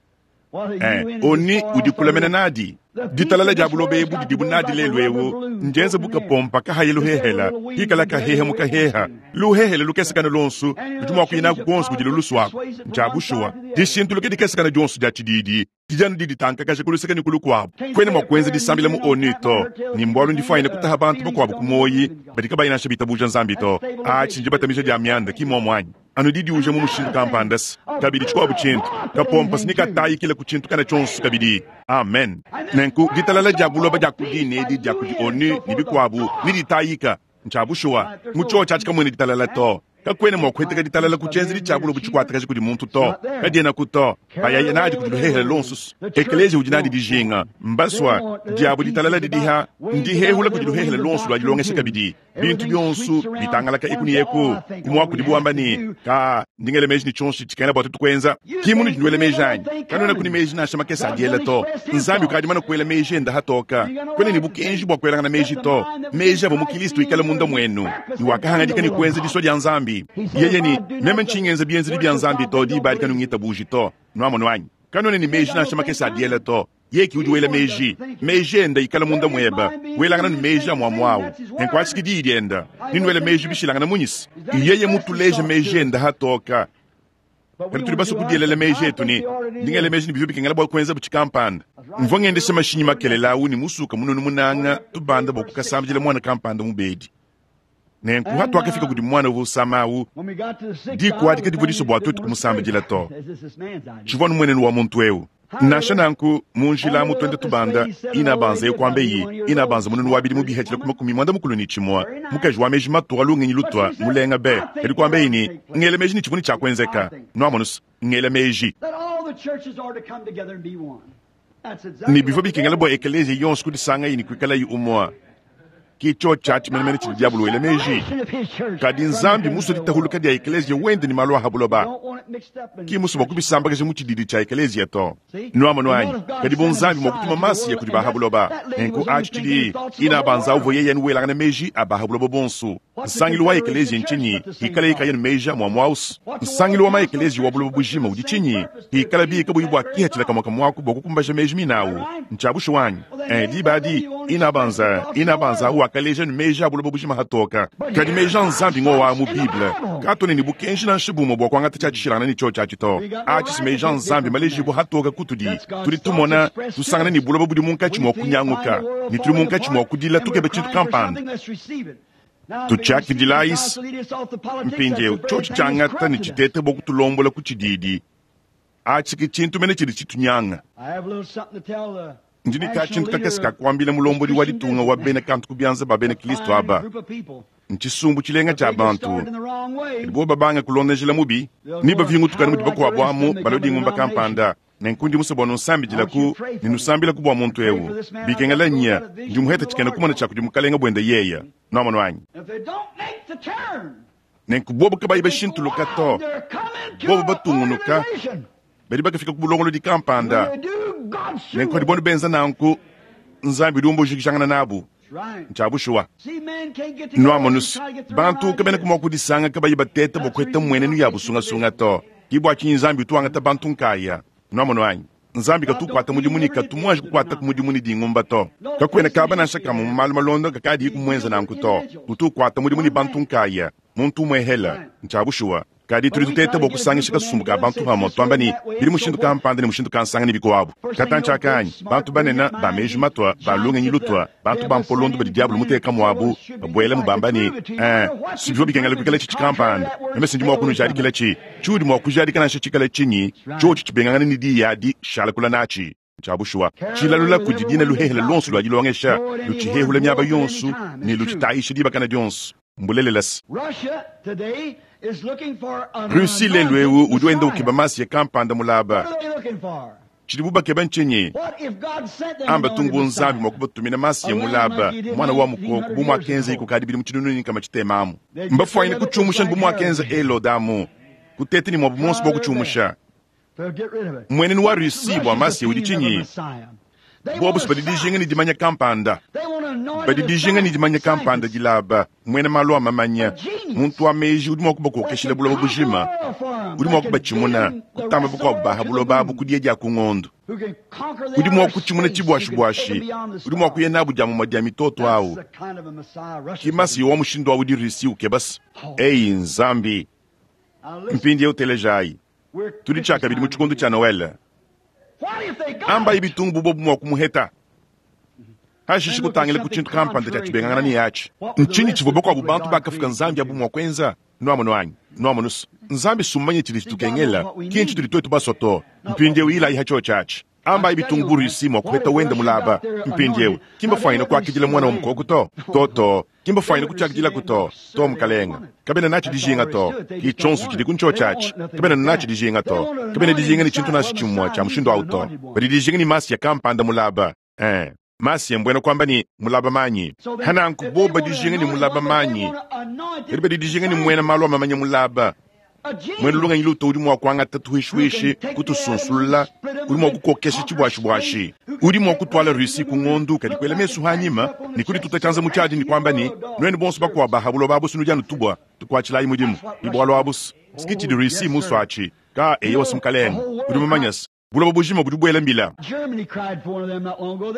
Eh, ONU udi kulamena nadi. Ditalala dia buloba ebu didibu nadi lelu eu ndienze bukapompa kahaye luhehela hikala kaheha mukaheha luhehela lukesekana lonsu ludi mua kuyinaku konso kudi luluswaku. Ntshia bushuwa dishintuluke dikesekana dionso dia tshididi dijanu diditankakaja kuluseka ne kulukuabu. Kwena mua kuenza disambila mu ONU to ni mbualu ndifuanyine kutaha bantu bakuabu ku moyi badi kabayi nansha bitabuja Nzambi to. Atshi ndibatamisha dia mianda ki muomu anyi anu didiuja mu mushindu kampanda kabidi tshikuabu tshintu kapompa sinikatayikila ku tshintu kana tshionso kabidi. Amen. Nenku ditalala dia buloba dia kudi nedi dia kudi ONU ne bikuabu ne ditayika ntshia bushuwa mu tshio tshiatshi kamuena ditalala to. Kakwena mua kuheteka ditalala ku tshienzedi tshia buloba tshikuatakaja kudi muntu to. Kadiena ku to. Bayaya nadi kudi luhehela lonso. Ekeleziya udi nadi dijinga mbasua diabu ditalala didiha ndihehula kudi luhehela lonso lua dilongesha kabidi. Bintu bionso bitangalaka eku ne eku. Kumua kudi buamba ne ka ndingele meji ne tshionso tshikena bua tutu kuenza. Ki munu dinduele meji anyi. Kanuena kuni meji nansha makese adiela to. Nzambi ukadi mana kuela meji enda hatoka. Kwena ne bukenji bua kuelangana meji to. Meji abo mu Kristo ikala munda muenu. Ni wakahangadika ne kuenza disua dia Nzambi. Yeye ni meme nchingenza bienzedi bia Nzambi to diba adi kanungita buji to. Nuamono anyi. Kanuena ne meji nansha makese adiela to. Yeye udi wela meji. Meji enda ikala munda mueba. Welangana ne meji amua awu. Nenkuatshiki diyi dienda. Ninwela meji bishilangana munyisi. Yeye mutuleje meji enda hatoka. Kadi tudi basue kudielela meji etu ne ndingele meji ne bivyo bikengela bua kuenza butshikampanda. Mvua ngendesha mashinyi makelela awu ne musuka mununu munanga tubanda bua kukasambidila mwana kampanda mubedi. Nenku hatuakafika kudi mwana uvua usama awu, diku adi kadivua disua bua tuetu kumusambidila to. Tshivua numuenenu wa muntu eu. Nansha nanku mu njila amu twende tubanda ina banza yo kuamba iyi ina banza mununu wa bidimu bihetshila ku makumi muanda mukulu ne tshimua mukaji wa meji matua lungenyi lutua mulenga be kadi kuamba iyi ni ngela meji ne tshivua ne tshiakuenzeka. Nuamonusa ngela meji ne bivua bikengela bua ekeleziya yonso kudisanga iyi ne kuikalayi umua. Ki tshiotshi atshi menemene tshidi diabolo wela meji. Kadi Nzambi musue ditahuluka dia ekeleziya wende ne malu a ha buloba. Ki musue bua kubisambakaja mu tshididi tshia ekeleziya to. Nuamonu anyi? Kadi bu Nzambi mua kutuma Masiya kudi ba ha buloba, nenku atshi tshidi ina banza uvua yeye anu welangana meji a ba ha buloba bonso. Nsangilu wa ekeleziya ntshinyi? Ikala yikaya ne meji a muamua ausu. Nsangilu wa maekeleziya wa buloba bujima udi tshinyi? Ikala bika buyi bua kihatshila kamua kamuaku bua kukumbaja meji minawu. Ntshia bushuwa anyi? Eh, diba adi ina banza ina banza wakaleja ne meji a buloba bujima hatoka. Kadi meji a Nzambi ngowa mu Bible. Katone ne bukenji nansha bumue bua kuangata tshia tshishilangana ne tshiotshi atshi to. Atshi si meji a Nzambi malejibu hatoka kutudi. Tudi tumona tusangana ne buloba budi munkatshi mua kunyanguka, ne tudi munkatshi mua kudila tukeba tshintu kampanda. Tutshiakidilayisi mpindieu tshiotshi tshiangata ne tshitete bua kutulombola ku tshididi. Atshi ke tshintu mene tshidi tshitunyanga. Ndi ne katshintu kakese ka kuambila mulombodi wa ditunga wa bena kantu ku bianza ba bena Kristo aba. Ntshisumbu tshilenga tshia bantu. Kadi bobu babanga kulonda njila mubi, ne bavingutukana mudi bakuabu amu balua dingumba kampanda. Nenku ndi musue bua nunsambidilaku ne nusambilaku bua muntu eu. Bikengela nya, ndi muheta tshikena kumona tshia kudi mukalenga buende yeya. Nuamonu anyi? Nenku bobu kabayi bashintuluka to, bobu batungunuka, badi bakafika ku bulongolodi kampanda. Nenku hadi bonu benza nanku, Nzambi udi umbujikijangana nabu. Ntshia bushuwa. Nuamonu, bantu kabena mua kudisanga kabayi bateta bua kuheta mmuenenu ya busungasunga to. Ki bua tshinyi Nzambi utu wangata bantu nkaya. Nuamonu anyi? Nzambi katukuata mudimu ne katumuanji kukuata ku mudimu ne dingumba to. Kakuena kaba nansha kamue mu malu malonda kakadi kumuenza nanku to. Utu ukuata mudimu ne bantu nkaya, muntu umue hela. Ntshia bushuwa. Kadi tudi tuteta bua kusangisha kasumbu ka bantu pamue, tuamba ne bidi mushindu kampanda ne mushindu kansanga ne bikuabu. Katantshi akanyi, bantu banene ba meji matua, ba lungenyi lutua, bantu ba mpolondo badi diabolo muteka muabu, babuela mu bamba ne, eh, si bivua bikengela kuikala tshitshi kampanda. Meme sindi mua kunujadikila tshi. Tshiudi mua kujadika nansha tshikala tshinyi, tshiotshi tshibengangana ne diyi adi, shala kula natshi. Ntshia bushuwa. Tshilalula kudi dina luhehele luonso lua dilongesha, lutshihehula miaba yonso ne lutshitayisha dibakana dionso. Mbulelela se. Russie lelu eu udi wenda ukeba Masiya kampanda mulaba. Tshidibu bakeba ntshinyi? Amba tungu Nzambi mua kubatumina Masiya mulaba, mwana wa mukoko bu muakenza kukadi bidimu tshinunu ne nkama tshitemamu. Mbafuanyine kutshiumusha bu muakenza Helode amu, kuteta ne muabu monso bua kutshiumusha. Mmuenenu wa Russie bua Masiya udi tshinyi? Bobu badi dijinga ne dimanya kampanda. Badi dijinga ne dimanya kampanda dilaba, muena malu a mamanya, muntu wa meji udi mua kubakokeshila buloba bujima, udi mua kubatshimuna, kutamba bakuabu ba ha buloba abu ku dia dia ku ngondo. Udi mua kutshimuna tshibuashibuashi, udi mua kuya nabu dia mumue dia mitoto awu. Ki Masiya wa mushindu awu udi Russie ukebasa. Eyi Nzambi, mpindieu telejayi. Tudi tshiakabidi mu tshikondo tshia Noele. Ambayi bitungu bubobu mua kumuheta. Hashishe kutangila ku tshintu kampanda tshia tshibengangana ne yatshi. Ntshinyi tshivua bakuabu bantu bakafuka Nzambi abu mua kuenza? Nuamonu anyi? Nuamonu se, Nzambi sumanye tshidi tshitukengela, ki ntshitudi tuetu basue to. Mpindieu ilayi ha tshiotshi atshi. Ambayi bitungu bu Russie mua kuheta wende mulaba. Mpindieu, ki mbafuanyine kuakidila mwana wa mukoko to. To to, ki mbafuanyine kutshiakidilaku to. To mukalenga, kabena natshi dijinga to. Ki tshionso tshidi ku ntshiotshi atshi. Kabena natshi dijinga to. Kabena dijinga ne tshintu nansha tshimue tshia mushindu awu to. Badi dijinga ne Masiya kampanda mulaba. Eh, Masiya mbuena kuamba ne mulaba manyi. Hananku boba dijinga ne mulaba manyi. Kadi badi dijinga ne muena malu a mamanya mulaba. Muena lungenyi luto udi mua kuangata tuhishiwishi, kutusunsulula, udi mua kukokesha tshibuashibuashi. Udi mua kutuala Russie ku ngondo kadi kuela mesu hanyima ne kudituta tshianza mu tshiadi ne kuamba ne, nuenu bonso bakuabu ba ha buloba abusu nudi anu tubua, tukuatshilayi mudimu. Ibualu abusu. Siki tshidi Russie musu atshi. Ka eyo wasi mukalenga. Udi mumanye se, buloba bujima budi buela mbila.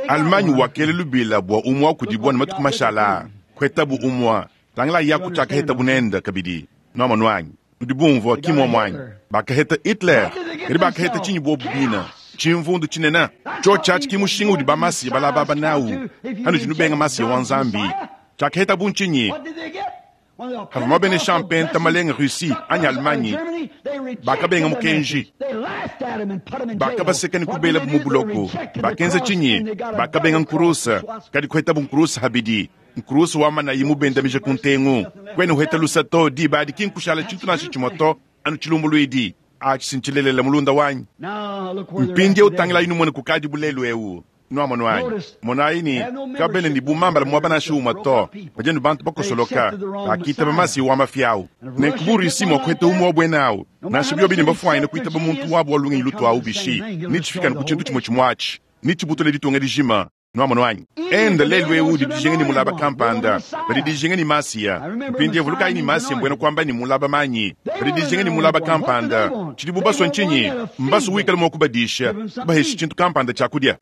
Allemagne wakela lubila bua umua kudibua ne matuku mashala. Kuhetabu umua. Tangila yaku tshiakaheta bunenda kabidi. Nuamonu anyi? Nudi bumvua ki muomu anyi? Bakaheta Hitler. Kadi bakaheta tshinyi bobu bina? Tshimvundu tshinene. Tshiotshi atshi ki mushinga udi ba Masiya balababa nawu. Hanudi nubenga Masiya wa Nzambi. Tshiakaheta bu ntshinyi? Havua mabenesha mpenta malenga Russie anyi Allemagne, bakabenga mukenji. Bakabaseka ne kubela mu buloko. Bakenza tshinyi? Bakabenga nkurusa. Kadi kuhetabu nkurusa habidi. Nkurusa wa manayi mubendamije ku ntengu. Kwena uheta lusa to, diba adi ki nkushala tshintu nansha tshimue to, anu tshilumbuluidi. Atshi sintshilelela mulunda wanyi. Mpindieu tangila inu muene kukadi bulelu eu. Nwamonu anyi? Monayi ne, kabena ne bumambala muaba nansha umue to, badi anu bantu bakosoloka, bakitaba Masiya wa mafi awu. Nenku bu Russie mua kuheta umue wa buena awu, nansha biobi ne mbafuanyine kuitaba muntu wabu wa lungenyi lutu awu bishi, netshifika anu ku tshintu tshimue tshimue atshi, netshibutule ditunga dijima. Nwamonu anyi? Enda lelu ewu udi dijinga ne mulaba kampanda, badi dijinga ne Masiya. Mpindieu vulukayi ne Masiya mbuena kuamba ne mulaba manyi, badi dijinga ne mulaba kampanda. Tshidibu basue ntshinyi? Mbasue wikale mua kubadisha, kubahesha tshintu kampanda tshia kudia,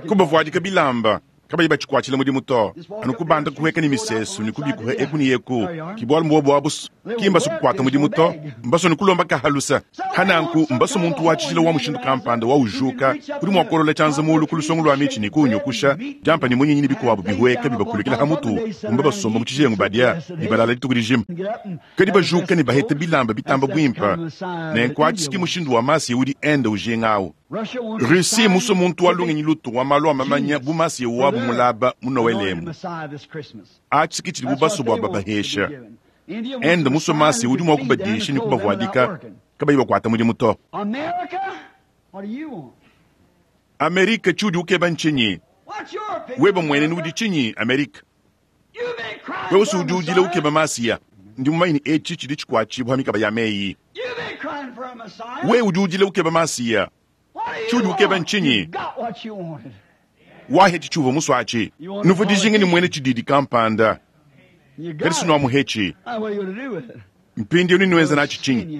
kubavuadika bilamba kabayi batshikuatshila mudimu to, anu kubanda kuheka ne misesu ne kubikuha eku ne eku. Ke bualu mbuobu abu ki mbasue kukuata mudimu to, mbasue ne kulomba kahalusa. Hananku mbasue muntu wa tshijila wa mushindu kampanda wa ujuka udi mua kuolola tshianza mulu ku lusongo lua mitshi ne kunyukusha diampa ne munyinyi ne bikuabu bihueka bibakulukila ha mutu, kumba basomba mu tshijengu badia ne balala dituku dijima. Kadi bajuka ne baheta bilamba bitamba buimpa, nenku atshi ki mushindu wa Masiya udi enda ujinga awu. Russie musue muntu wa lungenyi lutu wa malu a mamanya bu Masiya wabu mulaba mu Noele emu. Atshi ki tshidibu basue bua babahesha. Enda musue Masiya udi mua kubadisha ne kubavuadika kabayi bakuata mudimu to. Amerika tshiudi ukeba ntshinyi? Weba muenenu udi tshinyi, Amerika? Wewe udi udila ukeba Masiya. Ndi mumanye ne etshi tshidi tshikuatshibua mikaba ya meyi. Wewe udi udila ukeba Masiya. Tshiudi ukeba ntshinyi? Waheti tshiuvua musue atshi. Nuvua dijinga ne muena tshididi kampanda, kadi sinuamuhetshi. Mpindieu nenuenza natshi tshinyi?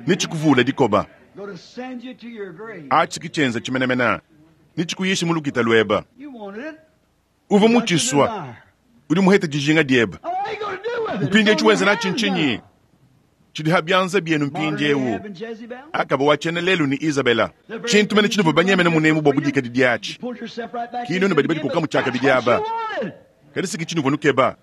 Netshikuvula dikoba. Atshi ki tshienza tshimenemene. Netshikuyishe mu lukita lueba. Uvua mutshisua, udi muhete dijinga dieba. Mpindieu tshiwenza natshi ntshinyi? Tshidi ha bianza bienu mpindieu. Akaba wa tshiena lelu ne Isabela. Tshintu mene tshinuvua banyemene munemu bua budikadi diatshi. Kinu ne badi badikoka mu tshiakabidi aba. Kadi siki tshinuvua nukeba.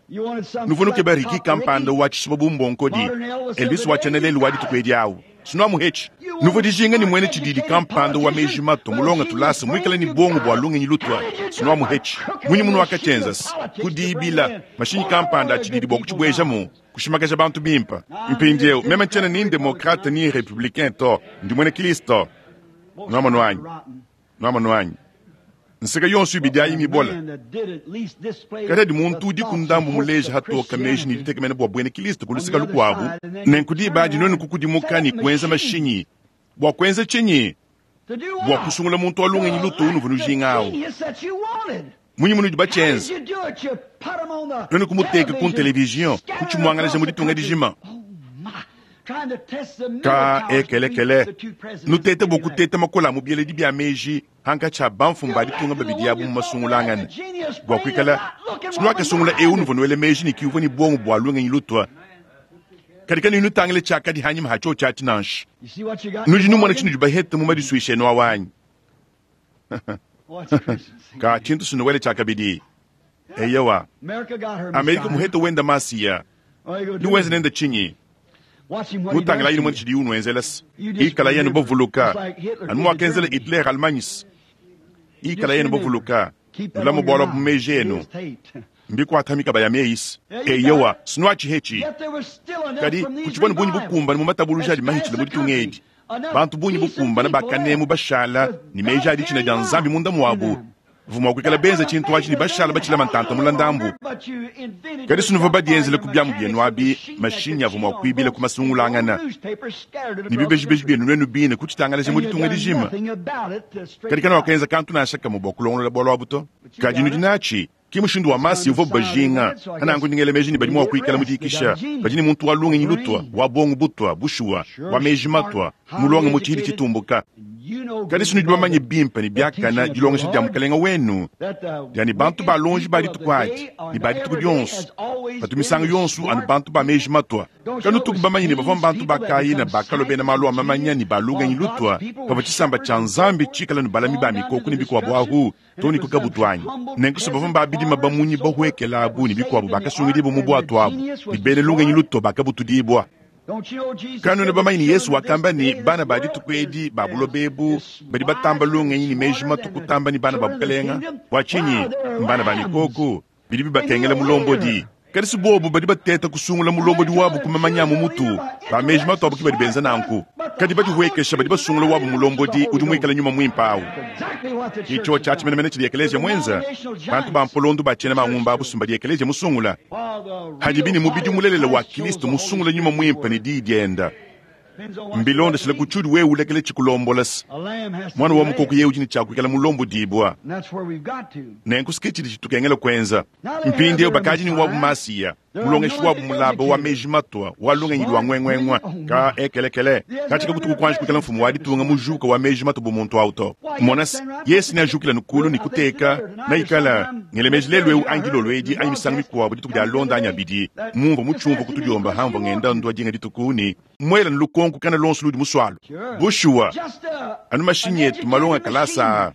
Nuvua nukeba Riki kampanda wa tshisuma bu mbonkodi. Elvis wa tshiena lelu wa dituku edi awu. Sinuamuhetshi. Nuvua dijinga ne muena tshididi kampanda wa meji mato mulonga tulasa muikale ne bongo bua lungenyi lutua. Sinuamuhetshi. Munyi munu wakatshienzasi? Kudibila mashinyi kampanda a tshididi bua kutshibuejamu, kushimakaja bantu bimpa. Mpindieu meme ntshiena ni demokrate ni republicain to, ndi muena Kristo. Nwamonu anyi? Nwamonu anyi? Nseka yonso ibidi ayi mibola. Kadi adi muntu udi ku ndambu muleja hatoka meji ne ditekemena bua buena Kristo ku luseka lukuabu. Nenku diba adi nuenu kukudimuka ne kuenza mashinyi. Bua kuenza tshinyi? Bua kusungula muntu wa lungenyi lutu unuvua nujinga awu. Munyi munudi batshienza? Nuenu kumuteka ku television, kutshimuangalaja mu ditunga dijima. Ka ekelekele. Nutete bua kuteta makola mu bieledi bia meji hankatshi a bamfumu ba ditunga babidi abu mu masungulangane. Bua kuikala sinuakasungula eu nuvua nuele meji ne kiuvua ne bongo bua lungenyi lutua. Kadi kanu nutangile tshiakadi hanyima ha tshiotshi atshi nansha. Nudi numona tshinudi bahete mu madisuisha enu awu anyi? Ka tshintu sinuwele tshiakabidi. Eyewa, Amerika muhete wenda Masiya. Niwenze nende tshinyi? Mutangila yini mwene tshidi unuenzelasi. Ikala yenu bavuluka. Anu mwakenzela Hitler Allemagne. Ikala yenu bavuluka. Nulama bwalwa bu meji enu. Mbikuata mikaba ya meisi. Eyewa, sinuatshi hetshi. Kadi kutshivua ne bungi bukumbana mu matabuluja adi mahitshile mu ditunga edi. Bantu bungi bukumbana bakanemu bashala ne meji adi tshina dia Nzambi munda muabu. Vua mua kuikala benza tshintu atshi ne bashala batshilama ntanta mula ndambu. Kadi sinuvua badienzele ku biamu bienu abi, mashinyi avua mua kuibila ku masungulangana. Ne bibejibeji bienu nuenu bine kutshitangalaja mu ditunga dijima. Kadi kana wakenza kantu nansha kamue bua kulongolola bualu abu to. Kadi nudi natshi, ki mushindu wa Masiya uvua bajinga. Hananku ndingele meji ne badi mua kuikala mu dikisha. Badi ne muntu wa lungenyi lutua, wa bongo butua, bushuwa, wa meji matua, mulonga mu tshihidi tshitumbuka. Kadi sinudi bamanye bimpe ne biakana dilongesha dia mukalenga wenu, dia ne bantu ba lonji ba dituku adi ne ba dituku dionso, batu misangu yonso anu bantu ba meji matua. Kanutuku bamanye ne bavua bantu ba Kaina bakalua bena malu a mamanya ne ba lungenyi lutua, pavua tshisamba tshia Nzambi tshikala ne balami ba mikoko ne bikuabu ahu to ne ku kabutu anyi. Nenku se bavua babidima bamunyi bahuekela abu ne bikuabu bakasungidibua mu bwatu abu, ne bena lungenyi lutua bakabutudibua. Kanuna bamanye ne Yesu wakamba ne bana ba dituku edi ba buloba ebu badi batamba lungenyi ne meji matu kutamba ne bana ba bukalenga. Bua tshinyi? Mbana ba mikoko bidi bibakengela mulombodi. Kadi si bobu badi bateta kusungula mulombodi wabu kumamanya mu mutu ba meji matu abu ki badi benza nanku. Kadi badihuekesha badi basungula wabu mulombodi udi muikala nyuma mwimpe awu. Icho cha chimenemene chidi ekeleziya mwenza bantu ba mpolondu bachena mangumba abusumba di ekeleziya musungula. Hadibi ni mubidi mulelela wa Kristo musungula nyuma mwimpe ni diyi dienda. Mbilonda shila kuchudi wewe ulekele chikulombolasi. Mwana wa mukoko yewe udi ni chakwikala mulombo dibwa. Nenku chidi chitukengela kwenza. Mpindi eu bakaji ni wabu masiya. Mulongeshi wabu mulaba wa meji matwa wa lungenyi lwa ngwengwengwa ka ekelekele. Katika kutuku kwanji kwikala mfumu wa ditunga mujuka wa meji matwa bumuntu auto. Monasi Yesu ni ajukila nukulu ni kuteka na ikala ngelemeji lelu eu angilo lwedi anyi misango mikuabo dituku dia londa anyi abidi. Mumva muchumva kutudiomba hamva ngenda ndwa dinga dituku ni mwela nlukonku kana lonso ludi muswalo. Bushuwa anu mashinyi yetu malonga kalasa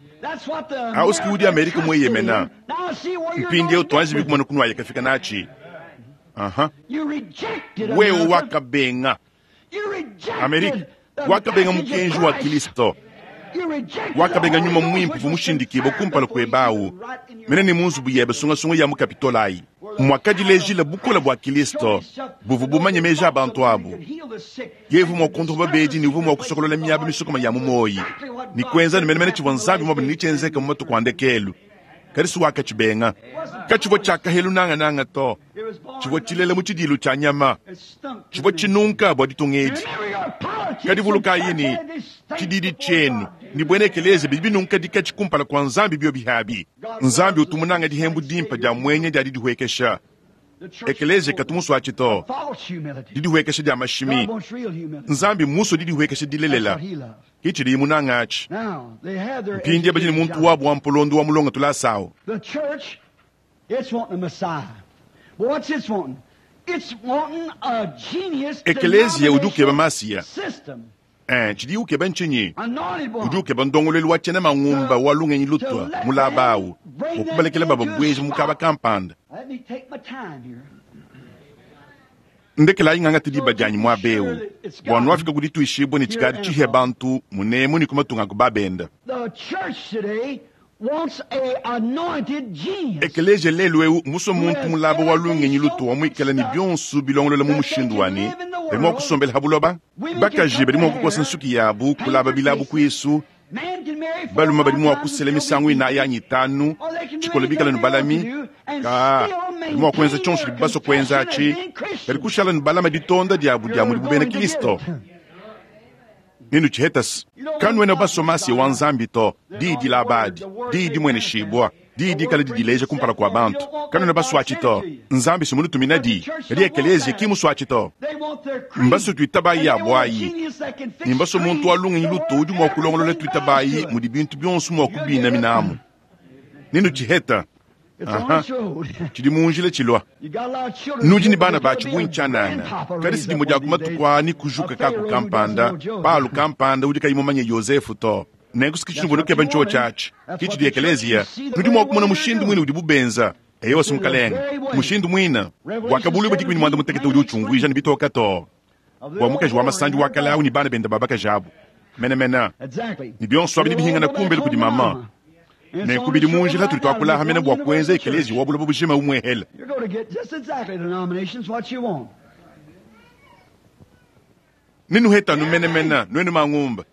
auski udi Amerika mweyemena. Mpindi eu twanji bikumana kunwaya kafika nachi. Aha. Wewe wakabenga Amerika wakabenga mukenji wa Kristo wakabenga nyuma mwimpu vumushindikibo kumpala kwebawu mene ni munzubu yebe sungasunga ya mukapitolayi mwakadilejila bukola bwa Kristo buvu bumanye meji abantu abu yevu mwakonto babedi ni uvu mwakusokolola miaba misokoma ya mumoyi ni kwenza ni menemene chivwa nzambi mwabu nichenzeka mu matuku andekelu karisu wakachibenga kachivo chakahelu nanga nanga to chivo chilela mu chidilu cha nyama chivo chinunka bwa ditungedi kadivuluka yini chididi chenu ni bwene ekeleze bidi binunka dikachikumpala kwa nzambi bio bihabi nzambi utumunanga dihembu dimpa dia mwenye dia didihuekesha ekeleze katumusu achito didihuekesha dia mashimi nzambi muso didihuekesha dilelela kichili munanga achi mpindi abajini muntu wabu wa mpolondo wa mulonga tulasawo. The church, it's wanting a Messiah. But what's it's wanting? It's wanting a genius Ekelezia udi ukeba masiya. system. Eh, chidi ukeba nchinyi Anointed one. udi ukeba ndongolelu wa chena mangumba wa lungenyi lutwa mulabawu okubalekela baba bweji mukaba kampanda. Let me take my time here. Ndekela inganga tidiba janyi mwa bewu bwanu wafika kuti tuishibwe ni chikadi chihe bantu munemu ni kumatunga kubabenda. The church today wants a anointed genius. Ekelezia lelu eu muso muntu mulaba wa lungenyi lutwa mwikala ni byonso bilongolola mu mushindu wani badi mwa kusombela habuloba bakaji badi mwa kukosa nsuki yabu kulaba bilabu kwisu Man can marry four baluma badi mwa times kusela and still misango be ina yanyi tanu chikola bikala ni balami ka badi mwa kuenza chonso libaso kuenza achi badi kushala ni balama ditonda diabu dia mudi bubena Kristo ninu chihetasi kanwena basomasi wa nzambi to didi la badi didi mwene shibwa didi kala didileja kumpala kwa bantu kanwena baswachi to nzambi simunutumina di kadi ekelezia kimuswachi to They want their creed. mbaso tuitabayi And they want a yabwayi genius that can fix ni mbaso muntu wa lungenyi luto udi mwa kulongolola tuitabayi creed. mudi bintu byonso mwa kubina minamu ninu chiheta It's Aha. on its road. chidi munjile chilwa You got a lot of children nudi ni here, bana but bachi there'll be a bunchanana grandpapa kadi raised sidimo up dia one of these days. kumatuku ni kujuka A kaku Pharaoh who kampanda doesn't know Joseph. palu kampanda udi kayimumanye Yosefu to nenku sikichinubona keba ncho chachi kichi di ekelezia nudi mwa kumona mushindu mwine udi bubenza eyo simukalenga mushindu mwina wakabulu badi mwanda mutekete udi uchungwija ni bitoka to Of the wa mukaji wa old masandi whore wa kalau ni bana benda babaka jabu mena Exactly. ni byonso abi nibihingana kumbele kudi mama nenkubidi munjila tuli twakulaha mena bwa kuenza ekelezia wabuloba bujima umwehela You're going to get just exactly denominations what you want. ninuhetanu menemena nwenu mangumba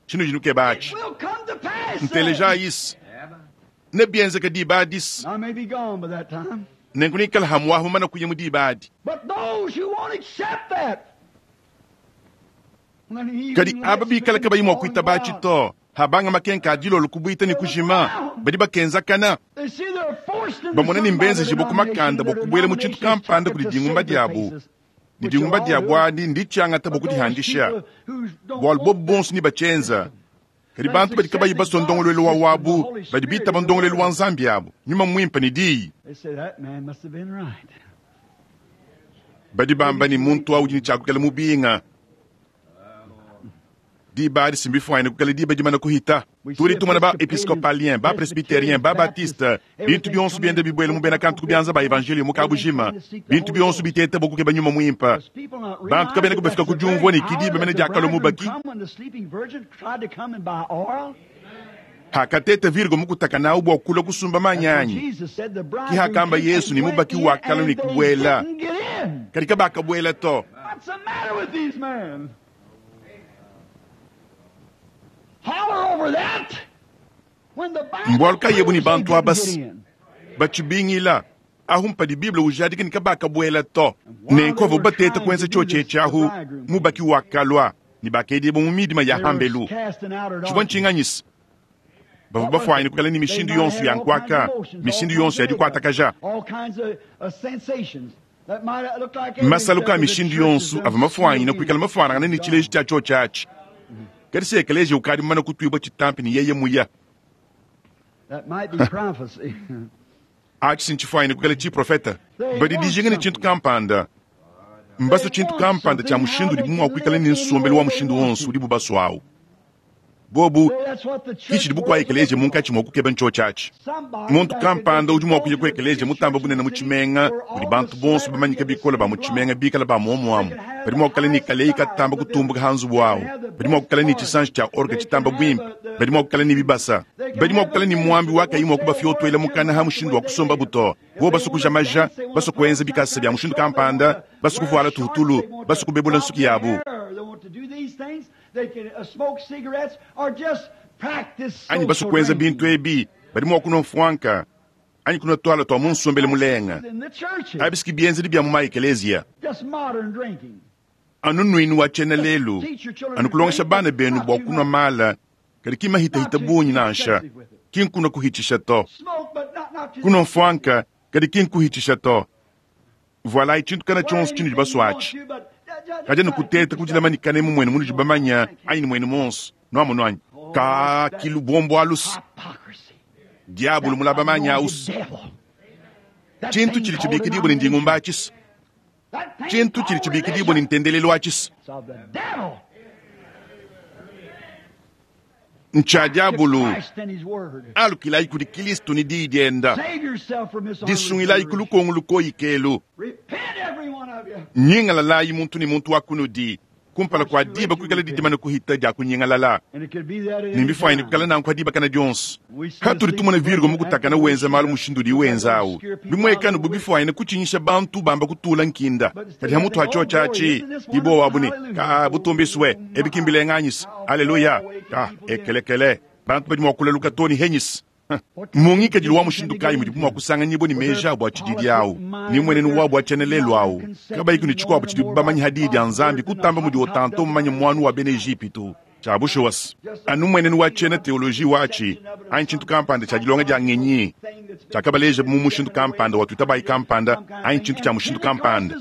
chinu chinu kebachi It will come to pass. nteleja isi nebyenzeka dibadisi I may be gone by that time. nenkunikala hamwahu mana kuya mu dibadi But those who won't accept that, when he kadi even aba lets bikala them kabayi mwa fall kuita bachi out, to habanga makenka adilolo kubwita ni kujima badi bakenzakana they see they're forced into bamona ni some mbenze other jibo kumakanda denomination, their bokubwela mu chintu denomination kampanda is kuli to dingumba save their diabu faces, ni which dingumba you'll all diabu do. adi ndichangata But those bokutihandisha people who don't bwalu want bobu bonso ni bachenza kadi bantu badi kabayi basondongolwelo wa wabu badi bitaba ndongolwelo wa nzambi abu nyuma mwimpa ni diyi They say that man must have been right. badi bamba ni muntu awu dini chakukela mubinga diba adi simbifwaine kukela diba dimana kuhita tuli tumona ba episcopalien ba presbytérien ba baptiste bintu byonso byende bibwele mubena kantu kubyanza ba evangelio mukabujima bintu byonso bitete bokukeba nyuma mwimpa Because people not bantu realize kabene that kubafika that's the kudyumvwa very ni kidiba hour mene that the diakalo bridegroom mubaki come when the sleeping virgin tried to come and buy oil. Hakateta Virgo mukutaka nawu bua kulua kusumba manyi anyi. Ki hakamba Yesu ne mubaki wa kala ne kubuela. Kadi kabakabuela to. What's the matter with these men? Holler over that. When the Bible Mbualu kayebu ni proves they bantu didn't abasi. get in. Bachibingila ahu mpadi Bible ujadika ni kabakabuela to. Nenkovo bateta kwenza choche chahu mubaki wa kalwa ni bakedibo mu midima ya They were hambelu. cast in outer Chibwa darkness. nchinganyisa. Bavua bafwanyine kukala ni mishindu yonso ya nkwaka, mishindu yonso ya dikwatakaja. All kinds of, of sensations that might look like Masalu ka everything mishindu except for the yonso churches ava mafwanyine done kuikala mafwanangana ni chileji cha choche achi. Kadi se ekeleziya ukadi mumana kutwibwa chitampi ni yeye muya. That might be prophecy. Achi sinchifwanyine kukala chiprofeta. Badi dijinga ni chintu kampanda. Mbaso chintu kampanda cha mushindu udi bumwa kuikala ni nsombelu wa mushindu wonso udi bubaso awu. Bobu That's what the church kichidi bukwa ekeleziya munkachi mwa kukeba nchoche achi. Somebody Muntu that kampanda could udi mwa kuya go ku to the ekeleziya mutamba bunene mu church chimenga where udi all bantu the bonso bamanyika bikola ba mu chimenga bikala ba muomuamu. Badi mwa kukala ni kaleyi katamba kutumbuka hanzu bwawu. Badi mwa kukala ni chisanji cha orga chitamba bwimpe. Badi mwa kukala ni bibasa. Badi mwa kukala ni mwambi wakayi mwa kubafyotwela mukana ha mushindu wa kusomba buto. Bo basukuja maja, basukuenza bikasa bya mushindu kampanda, basukuvuala tuhutulu, basukubebula nsuki yabu. They want to do these things. They can uh, smoke cigarettes or just practice Anyi social basukuenza drinking. bintu ebi, badi mwa kunwa mfwanka. Anyi kunwa twala twa munsombele mulenga. In the churches, Abisiki bienzedi bya mu maekeleziya. just modern drinking. Anu nwinu wa chena lelu anu kulongesha bana benu bua kunwa mala kadi kimahitahita bunyi nansha kinkunwa kuhichisha to Smoke, but not, not to kunwa mfwanka kadi kinkuhichisha to vualayi chintu kana chonso chinu dibaswachi kaja nikuteta kudilamanyikana emu mwenu munu dibamanya anyi ni mwenu monso nwamunu anyi ka kilu bombo alusi Hypocrisy. diabulu mulabamanya ausi Devil. That chintu thing chili called chibikidibwa ni ndingumba achisa That thing chintu chili called chibikidibwa ni religion ntendelelo achisa is of the devil. ncha diabulu Christ and his word. alukilayi kudi kilistu ni diyi dienda Save yourself from this disungilayi ku lukongo lukoyikelu Repent, every one of you. nyingalalayi muntu ni muntu wa kunudi kumpala kwa diba kuikala didimana kuhita dia kunyigalala And it could be that at any nimbifwanyine time. kukala nanku adiba kana dionso hatuli tumona virgo mukutakana wenza malu mushindu udi wenzawu bimwekanu bubifwanyine kuchinyisha bantu bamba kutula nkinda kadi hamutu hacho chachi ibo wabu ni ka butumbiswe ebikimbilenganyisa aleluya ka ekelekele bantu badi mua kulaluka toni henyisa mungikadilu wa mushindu kayi mudi bumua kusanganyibwa ni meja abu atshididi awu ni mwenenu wabu atshenelelu awu kabayiku ni tshikuabu tshidi bamanyi hadidi ya nzambi kutamba mudi otanto mumanye mwanu wa bena Ejipitu tshia bushuwasi anu mwenenu wa tshena teoloji watshi anyi tshintu kampanda tshia dilonga dia ngenyi tshiakabaleja mu mushindu kampanda watuitabayi kampanda anyi tshintu tshia mushindu kampanda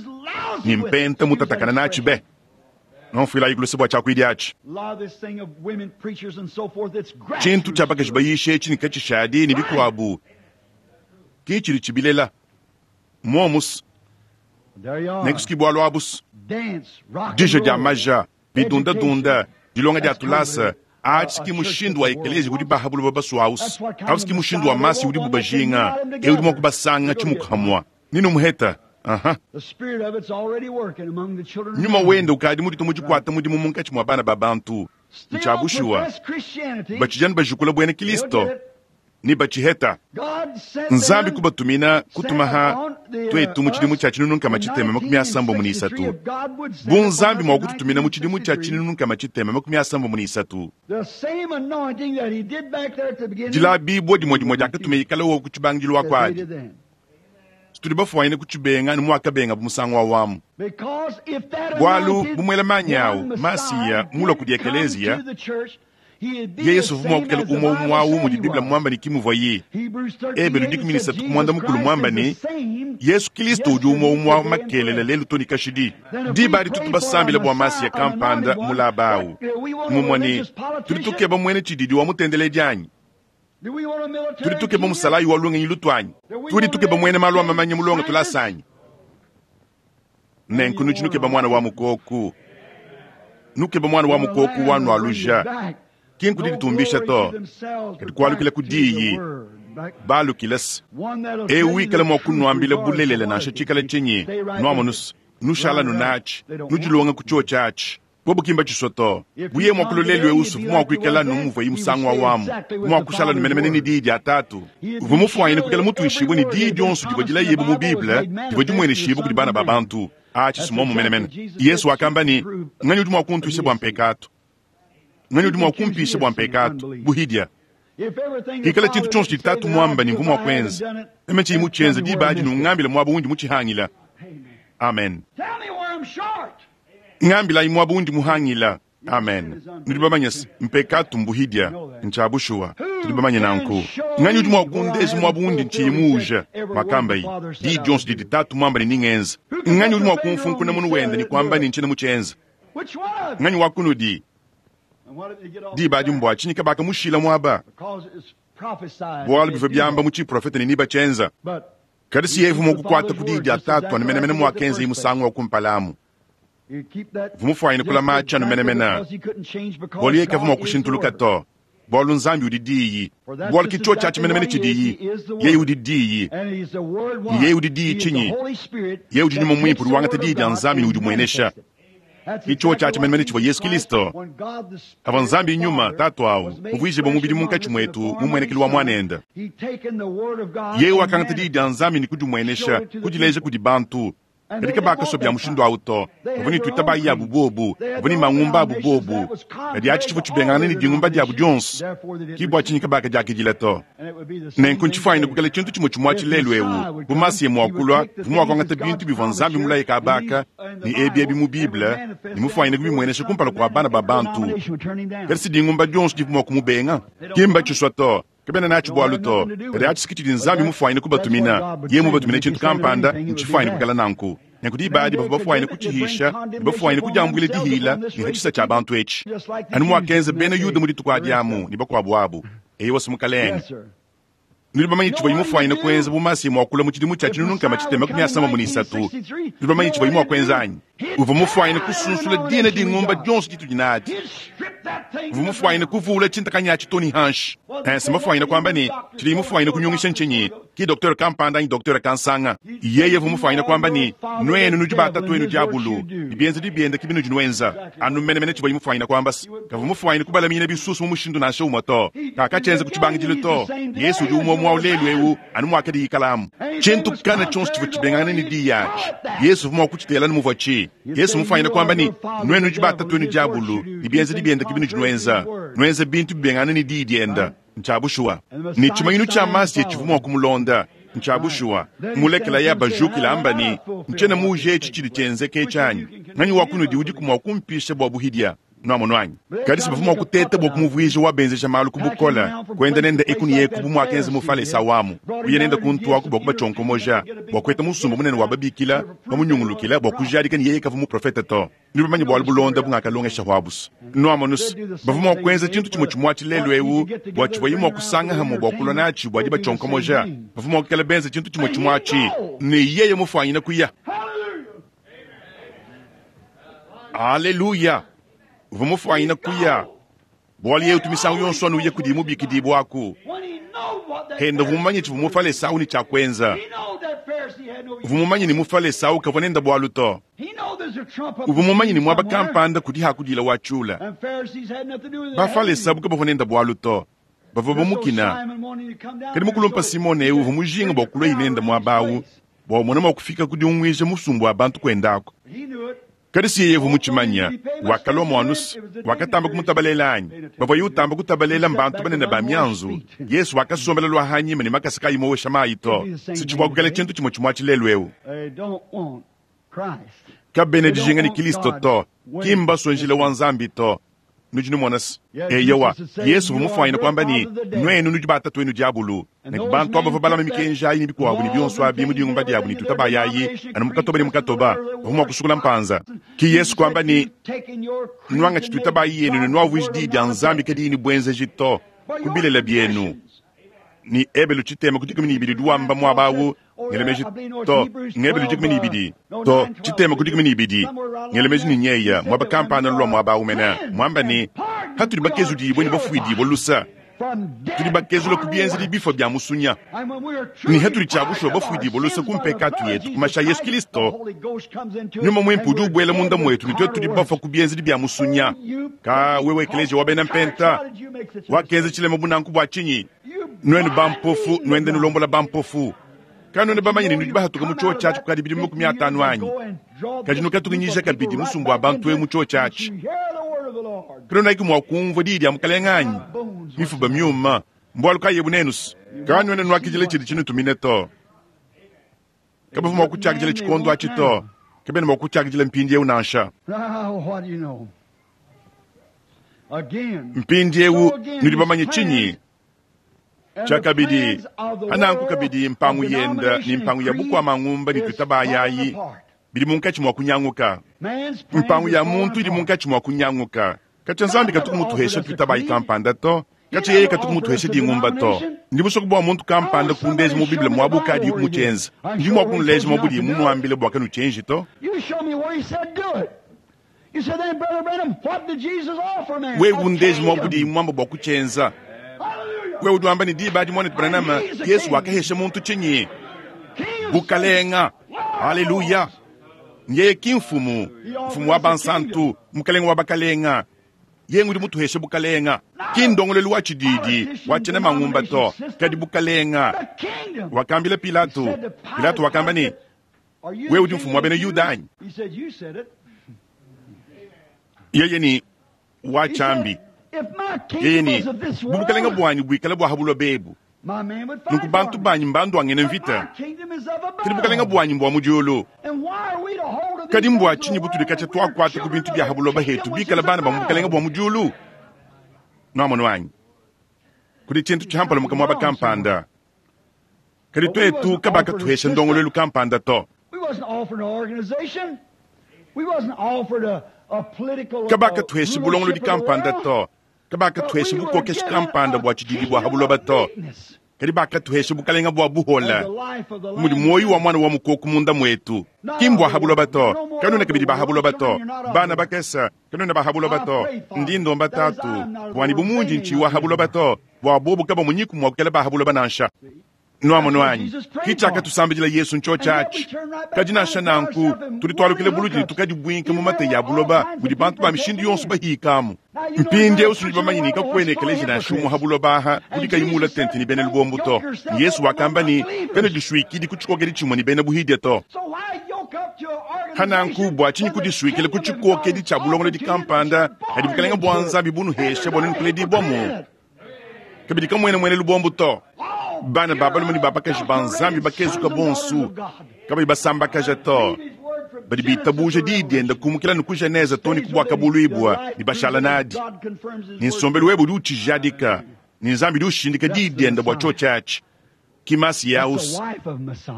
ni mpenta mutatakana natshi be nonfuilayi kuluse bua tshiakuidi atshi A lot of this thing of women preachers and so forth, it's tshintu tshia grassroots. bakaji bayisha etshi ni katshishadi ni bikuabu ki tshidi tshibilela momusi There you are. nekusuki bualu abusi Dance, rock and dija dia roll. maja bidundadunda dilonga dia tulasa That's atshi ki mushindu wa ekeleziya udi bahabulu babasuausi ausi ki mushindu wa masi udi bubajinga e udi mua kubasanga tshimukamua nini muheta aha The spirit of it's already working among the children. of nyuma men. wenda ukadi mudito mudikwata mudimu munkatshi mua bana ba bantu Still ntshiabushuwa profess Christianity. batshijani bajukula buena They'll kilisto get it. ni batshiheta God sent nzambi them kubatumina kutumaha twetu mu tshidimu tshia tshinunu tshitema makumi asambombo ni isatu bu nzambi mua kututumina mu tshidimu tshia tshinunu tshitema makumi asambombo ni isatu The same anointing that he did back there at the beginning. dilabibwa dimwe dimwe diakatuma ikala wo kutshibangilu that they wakwadi did then. tudi bafuanyine kutshibenga ni muakabenga bumusango wa wamu Because if that Bwalu anointed bumwela manyi awu, one Masiya, Messiah mula did kudi come ekeleziya, to the church, he'd be ye the yesu vuma same kukela as the umwe Bible umwawu said mudi he biblia was. mwamba ni kimuvwa ye Hebrews thirteen Ebelu eight dikumi ni said isatu Jesus kumwanda mukulu Christ mwamba is the ni same yesu kristo udi umwe umwe wa makelele lelu toni kashidi diba adi tutu basambila bua masiya kampanda mulaba awu mumwa ni tudi tukeba mwene tshididi wa mutendeledi anyi Do we want a military tudi tukeba genius? musalayi wa lungenyi lutwanyi tudi tukeba mwene malu amamanya mulonga tulasanyi nenku nudi nukeba mwana wa mukoku nukeba mwana wa mukoku wanu aluja kinku diditumbisha to kadi kualukila ku diyi balukilasi ewu ikala mua kunuambila bulelela nansha tshikala tshinyi nuamonusu nushala nunatshi nudilonga ku tshio tshiatshi Bobo kimba tshisua to. Buye mwa kulolelwe usu mwa kuikala numuvua imusangu wa wamu. Mwa kushala numenemene ni dii dia tatu. Uvua mufuanyine kuikala mutuishibue ni dii dionso divua dilayebu mu Bible, divua dimweneshibue kudi bana ba bantu. Achi simomo menemene. Yesu wakamba ni nganyi udi mua kuntuisha bua mpekatu. Nganyi udi mua kumpisha bua mpekatu buhidia. Hikala tshintu tshionso tshitatu mwamba ni mvu mwa kwenza. Meme tshiyi mutshienza diba adi nungambila muaba undi mutshihangila. Amen. Ngambilayi muaba undi muhangila. Amen. Nudi bamanye mpekatu mbuhidia ncha bushuwa. Tudi bamanye nanku. Nganyi udi mua kundeja muaba undi ntshiyi muuja. Makambayi. Di dionso didi tatu mwamba ni ningenza. Nganyi udi mua kumfunkuna munu wenda ni kwamba ni nchina mutshienza. Nganyi wakunudi. Diba adi mbwa tshinyi kabaka mushila mwaba. Bwalu bivua byamba mu tshiprofete ni niba tshienza. Kadi si yevu mukukwata ku didi atatu anumenemene mwakenza imusangu wa kumpalamu. Vumufwanyine kula machi anumenemena. Bwalu ye kavuma kushintuluka to. Bwalu nzambi udi diyi. Bwalu kicho cha chimenemene chidiyi. Yeye udi diyi. Yeye udi diyi chinyi. Yeye udi nyuma mwimpu udi didi ya nzambi ni udi mwenesha. Kicho cha chimenemene chivwa Yesu Kristo. Ava nzambi nyuma tatu awu. Muvuyije bwa mubili munkatshi mwetu mumwenekelu wa mwanenda. Yeye wakangata didi ya nzambi ni kudimwenesha, kudileja kudi bantu. Katika bakaso bya mushindu awu to. Bavua ni tuitabayi yabu bobu, bavua ni mangumba abu bobu. Kadi achi chivua tshibengana ni dingumba diabu dionso. Kibwa tshinyika baka diakidila to. Nenku ntshifwanyine kukala tshintu tshimwe tshimwa tshilelu ewu. Bumasi ye mwakulwa, vumwakwangata bintu bivua nzambi mulaye kabaka, ni ebi ebi mu Bible, ni mufwanyine kubimwenesha kumpala kwa bana ba bantu. Kadi si dingumba dionso divua kumubenga. Kimba tshiswa to. Kabena nachi bwalu to. Kadi achi sikiti nzambi mufwanyine kubatumina. Ye mubatumina tshintu kampanda, ntshifwanyine kukala nanku. Nenku diba adi bavua bafwanyine kutshihisha, bafwanyine kudiambuila dihila ni hatshisa tshia bantu etshi. Anu mwakenza bena Yuda mu dituku adi amu ni bakuabu abu. Eyi wasi mukalenge. Nudi bamanyi tshivua imufwanyine kuenza bumasi mwakula mu tshidimu tshia tshinunu tshitema makumi asamba mu nisatu. Nudi bamanyi tshivua imwakwenza anyi. Uvua mufwanyine kusunsula dina dingumba dionso ditudi nadi. Uvua mufwanyine kuvula tshintakanya tshitoni hanshi. Ense mufwanyine kwamba ni tshidi mufwanyine kunyungisha nchinyi. Ki docteur kampanda ni docteur kansanga. Yeye uvua mufwanyine kwamba ni nwenu nudi batatu enu diabulu. Bienza dibienda kibinu dinwenza. Anu menemene tshivua imufwanyine kwamba kavua mufwanyine kubalamina bisusu mu mushindu nansha umwe to. Kakachenza kutshibangidilo to. Yesu udi umwe mwa ulelu ewu anu mwakadi ikalamu. Tshintu kana tshonso tshivua tshibengana ni diyachi. Yesu uvua mwakutshitela ni muvua tshi. Yesu mufwanyine kwamba ni nwenu nudi batatu enu diabulu. Bienza dibienda kibinu dinwenza. Nwenza bintu bibengana ni di dienda. Nchabushua. Ni tshimanyinu tshia masi tshivua mwa kumulonda. Nchabushua. Mulekela ya bajukila amba ni nchena muje etshi tshidi tshienzeke tshanyi. Nganyi wakunudi udi kumwa kumpisha bwa buhidia. Nwamonwanyi. Kadi si bavua mwakuteta bwa kumuvuija wabenzesha malu kubukola. Kwenda nenda ekuni yeku bumwakenza mufale sawamu. Uye nenda kuntu aku bwa kubachonkomoja. Bwa kweta musumba munene wababikila, bamunyungulukila bwa kujadika ni yeye kavu muprofeta to. Nudi bamanye bwalu bulonda bungakalongesha hwabusu. Nwamonusu. Bavua mwakwenza tshintu tshimwe tshimwa tshilelu ewu, bwa tshivua imwa kusanga hamwe bwa kulwa natshi bwa dibachonkomoja. Bavua mwakukala benza tshintu tshimwe tshimwa tshi. Ni yeye mufwanyine kuya. Haleluya. Uvua mufwanyine kuya. Bwalu yetu misangu yonso anu uye kudi mubikidi bwaku. Henda vumanye tshivua mufale sawu ni tshia kwenza. Uvua mumanye ni mufale sawu kavua nenda bwalu to. Uvua mumanye ni mwaba kampanda kudi hakudila wa tshula. Bafale sabu kabavua nenda bwalu to. Bavua bamukina. Kadi mukulumpa Simone ewu uvua mujinga bwa kulwa inenda mwabawu. Bwa mwana mwa kufika kudi umwija musumbu wa bantu kwendako. Kadi si yeye vumutshimanya wakalwa mwanusu wakatamba kumutabalela anyi bavua yutamba kutabalela mbantu banene ba mianzu Yesu wakasombela lwa hanyima ni makasa kayimowesha mayi to sitshivua kukala tshintu tshimwe tshimwa tshilelu ewu kabene dijinga ni Kristo to kimba sonjile wa nzambi to nudi numona-se eyowa Yesu vumufwanyine kwamba ni nwenu nudi batatu enu diabulu ne bantu abo balama mikenji ayi ni bikuabu ni bionso abi mu dingumba diabu ni tutabayayi anu mukatoba ni mukatoba vumwa kusukula mpanza ki Yesu kwamba ni nwanga tshitutabayi yenu ni nwavuiji di dia nzambi kadi ni bwenzeji to kubilela bienu ni ebelu tshitema ku dikumi ni ibidi duwamba mwabawu ngelemeji to ngebelu dikumi ni ibidi to tshitema ku dikumi ni ibidi ngelemeji ni nyeya mwaba kampana lwa mwabawu mena mwamba ni hatuli bakezu dibwe ni bafuidibwe lusa Tudi bakezula ku bienzedi bifua bia musunya. Ne hatudi tshia bushuwa bafuidibue luse ku mpekatu yetu ku mashi a Yesu Kristo, Nyuma Muimpe udi ubuela munda muetu ne tuetu tudi bafua ku bienzedi bia musunya. Ka wewe ekeleziya wa bena mpenta wakenza tshilema bu nanku bua tshinyi? Nuenu bampofu nuende nulombola bampofu. Kanuena bamanye ne nudi bahatuka mu chiochi atshi kukadi bidimu makumi atanu anyi? Kadi nukatukinyija kabidi musumba wa bantu eu mu chiochi atshi. Kanuena mua kumvua diyi dia Mukalenge anyi? Mifuba miuma, mbualu kayi ebu nenusu? Kanuena nuakidila tshidi tshinutumine to. Kabavua mua kutshiakidila tshikondo atshi to. Kabena mua kutshiakidila mpindieu nansha. Mpindieu nudi bamanye tshinyi? Tshiakabidi, hananku kabidi mpangu yenda ne mpangu ya bukua mangumba ne tuitabayayi bidi munkatshi mua kunyanguka. Mpangu ya muntu idi munkatshi mua kunyanguka. Katshia Nzambi katuku mutuhesha tuitabayi kampanda to. Katshia yeye katuku mutuhesha dingumba to. Ndi musoko bua muntu kampanda kundeja mu Bible muabu kadi kumutshienza. Ndi mua kunuleja muabu mumuambile bua kanutshienji to. Wewe undeja muabu muamba bua kutshienza. Wewe udi wamba ne diba adi mwana Branham, Yesu wakahesha muntu tshinyi? Bukalenga. Haleluya. Yeye ki mfumu, mfumu wa bansantu, mukalenga wa bakalenga. Yeye ngudi mutuheshe bukalenga. Ki ndongolelu wa tshididi, wa tshena mangumba to, kadi bukalenga. Wakambila Pilato, Pilato wakamba ne, wewe udi mfumu wa bena Yuda anyi? Yeye ni wa chambi. Yeye ni bukalenga bwanyi buikala bwa habulo bebu. Nunku bantu banyi mbandu angene mvita. Kadi bukalenga bwanyi mbwa mudiulu. Kadi mbwa tshinyi butudi katshia twakuata ku bintu bya habuloba hetu bikala bana ba bukalenga bwa mudiulu. Nwamono wanyi. Kudi tshintu tshihampala mukamwa bakampanda. Kadi twetu kabaka tuhesha ndongolelu kampanda to. Kabaka tuhesha bulongolodi kampanda to. Kabaka tuhesha bukokeshi kampanda bwa tshididi bwa habuloba to. Kadi bakatuhesha bukalenga bwa buhola. Mudi moyo wa mwana wa mukoko munda mwetu. Ki mbwa habuloba to. Kanuna kabidi ba habuloba to. Bana bakesa kanuna ba habuloba to. Ndi ndomba tatu. Bwani bumunji nchi wa habuloba to. Bwa bobu kaba munyiku mwa kukela ba habuloba nansha. Nwamono wanyi. Kichaka tusambijila Yesu ncho chachi. Kadi nansha nanku tulitwalukile buludi tukadi bwinka mu mate ya buloba budi bantu ba mishindi yonso bahikamu. Mpindieu sudi bamanyi kakwene ekeleziya nansha umwe habuloba aha udi kayimula tente ni bena lubombo to. Yesu wakamba ni bena dishwikidi kutshikokedi tshimwe ni bena buhidya to. Hananku bwa tshinyi kudishwikile kutshikokedi tshia bulongolodi kampanda kadi bukalenga bwa Nzambi bunuhesha bwa nunukuledi bwamu. Kabidi kamwene mwene lubombo to. Bana babalume ne babakaji ba Nzambi bakezuka bonsu kabayi basambakaja to. Badi bitabuja diyi dienda kumukila ne ku Genese to ne ku bwakabuluibwa ne bashala nadi. Ne nsombelu webe udi utshijadika ne Nzambi udi ushindika diyi dienda bua tshiotshi atshi. Ki Masiyaus,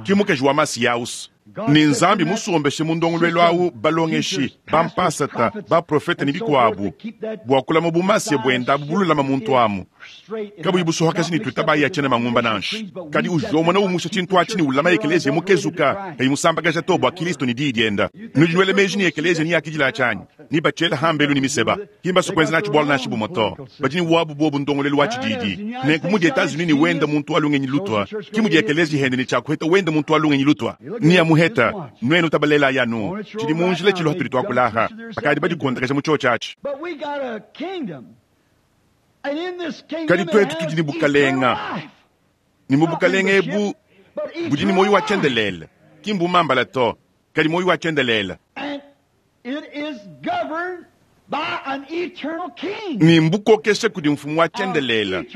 ki mukaji wa Masiyaus. Ne Nzambi musombeshe mu ndongoluelu awu balongeshi, bampasata, baprofete ne bikuabu bua kulama bumasiya buenda abu bululama muntu amu. Kabuyi busohakaji ne tuitabayi atshena mangumba nansha. Kadi ujomona umusha tshintu atshi ne ulama ekeleziya mukezuka kayi musambakaja to bua Kristo ne diyi dienda. Nudi nuela meji ne ekeleziya ni yakidila tshianyi ni batshela hambelu ni miseba. Kimba sokwenza natshi bwalo nansha bumwe to. Badi ne wabu bobu ndongolelu wa tshididi. Nenku mudi Etats-Unis ne wenda muntu alungenyi lutwa. Ki mudi ekeleziya hende ne tshiakuheta wenda muntu alungenyi lutwa. Ni amuheta nwenu tabalela yanu. Tshidi munjila tshilo hatudi twakulaha. Bakadi badikondakaja mu chiochi atshi. Kadi twetu tudi ne bukalenga. Ni mu bukalenga ebu budi ne moyo wa tshiendelele. Ki mbumambala to. Kadi moyo wa tshiendelele. Ni mbukokesha kudi mfumu wa tshiendelele.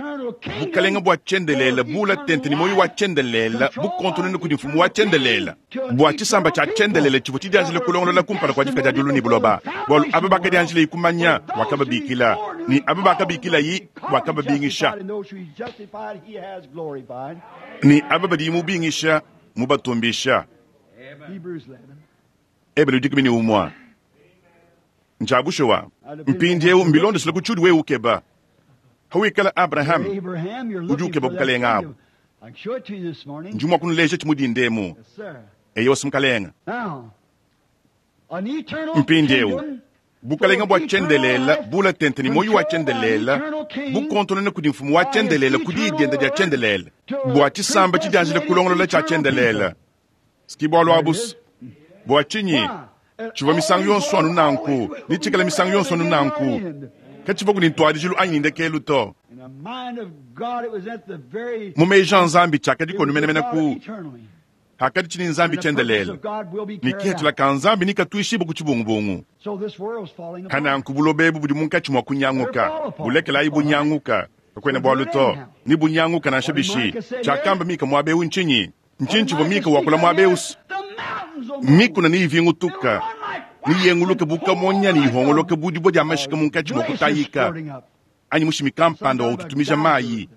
Bukalenga bwa tshiendelele bula tente ni moyo wa tshiendelele bukontonene kudi mfumu wa tshiendelele. Bwa tshisamba tshia tshiendelele tshivua tshidianjile kulongolola kumpala kua difika dia diulu ne buloba. Bualu aba bakadianjile ikumanya wakababikila ni aba bakabikila yi wakababingisha. Ni aba badi mubingisha mubatumbisha. Ebelu dikumi ne umwa. Njabushowa mpindieu mbilondesele ku tshudi wewe ukeba. Hawikala Abraham udi ukeba bukalenga abu. Ndi mua kunuleja tshimudi ndemu. Eyo simukalenga. Mpindieu Bukalenga bua tshiendelela bula tente ne muoyo wa tshiendelela bukontonona kudi mfumu wa tshiendelela ku diyi diende dia tshiendelela bua tshisamba tshidianjila kulongolola tshia tshiendelela. Siki bualu abu bua tshinyi tshivua misangu yonso anu nanku ne tshikala misangu yonso anu nanku katshivua ku ne ntuadijilu anyi ne ndekelu to. Mu meji a Nzambi tshiakadikonu menemene ku hakadi tshini Nzambi tshiendelela ne kihatshila ka Nzambi ne katuishibua ku tshibungubungu. Hananku buloba ebu budi munkatshi mua kunyanguka, bulekelayi bunyanguka, kakuena bualu to, ne bunyanguka nansha bishi. Tshiakamba Mika muaba eu ntshinyi? Ntshinyi tshivua Mika wakula muaba eu? Mikuna ne ivingutuka ne yenguluka bu kamonya ne ihongoloka bu dibue dia mashika munkatshi mua kutayika anyi mushimi kampanda wa ututumija mayi.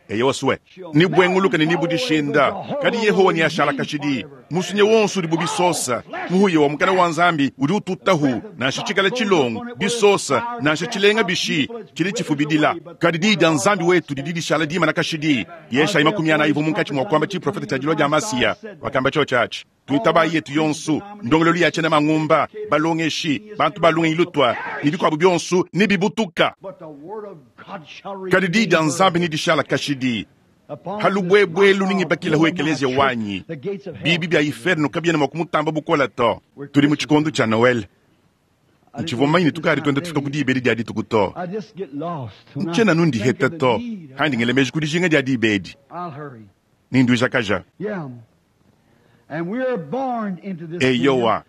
Eyo swe ni bwenguluka ne nibudishinda kadi Yehowa ni ashala kashidi musunye wonso udi bubisosa muhuye wa mukana wa Nzambi udi ututahu nansha tshikala tshilongo bisosa nansha tshilenga bishi tshili tshifubidila kadi diyi dia Nzambi wetu didi dishala dimana kashidi. Yeshayi makumi anayi ivua munkatshi mua kuamba tshiprofeta tshia dilua dia Masiya wakamba tshio tshiatshi tuitabayi yetu yonso ndongololu ya tshiena mangumba balongeshi bantu balungenyi lutwa ne bikuabu bionso ne bibutuka kadi diyi dia Nzambi ne dishala kashidi. Halubwebwelu ningibakila hu ekelezia wanyi bibi bya inferno kabiena mua kumutamba bukola to. Tudi mu tshikondo tshia Noel ntshivua mmanyi ne tukadi tuenda tufika ku dibedi dia dituku to. Ntshiena nundiheta to handi ngele meji ku dijinga dia dibedi ninduijakaja. Eyowa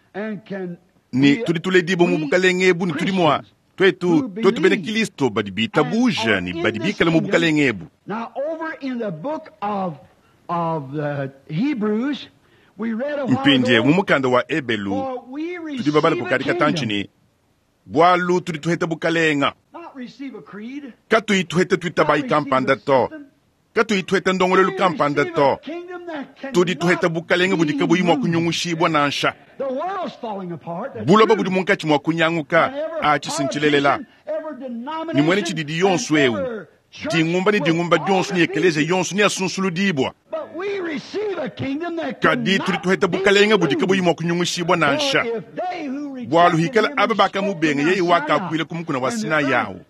ne tudi tuledibua mu bukalenge ebu ne tudi mua twetu twetu bena Kristo badi bitabuja ne badi bikala mu bukalenge ebu. Mpindie mu mukanda wa Ebelu tudi babala kukadi katantshi ne bualu tudi tuheta bukalenga katuyi tuheta tuitabayi kampanda to, katuyi tuheta ndongolelu kampanda to, tudi tuheta bukalenga budi kabuyi mua kunyungushibua nansha. Buloba budi munkatshi mua kunyanguka atshi sintshilelela ni mwene tshididi yonso eu dingumba ne dingumba dionso ne ekelezia yonso ne asunsuludibua kadi tudi tuheta bukalenga budi kabuyi mua kunyungushibua nansha. Bualu hikala aba bakamubenga yeye wakakuila ku mukuna wa Sinai awu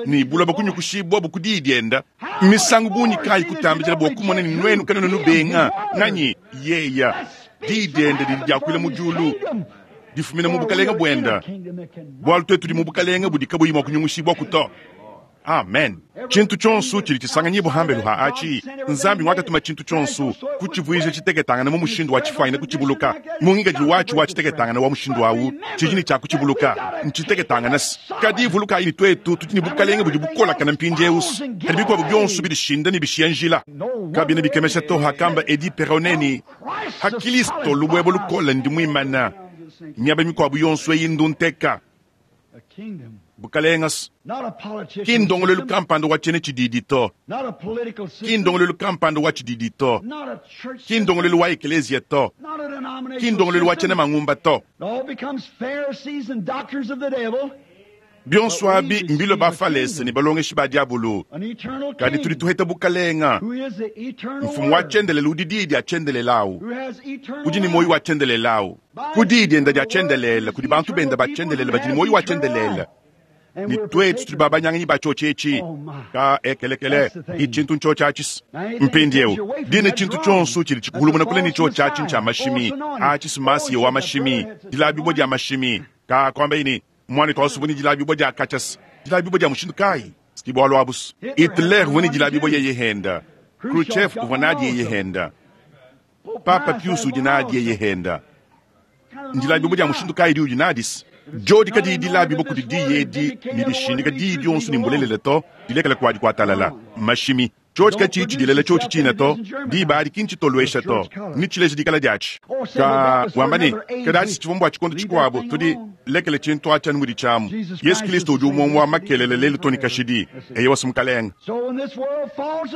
ne buloba kunyukushibua bu ku diyi dienda. Misangu bungi kayi kutambijila bua kumona ne nuenu kanenu nubenga nganyi yeya diyi diende didi diakuila mu diulu difumina mu bukalenga buenda bualu twetu tudi mu bukalenga budi kabuyi mua kunyungushibua ku to. Amen. Tshintu tshionso tshidi tshisanganyibua hambelu ha atshi Nzambi wakatuma tshintu tshionso kutshivuija tshiteketangana mu mushindu wa tshifuanyina kutshibuluka mu ngikadilu watshi wa tshiteketangana wa mushindu awu tshidi ne tshia kutshibuluka ntshiteketangana kadi vulukayi ne twetu tudi ne bukalenge budi bukolakana mpindieu kadi bikuabu bionso bidishinda ne bishiya njila kabina bikemesha to hakamba Edi Peroneni ha Kristo lubwebo lukola ndi muimana miaba mikuabu yonso eyi ndunteka bukalenga ki ndongolelu kampanda wa tshiena tshididi to, ki ndongolelu kampanda wa tshididi to, ki ndongolelu wa ekelezia to, ki ndongolelu wa tshiena mangumba to. Bionso abi mbilo bafalese ne balongeshi ba diabulu kadi tudi tuheta bukalenga mfumu wa tshiendelele udi diyi dia tshiendelele awu udi ne muoyo wa tshiendelele awu ku diyi dienda dia tshiendelele kudi bantu benda ba tshiendelele badi ne muoyo wa tshiendelele ni twetu tudi babanyanganyi ba tshiotshi etshi ka ekelekele i tshintu ntshiotshi atshi mpindieu dine tshintu tshionso tshidi tshikuhulumuna kule ne tshiotshi atshi ntshia mashimi atshi simasiye wa mashimi dilabibua dia mashimi ka kuamba ini mwana twasubuni dilabibua dia kachas dilabibua dia mushindu kayi sikibwalu abusu Hitler vuni dilabibua yeye henda Khrushchev uvua nadi yeye henda Papa Pius udi nadi yeye henda ndilabibua dia mushindu kayi udi nadis jodi kadi dilabibua kudi diyi edi ne dishindika diyi dionso ne mbulelele to dilekela kuadi kuatalala mashimi tshiotshi katshi tshidilela tshiotshi tshina to diba adi ki ntshitoluesha to ni tshileja dikala diatshi ka wamba ne kadi atshi tshivua mbua tshikondo tshikuabu tudi lekele tshintu atshi anu mudi tshiamu Yesu Kristo udi umue wa makelele lelu to ne kashidi eye wasumukalenga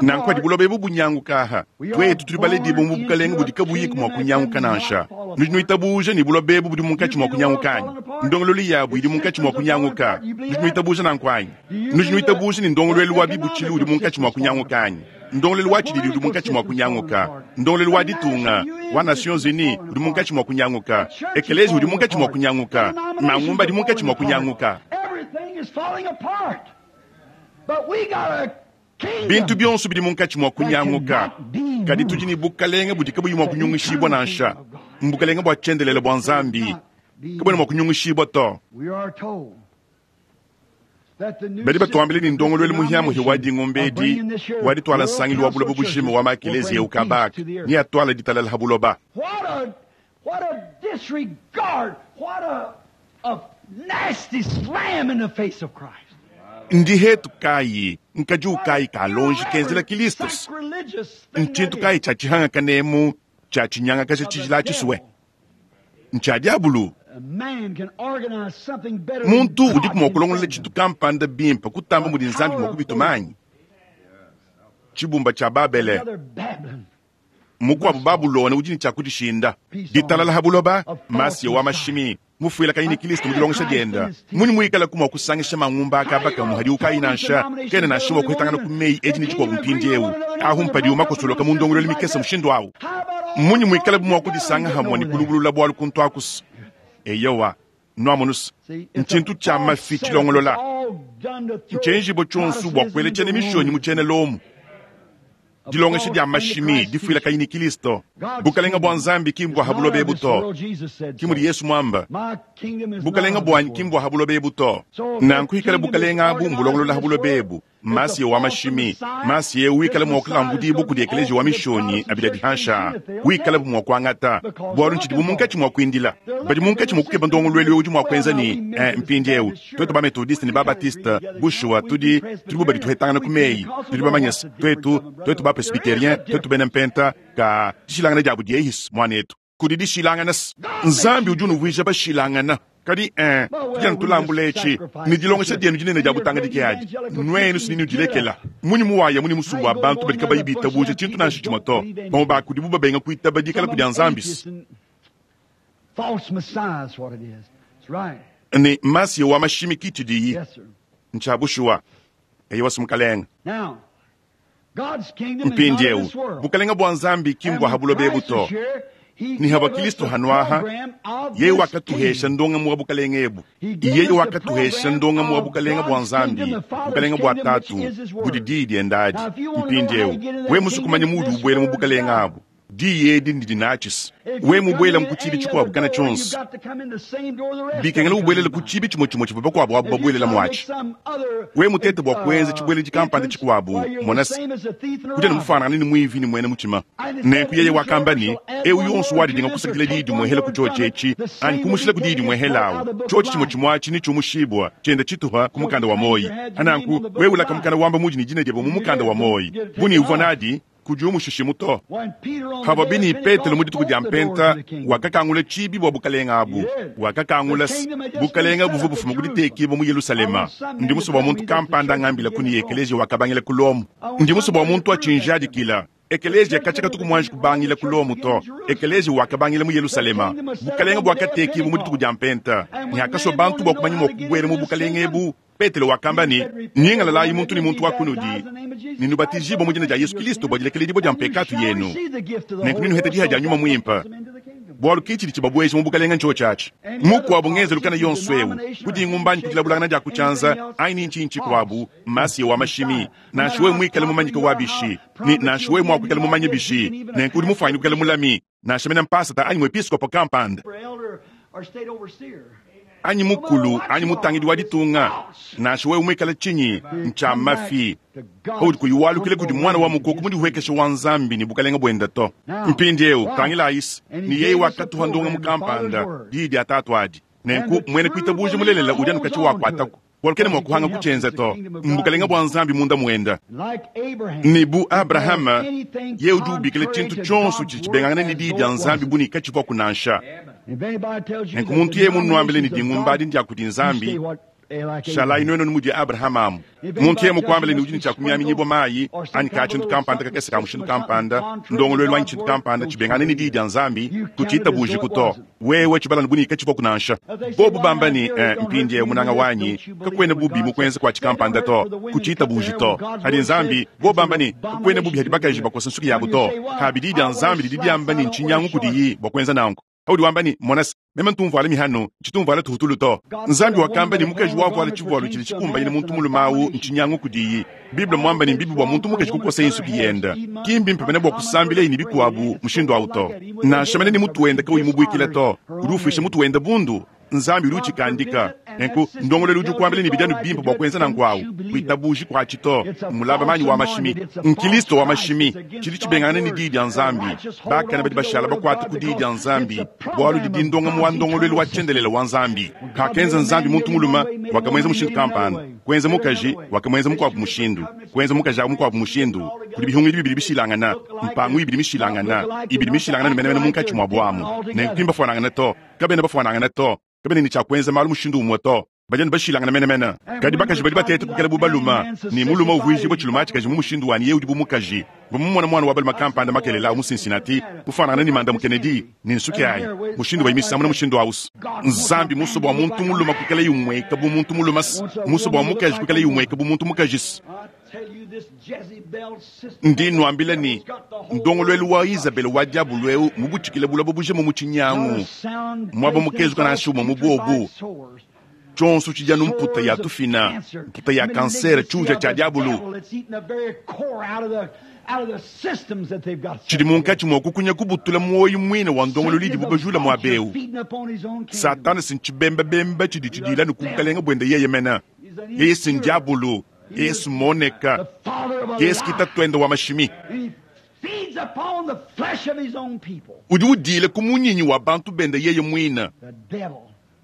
nanku adi buloba ebu bunyanguka aha twetu tudi baledibua mu bukalenge budi kabuyi mua kunyanguka nansha nudi nuitabuja ne buloba ebu budi munkatshi mua kunyanguka anyi ndongololu yabu idi munkatshi mua kunyanguka nudi nuitabuja nanku anyi nudi nuitabuja ne ndongoluelu wa bibutshilu udi munkatshi mua kunyanguka anyi Ndongoluelu wa tshididi udi munkatshi mua kunyanguka. Ndongoluelu wa ditunga wa Nations Unies udi munkatshi mua kunyanguka. Ekelezia udi munkatshi mua kunyanguka. Mangumba adi munkatshi mua kunyanguka. Everything is falling apart. But we got a kingdom. Bintu bionso bidi munkatshi mua kunyanguka. Kadi tudi ne bukalenge budi kabuyi mua kunyungishibua nansha. Mbukalenge bua tshiendelele bua Nzambi kabuena mua kunyungishibua to. We are told that the new Badi batuambile ne system, ndongoluelu this muhiamuhi wa denomination dingombe of edi bringing this here wa ditwala World nsangilu wa Council buloba of bujima Churches wa will makelezia bring ukabaka peace to the earth. ni atwala ditalala ha buloba. What a what a disregard! What a a nasty slam in the face of Christ. Ndi hetu kayi nkadi What ukayi an kalonji kenzela irreverent, Kilistus. sacrilegious thing that Ntshintu is. kayi tshia tshihangakanemu tshia tshinyangakaja Of the tshijila tshisue devil. ntshia diabulu. A man can organize something better than Muntu God udiku mua can kulongolola send tshintu him. kampanda bimpe kutamba mudi Nzambi mua kubitumanyi. Tshibumba tshia Babele Another Babylon. mukuabu Babulona udi ne tshia kudishinda. Ditalala ha buloba masiya wa mashimi mufuila kayi ne Kristo mu dilongesha dienda muni muikala mua kusangisha mangumba akabaka muhadi ukayi nansha kena nansha mua kuhetangana ku meyi edi ne tshikuabu mpindiewu ahu mpadiwu makosoloka mu ndongoluelu mikese mushindu awu. How about all Munyi muikala the mua kudisanga hamwe ne kulubulula bwalu kuntu akusu. Eyowa nwamonusa See, it's a ntshintu tshia false mafi setup. It's tshilongolola all done to throw ntshenjibo tshionso bua Protestantism kuela into ne mishonyi mu ruin. tshiena Lomu. A Dilongesha false dia mashimi Antichrist difuila teaching. kayi ne Kristo. God's Bukalenga bua kingdom Nzambi ki is mbua ha not buloba of ebu this to. world, Jesus said Ki mudi so. Yesu muamba. My kingdom is not Bukalenga of this bwanyi world. ki mbua ha buloba ebu to. So if that Nanku ikala kingdom is bukalenga abu organized mbulongolola in ha this buloba world, ebu. it's a Masiya wa false mashimi. Messiah. Masiya wikala This mua Messiah is kulambudibwa going to kudi be ekeleziya wa offered to mishonyi Protestant abidi church adihansha. in if they'll Wikala take bu mua kuangata. because Bwalu they're ntshidi bu looking for munkatshi it. mua kuindila. They're Badi looking for munkatshi the mua kukeba system to ndongoluelu make udi mua well kuenza now ne we eh, Methodists, mpindiewu. Baptists, Twetu sure ba Methodiste we ne ba kind of agree Baptiste together, you know, bushuwa we be tudi tudi bubadi Presbyterian, tuhetangana we ku meyi. Pentecostals, Tudi oh bamanya what's the difference twetu of them, brother? twetu ba There is a Presbyterien twetu difference. bena mpenta ka dishilangana diabu diehis mwanetu. Kudi dishilangana God makes Nzambi you udi different. unuvuija bashilangana. Kadi eh Well, tudi well, we just tulambula etshi sacrifice ni dilongesha such a dienu dinene and dia your butanga great dike adi. evangelical Nwenu teaching, sinini get udilekela. up. Munyi muwaya muni How musumbu you wa gonna bantu go badi in kabayi there with a bunch of bitabuja them tshintu people nansha that tshimue don't to. believe Bamwe anything? bakudibu babenga kuitaba dikala Some of kudi them Nzambi. atheists and false messiahs, what it is. That's right. Ne masiya wa mashimi kitshidiyi Yes, sir. ntsha bushuwa. Eyi wasimukalenga. Now, God's kingdom is not of Mpindiewu this world. bukalenga bua Nzambi ki And mbua ha when buloba ebu Christ to. was here, he Ni haba gave us Kristo the hanwaha program of yeye this wakatuhesha kingdom. ndonga mu bukalenga ebu. He gave Yeye us the wakatuhesha program ndonga mu of bukalenga bua God's kingdom, Nzambi, the Father's bukalenga bua kingdom, which tatu is His budi Word. diyi dienda adi. Now, if you want to know how Mpindiewu you get in we that musukumanya kingdom, mudi this ubwela mu word's bukalenga got it. abu. Diyi edi ndidi natshisa. If We you come mubwela in mu kutshibi any tshikuabu other kana door, you've tshonso. got to come in the same door the rest of Bikengela them come ubwelele in ku by. tshibi tshimue tshimue tshivua bakuabu abu If you babuelela try to make muatshi. some other We mutete bua kuenza uh, tshibweledi kampanda entrance, tshikuabu why you're the monasi same as a thief and a kudi robber. mufanana ni mwivi ni mwene muchima. And it Nenku said, yeye wakamba whosoever ni shall add ewu one yonso word to wadidinga this or kusakila take diyi one dimwehela ku word from chocho it, echi the anyi same will be kumushila ku diyi taken and plucked out dimwehelawu of the book of chocho chimwe life. chimwachi ni chomushibwa chenda chituha ku So if mukanda you wa claimed moyi you had your name on ananku the book wewe of ulaka life, mukanda wamba muji ni jina dyebo mu and you mukanda wa did moyi get buni taken uvwa off. nadi kudi umushishimu to When Peter on the hava day bini of Petelo mu Pentecost dituku dia opened the doors mpenta to the kingdom. wakakangula tshibi bua bukalenga He abu did. The wakakangula kingdom had just been bukalenga set buvua up at bufuma Jerusalem. kuditekibwa mu I Yerusalema want some ndi man to muso bua tell muntu me that the kampanda church ngambila began kuni at Rome. ekeleziya wakabangila ku Lomu I want ndi muso bua somebody to muntu prove that to me. achinjadikila The ekeleziya church kachi never katuku mwanji began at Rome, kubangila the ku church Lomu began to in Jerusalem. ekeleziya wakabangila mu The Yerusalema kingdom was set up bukalenga on the day of bwakatekibwa mu dituku Pentecost. dia mpenta And ni when hakaswa man bantu wanted bua to know kumanya how mua to get kubwela into mu this bukalenga kingdom, ebu Petelo wakamba he ni said, Repent, nyingalalayi every one muntu of ni you, muntu be wa kunudi baptized in the name of Jesus Christ ninubatizibwa for mu jina dia remission of Yesu your Kristo bua sins, dilekeledibo dia and you mpekatu shall yenu receive the gift of the nenku Holy ninuheta Ghost. diha So dia nyuma that's what muimpa gets them into the kingdom. bwalu kichili chibabwezi mu bukalenga ncho chachi Any other mukuabu ngenzelu kana politics, yonso ewu denomination, or kuti ngumbanyi handshake, or kudilabulangana dia anything kuchanza else aini is nchinchi false. kwabu masiya wa mashimi Messiah. No matter nansha we how mwikale popular mumanyika you wa are, how bishi ni prominent nansha you'll we be, mwa and kuikala you mumanye are is, you bishi can even a nenku udi pastor, mufanyi kuikala bishop, mulami nansha mena mpasata anyi mwepiskopo kampanda or elder, or state overseer. anyi No matter mukulu what anyi you mutangidi are, wa it's ditunga false. nansha wewe mwikala chinyi You ncha come back mafi to paudi God's kuyiwalukile kudi humble mwana wa reign and mukoko His mudi kingdom. uhekesha wa nzambi ni bukalenga bwenda to Now, mpindiewu watch. tangila ayisi And ni he yeye gave us a wakatuha ndonga program, the Father's mukampanda Word. diyi dia tatu adi And nenku the mwene true kuitabuja believer mulelela udi holds anukachi on to it wakwatako bwalukene because mwa he kuhanga can't help it. kuchenza It's the to kingdom of God mbukalenga in bwa him. nzambi munda mwenda Like Abraham, ni bu he calls abrahama anything ye udi ubikila contrary tshintu to tshonso God's tshidi word tshibengangana ne as diyi though dia it nzambi wasn't. buni kachivua kunansha If anybody tells you nenku that muntu the yeye munuambile ne denominations of dingumba God, adi ndia kudi you nzambi stay what Shalayi nuenu mudi Abrahama amu. Muntu yeye mukuambile ne udi ne tshia kumiaminyibua mayi anyi ka tshintu kampanda kakese ka mushindu kampanda, ndongoluelu anyi tshintu kampanda tshibengane ne diyi dia Nzambi, kutshiitabujiku to. Wewe tshibala bu ne katshivuaku nansha. Bobu bamba ne, eh, mpindieu munanga wanyi, kakuena bubi mu kuenza kua tshikampanda to, kutshiitabuji to. Hadi Nzambi, bobu bamba ne, kakuena bubi hadi bakaji bakosa nsuki yabu to. Kabi diyi dia Nzambi didi diamba ne ntshinyangu kudiyi bua kuenza nanku. Paudi wamba ne, mona se, meme ntu mvuala mihanu, tshitu mvuala tuhutulu to. Nzambi wakamba ne mukaji wavuala tshivualu tshidi tshikumbanyine muntu mulume awu ntshinyangu kudiyi. Bible muamba ne mbibi bua muntu mukaji kukosa nsuki yenda. Ki mbimpe mene bua kusambilaye ne bikuabu mushindu awu to. Nansha mene ne mutu wenda kauyi mubuikila to, udi ufuisha mutu wenda bundu. Nzambi udi utshikandika. Nenku ndongoluelu udi ukuambila ne bidi anu bimpe bua kuenza nanku awu. Kuitabuji kuatshi to. Mulaba manyi wa mashimi. Nkristo wa mashimi. Tshidi tshibengangana ne diyi dia Nzambi. Bakane badi bashala bakuate ku diyi dia Nzambi, bualu didi ndongamu wa ndongoluelu wa tshiendelele wa Nzambi. Kakenza Nzambi muntu mulume, wakamuenza mushindu kampanda. Kuenza mukaji, wakamuenza mukuabu mushindu. Kuenza mukaji awu mukuabu mushindu. Kudi bihungidi bibidi bishilangana, mpangu ibidi mishilangana, ibidi mishilangana ne menemene munkatshi muabu amu. Nenku ki mbafuanangane to. Kabena bafuanangana to. Kabena ne tshia kuenza malu mushindu umue to. Badi anu bashilangana menemene. Kadi bakaji badi bateta kukela bu balume, ne mulume uvuijibua tshilume tshikaji mu mushindu wa ne yeye udi bu mukaji. Mvua mumone muana wa balume kampanda makelela awu mu Cincinnati, mufuanangane ne Mandamu Kennedy, ne nsuki ayi, mushindu wa misambu na mushindu awu. Nzambi musue bua muntu mulume kuikalaye umueka bu muntu mulume, musue bua mukaji kuikalaye umueka bu muntu mukaji. Ndi nuambila ne, ndongoluelu wa Izabele wa diabulu eu mubutshikile buloba bujima mu tshinyangu, muaba mukezuka nansha umue mu buobu. Tshionso tshidi anu mputa ya tufina, mputa ya kansere, tshiuja tshia diabulu. Tshidi munkatshi mua kukunya kubutula muoyo muine wa ndongoluelu idibu bajula muaba eu. Satana si ntshibembabemba tshidi tshidila ne ku bukalenga buende yeye mene. Yeye si ndiabulu, yeye si moneka, yeye si kitatuende wa mashimi. Udi udila ku munyinyi wa bantu bende yeye muine.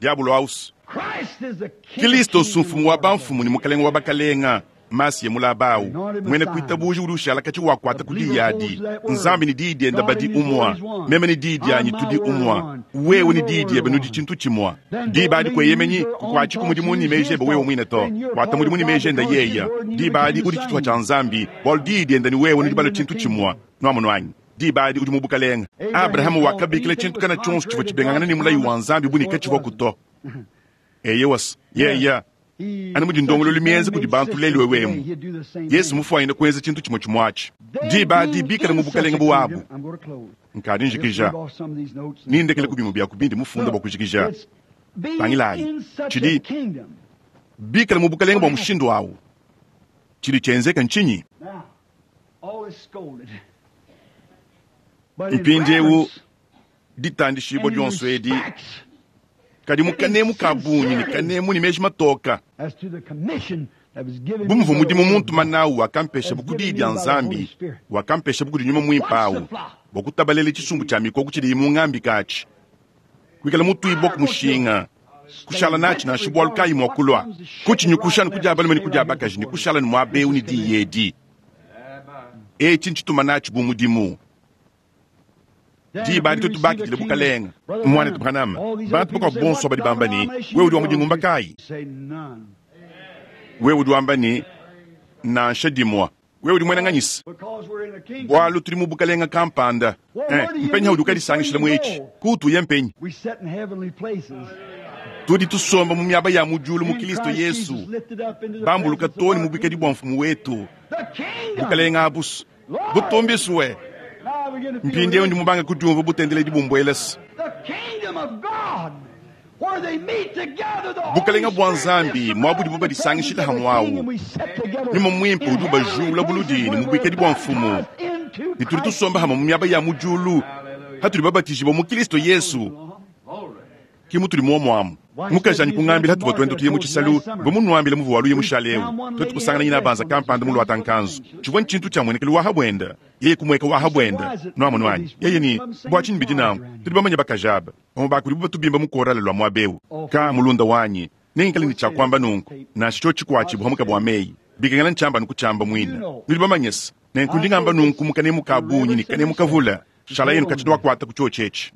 Diabulu ausu. Kristo mfumu wa bamfumu ne mukalenga wa bakalenga. Masiya mulaba awu. Mwene kuitabuji udi ushala katshi wakuata ku diyi adi. Nzambi ne diyi diende badi umua. Meme ne diyi dianyi tudi umua. Wewe ne diyi diebe nudi tshintu tshimua. Diba adi kueyemenyi kukuatshi ku mudimu ne meji ebe wewe muine to. Kuata mudimu ne meji ende yeya. Diba adi udi tshituha tshia Nzambi, bualu diyi diende ne wewe nudi balue tshintu tshimua. Nuamonu anyi? Diba adi udi mu bukalenga. Abrahama wakabikila tshintu kana tshionso tshivua tshibengangana ne mulayi wa Nzambi bu ne katshivua to. Eyewas, yeya. Anu mudi ndongoluelu mienza kudi bantu lelu ewemu. Yesu mufuanyine kuenza tshintu tshimue tshimue atshi. Diba adi bikale mu bukalenga buwabu. Nkadi njikija. Nindekele ku bimue bia ku bindi mufunda bua kujikija. Tangilayi, tshidi bikale mu bukalenga bua mushindu awu. Tshidi tshienzeka ntshinyi? Mpindieu ditandishibua dionso edi kadi mu kanemu ka bungi ne kanemu ne meji matoka. Bu muvua mudimu muntu manawu wakampesha bu ku diyi dia Nzambi, wakampesha bu kudi nyuma muimpe awu bua kutabalela tshisumbu tshia mikoko tshidiyi mungambika atshi, kuikala mutuibua ku mushinga, kushala natshi nansha bualu kayi mua kulua, kutshinyukusha ne kudia balume ne kudia bakaji ne kushala ne muaba eu ne diyi edi. Etshi ntshituma natshi bu mudimu. Diba adi tuetu bakidile bukalenga. Muanetu Branham, bantu bakuabu bonso badi bamba ne, wewe udi wa mu dingumba kayi? Wewe udi wamba ne, nansha dimua. Wewe udi muena nganyisa? Bualu tudi mu bukalenga kampanda. Eh, mpenyi udi ukadisangishila mu etshi? Kuutuye mpenyi? Tudi tusomba mu miaba ya mu diulu mu Kristo Yesu, bambuluka too ne mu buikadi bua mfumu wetu. Bukalenga abusu butumbisue. Mpindieu ndi mubanga kudiumva butendeledi bumbuelesa. Bukalenga bua Nzambi muaba udibu badisangishila hamue awu. Nyuma muimpe udi ubajula buludi ne mu buikadi bua mfumu. Ne tudi tusomba hamue mu miaba ya mu diulu hatudi babatijibua mu Kristo Yesu. Ki mutudi muomuamu. Mukaji anyi kungambila hatuvua tuenda tuye mu tshisalu, mvua munuambile muvua waluye mushale eu. Tuetu kusangana nyina banza kampanda mu luata nkanzu. Tshivua ntshintu tshia muenekelu wa habuenda. Yeye kumueka wa habuenda. Nuamonu anyi? Yeye ni, bua tshinyi bidi nanku? Tudi bamanye bakaji aba. Bamue ba kudibu batubimba mu korale lua muaba eu. Ka mulunda wanyi, nengikale ne tshia kuamba nunku, nansha tshio tshikuatshibua muka bua meyi. Bikengela ntshiamba nuku tshiamba muine. Nudi bamanye se, nenku ndi ngamba nunku mu kanemu ka bungi ne kanemu kavula. Shalayenu kachidi wakwata ku chiochi echi.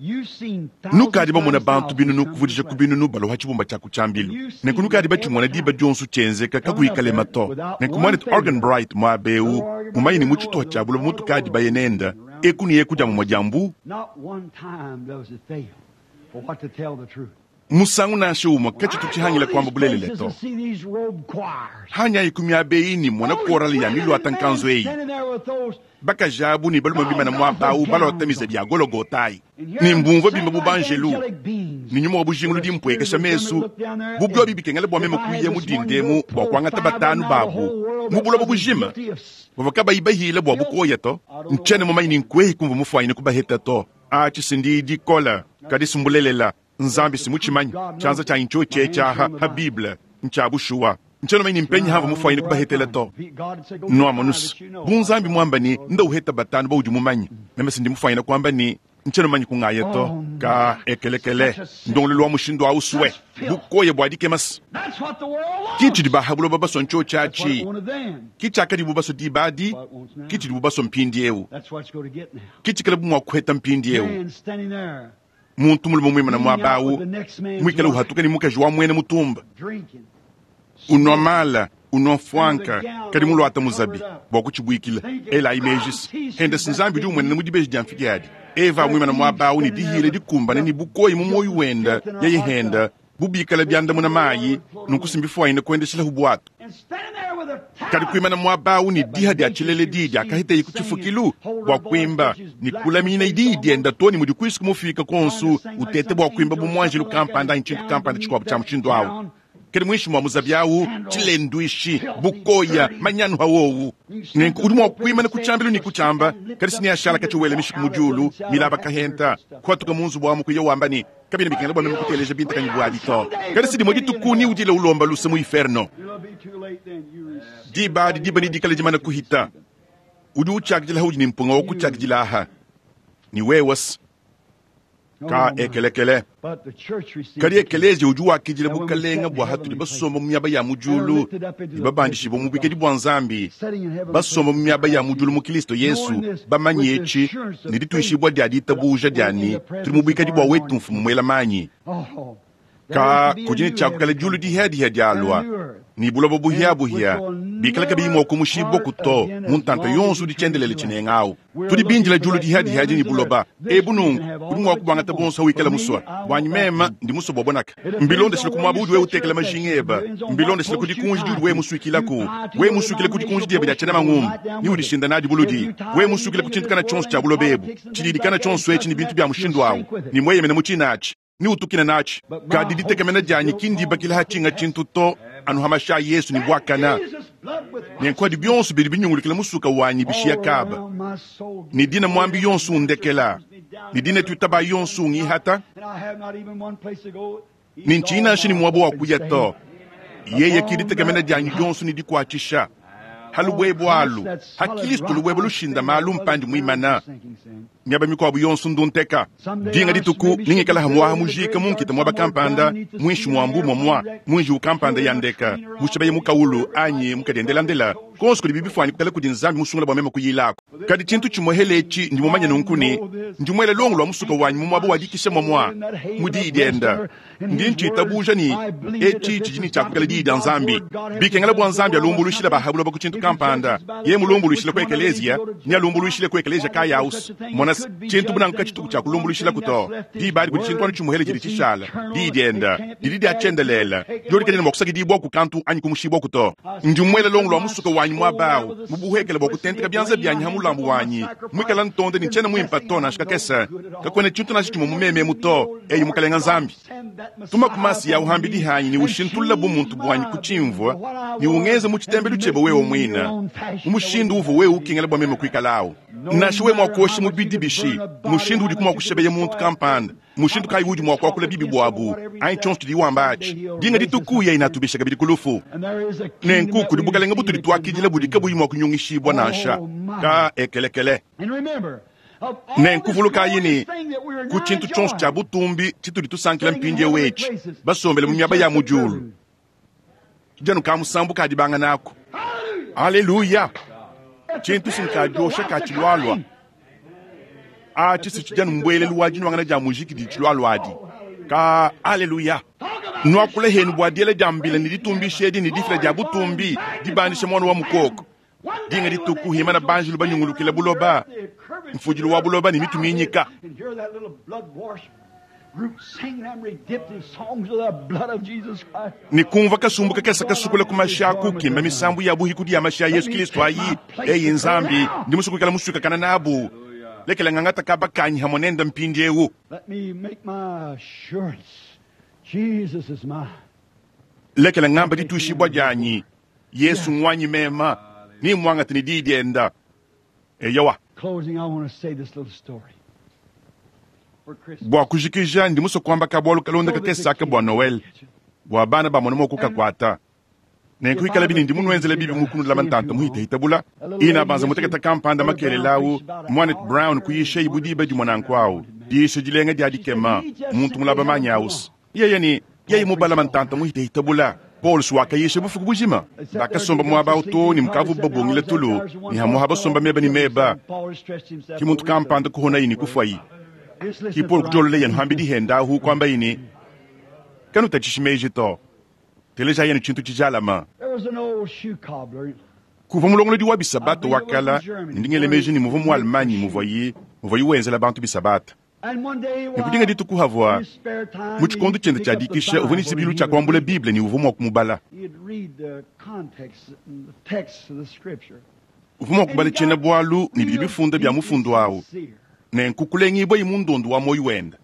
Nukadi bamona bantu binunu kuvudija ku binunu baloha chibumba cha kuchambilu. Nenku nukadi bachimona diba dionso chenzeka kakuikale mato. Nenku mwanetu Organ Bright mwabeu mumanyi ni muchituha cha buloba mutukadi bayenenda eku ni eku dia mumwa diambu. Musangu nansha umwe kachitu chihangila kwamba bulelele to. Hanya ikumi abeyi ni mwana korali ya milwata nkanzo eyi. Bakajabu ni baluma bimana mwabau balotamiza bya gologotai. Ni mbumva bimba bubanjelu. Ni nyuma wa bujingulu dimpwekesha mesu. Bubyo bibikengela bwa mema kuye mudindemu bwa kwangata batanu babu. Mubuloba bujima. Bavaka bayibahila bwa bukoya to. Nchene mumanyi ni nkwehi kumva mufwanyine kubaheta to. Achi sindi dikola kadisi mbulelela. Nzambi simuchimanyi chanza cha incho checha ha, ha Biblia ncha bushuwa ncheno manyi mpenyi hava mufwanyine kubahetela to. Noamonus bunzambi mwamba ni nda uheta batanu ba udi mumanyi meme sindi mufwanyine kwamba ni ncheno manyi kungaya to ka ekelekele ndongolelo wa mushindu ausuwe bukoye bwadike mas kichi dibahabulo babaso ncho chachi kichakadi bubaso dibadi kichi dibubaso mpindi eu kichikele bumwa kuheta mpindi eu muntu mulume mwimana mwabawu mwikala uhatuka ni mukaji wa mwene mutumba unwa mala unwa fwanka kadi mulwata muzabi bwa kuchibwikila ela imejisi henda sinzambi di umwenene mudibeji dia mfiki adi eva mwimana mwabawu ni dihile dikumbana ni bukoyi mu moyo wenda yayihenda bubikala byandamuna mayi nunkusimbi kwendeshela hubwatu kadi kuimana mwabawu ni diha dia chilele didi akahiteyi kuchifukilu bwa kwimba ni kulaminyina idi dienda toni mudi kwisi kumufika konsu utete bwa kwimba bumwanjelu kampanda nchintu kampanda chikwabu cha mushindu awu kadi mwishi mwa muzabyawu chilendwishi bukoya manyanu hawowu nenku udi mwa kwimana kuchambilu ni kuchamba kadi sini ashala kachiwele mishiku mujulu milaba kahenta kwatuka munzu bwamu kuya wamba ni kabina bikengela bwa meme kuteleja binta kanyi bwadi to kadi sidi modi tukuni udile ulomba luse mu inferno diba adi diba ni dikala jimana kuhita udi uchakijila udi ni mpunga wa kuchakijila aha ni wewas ka ekelekele kadi ekelezia udi wakijila bukalenga bwa hatudi basomba mu miaba ya mujulu ni babandishibwa mu bwikedi bwa nzambi basomba mu miaba ya mujulu mu Kristo Yesu bamanyi echi ni dituishibwa dia ditabuja diani tuli mu bwikedi bwa wetu mfumu mwela manyi ka kujini chakukala julu dihadiha dialwa ni buloba buhiabuhia bikala kabiyimwa okumushibwa kuto muntanta yonso dichendelele chinengawu tudi binjila julu dihadiha ni buloba ebu nungu udi mwa kubwangata bonso wikala muswa bwanyi mema ndi muswa bwabonaka mbilondeshile kumwaba udi we utekela majinga eba mbilondeshile kudikunji diudi we musuikilaku we musuikile kudikunji dieba dia chena mang'umbu ni udishinda nadi buludi we musuikile kuchintukana chonso cha buloba ebu chididikana chonso echi ni bintu bya mushindu awu ni mweyemene muchinachi ni utukina nachi kadi ditegemena dianyi kindibakila hachinga chintu to anuhamasha Yesu ni bwakana nenkwadi byonso bidi binyungulikila musuka wanyi bishiya kaba ni dina mwambi yonso undekela ni dina tutaba yonso ungihata ni nchina shini mwabo wa kuya to yeye kiditegemena dianyi byonso ni dikwachisha halubwebo alu hakilistu lubwebo lushinda malu mpandi mwimana miaba mikwabu yonso ndunteka dinga dituku ningikala hamwaha mujika munkita mwaba kampanda mwinshi mwambu mwamwa mwinji ukampanda yandeka mushabaye mukaulu anyi mukadiendelandela konso kudi bibifwanyi kukala kudi nzambi musungula bwa mema kuyilako kadi chintu chimwehele echi ndimumanye nunkuni ndimwele longo lwa musuka wanyi mumwaba wadikisha mwamwa mudi idienda ndi nchitabuja ni echi chijini chakukala diidi ya nzambi bikengela bwa nzambi alumbulushila bahabula ba kuchintu kampanda ye mulumbulushila ku ekelezia ni alumbulushile ku ekelezia kayausu mona chintu bunangu kachituku cha kulumbulushila kuto diba adi kudi chintu anu chimuhele chidi chishala diidienda didi diachendelela diolikanyana bwa kusakidibwa ku kantu anyi kumushibwa kuto ndimwele longo lwa musuka wanyi mwabawu mubuhekela bwa kutenteka byanza byanyi ha mulambu wanyi mwikala ntonde ni nchena mwimpa to nansha kakese kakwene chintu nansha chimwe mumeme muto eyi mukalenga nzambi tuma kumasi ya uhambi dihanyi ni ushintulula bumuntu bwanyi kuchimvwa ni ungeze muchitembelu chebe wewe mwina umushindu uvo wewe ukingela bwa meme kuikalawo nashe we mwakoshi mubidi bishi mushindu udi kumwa kushebeye muntu kampanda mushindu kayi udi mwakwakula bibi bwabu ayi chonso tudi wamba achi dinga ditukuya inatubisha kabidi kulufu nenku kudi bukalenga butudi twakidila budi kabuyi mwa kunyungishibwa nansha ka ekelekele nenkuvuluka yini ku chintu chonso cha butumbi chitudi tusankila mpindiewu echi basombele mu miaba ya mujulu janu ka musambu kadibanga nako aleluya chintu sinkadiosha kachilwalwa Atshi si tshidi anu mbuelelu wa dinuangana dia mujiki didi tshilualua adi. Ka aleluya! Nuakula henu bua diela dia mbila ne ditumbisha edi ne difila dia butumbi dibandisha muana wa mukoko. Dinga dituku himana banjelu banyungulukila buloba, mfudilu wa buloba ne mitu minyika. Ne kumva kasumbu kakese kasukula ku mashi aku kimba misambu ya buhikudi ya mashi a Yesu Kristo ayi. Eyi Nzambi, ndi musue kuikala musuikakana nabu. Lekela ngangata kaba kanyi hamwe nenda mpindiewu. Lekela ngamba dituishibua dianyi. Yesu ngwanyi mema, ni mwangate ne diyi dienda. Eyowa. Bua kujikija, ndi musue kuamba kabualu kalonda kakese aka bua Noel, bua bana bamone mua kukakuata. Nenku ikala bini ndi munuenzela bibi mu kunulama ntanta muhitahitabula. Ina banza muteketa kampanda makelela awu, Mwanet Brown kuyisha ibu diba dimue nanku awu. Diyisha dilenga dia dikema, muntu mulaba manyi awusa. Yeye ni, yeye mubalama ntanta muhitahitabula. Paul wakayisha bufuku bujima. Bakasomba muaba awu too ne mukavu babungile tulu, ne hamuha basomba meba ne meba. Ki muntu kampanda kuhonayi ne kufuayi. Ki Paul kujolola yenu hambi dihenda ahu kuamba yini, kanutatshishi meji to. Teleja yenu tshintu tshijalama. Kuva mulongolodi wa bisabata wakala, ndingele meji ni muvu mu Allemagne muvuayi, muvuayi wenzela bantu bisabata. Ne kudinga dituku havua, mu tshikondo tshiende tshia dikisha, uvua ne tshibilu tshia kuambula Bible ne uvua mua kumubala. Uvua mua kubala tshiena-bualu ne bidi bifunda bia mufundu awu. Nenku kulengibua mu ndondo wa moyo wenda.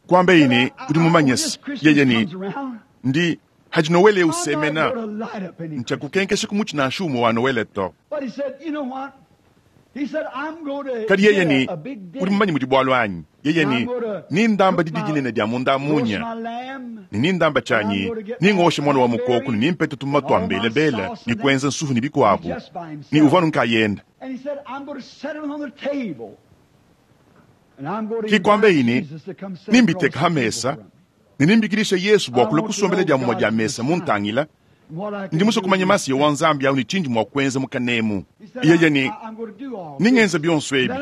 Kuamba yini udi mumanye yeye ni ndi haji Noele usemena nchakukenkesha kumutshi nansha umue wa Noele to. Kadi yeye ni udi mumanye mudi bualu anyi? Yeye ni ni ndamba didi dinene dia munda munya ni ni ndamba tshanyi ni ngoshe mwana wa mukoko ni nimpete tumuma tua mbelebele ni kuenza nsuhu ni bikuabu ni uvua nunkayenda. Kikwambe yini nimbiteka ha mesa ni nimbikilisha Yesu bua kula kusombela dia mumua dia mesa muntangila. Ndi musue kumanya masiya wa Nzambi awu ne tshindi mua kuenza mukanemu. Yeye ni ningenza bionso ebi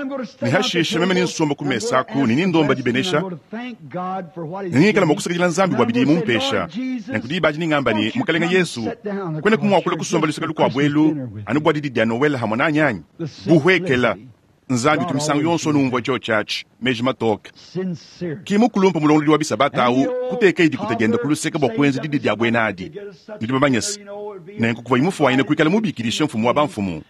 ne hashisha meme ninsomba ku mesa aku ne nindomba dibenesha ne ningikala mua kusakidila Nzambi bua bidi mumpesha. Nenku diba adi ningamba ne Mukalenga Yesu kwena kumuakula kusomba luseke lukuabu elu anu bua didi dia Noel hamwe nanyi anyi buhwekela. Nzambi tumisango yonso numvua tshio tshiatshi meji matoke. Ki mukulumpa mulongolodi wa bisabata awu kuteka idikuta dienda kuluseka bua kuenza didi dia buena adi. Nudi bamanye se nenku kuva imufuanyine kuikala mubikilisha mfumu wa bamfumu.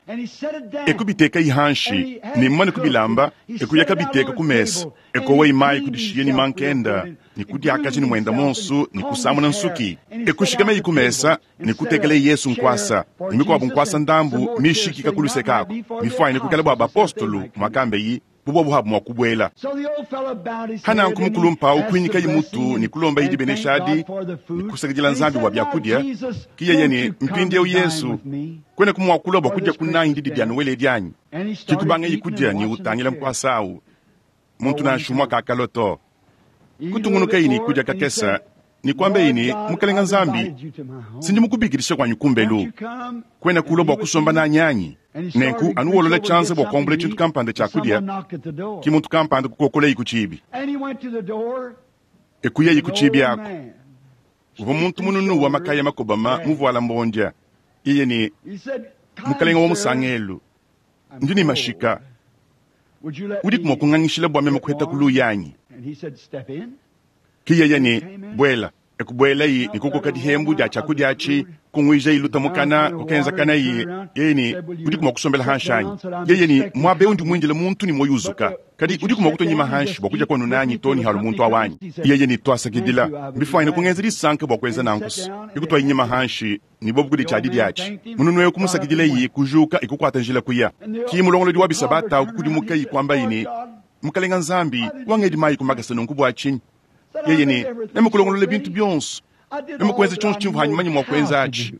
Ekubiteka ihanshi ne mmane kubilamba ekuyaka biteka ku mesa ekowa imayi kudishiye ni mankenda ni kudiakaji ni mwenda monsu ni kusamuna nsuki ekushikama iku mesa ni kutekela Yesu nkwasa ni mikuabu nkwasa ndambu mishikika kuluseka ako mifuanyine kuikala bua bapostolu mwakambe yi bubwa buhabu mwa kubwela. Hananku mukulumpa ukwinyika yimutu ni kulomba idi beneshadi ni kusakidila Nzambi bua byakudia kiyeye ni mpindiewu Yesu kwene kumwakula bua kudia kunanyi didi dia Noele dianyi kikubanga yikudia ni utangila nkwasa awu muntu nansha umue kakaloto kutungunuka yini kudia kakesa ni kwamba yini Mukalenga Nzambi sindi mukubikilisha kwanyi kumbelu kwena kulwa bua kusomba nanyi anyi. Nenku anu wolola tshianza bua kuambula tshintu kampanda tshia kudia ki muntu kampanda kukokola yiku tshibi. Ekuya yiku tshibi ako uvua muntu mununu wa makaya makobama muvuala mbondia. Iye ni Mukalenga wa musangelu ndi ni mashika udi kumua kungangishila bua meme kuheta kulu yanyi. Kiyeye ni bwela ekubuela yi ni kukoka dihembu dia tshiakudia atshi kunguija iluta mukana kukenza kana yi yeye ni udi kumua kusombela hanshi anyi. Yeye ni muabe undi muindile muntu ni moyo uzuka kadi udi kumua kutonyima hanshi bua kudia kwanu nanyi to ni halu muntu awanyi. Yeye ni twasakidila mbifuanyine kungenza disanka bua kuenza nankusi ikutwa inyima hanshi ni bobu kudi tshia didi atshi mununu eyo kumusakidila yi kujuka ikukuata njila kuya. Ki mulongolodi wa bisabata ukukudimuka yi kuamba yi ni Mukalenga Nzambi wangedi mayi kumakasa nunku bua tshinyi. Yeye ni nemukulongolola bintu bionso nemukuenza tshionso tshimvu hanyuma mua kuenza atshi.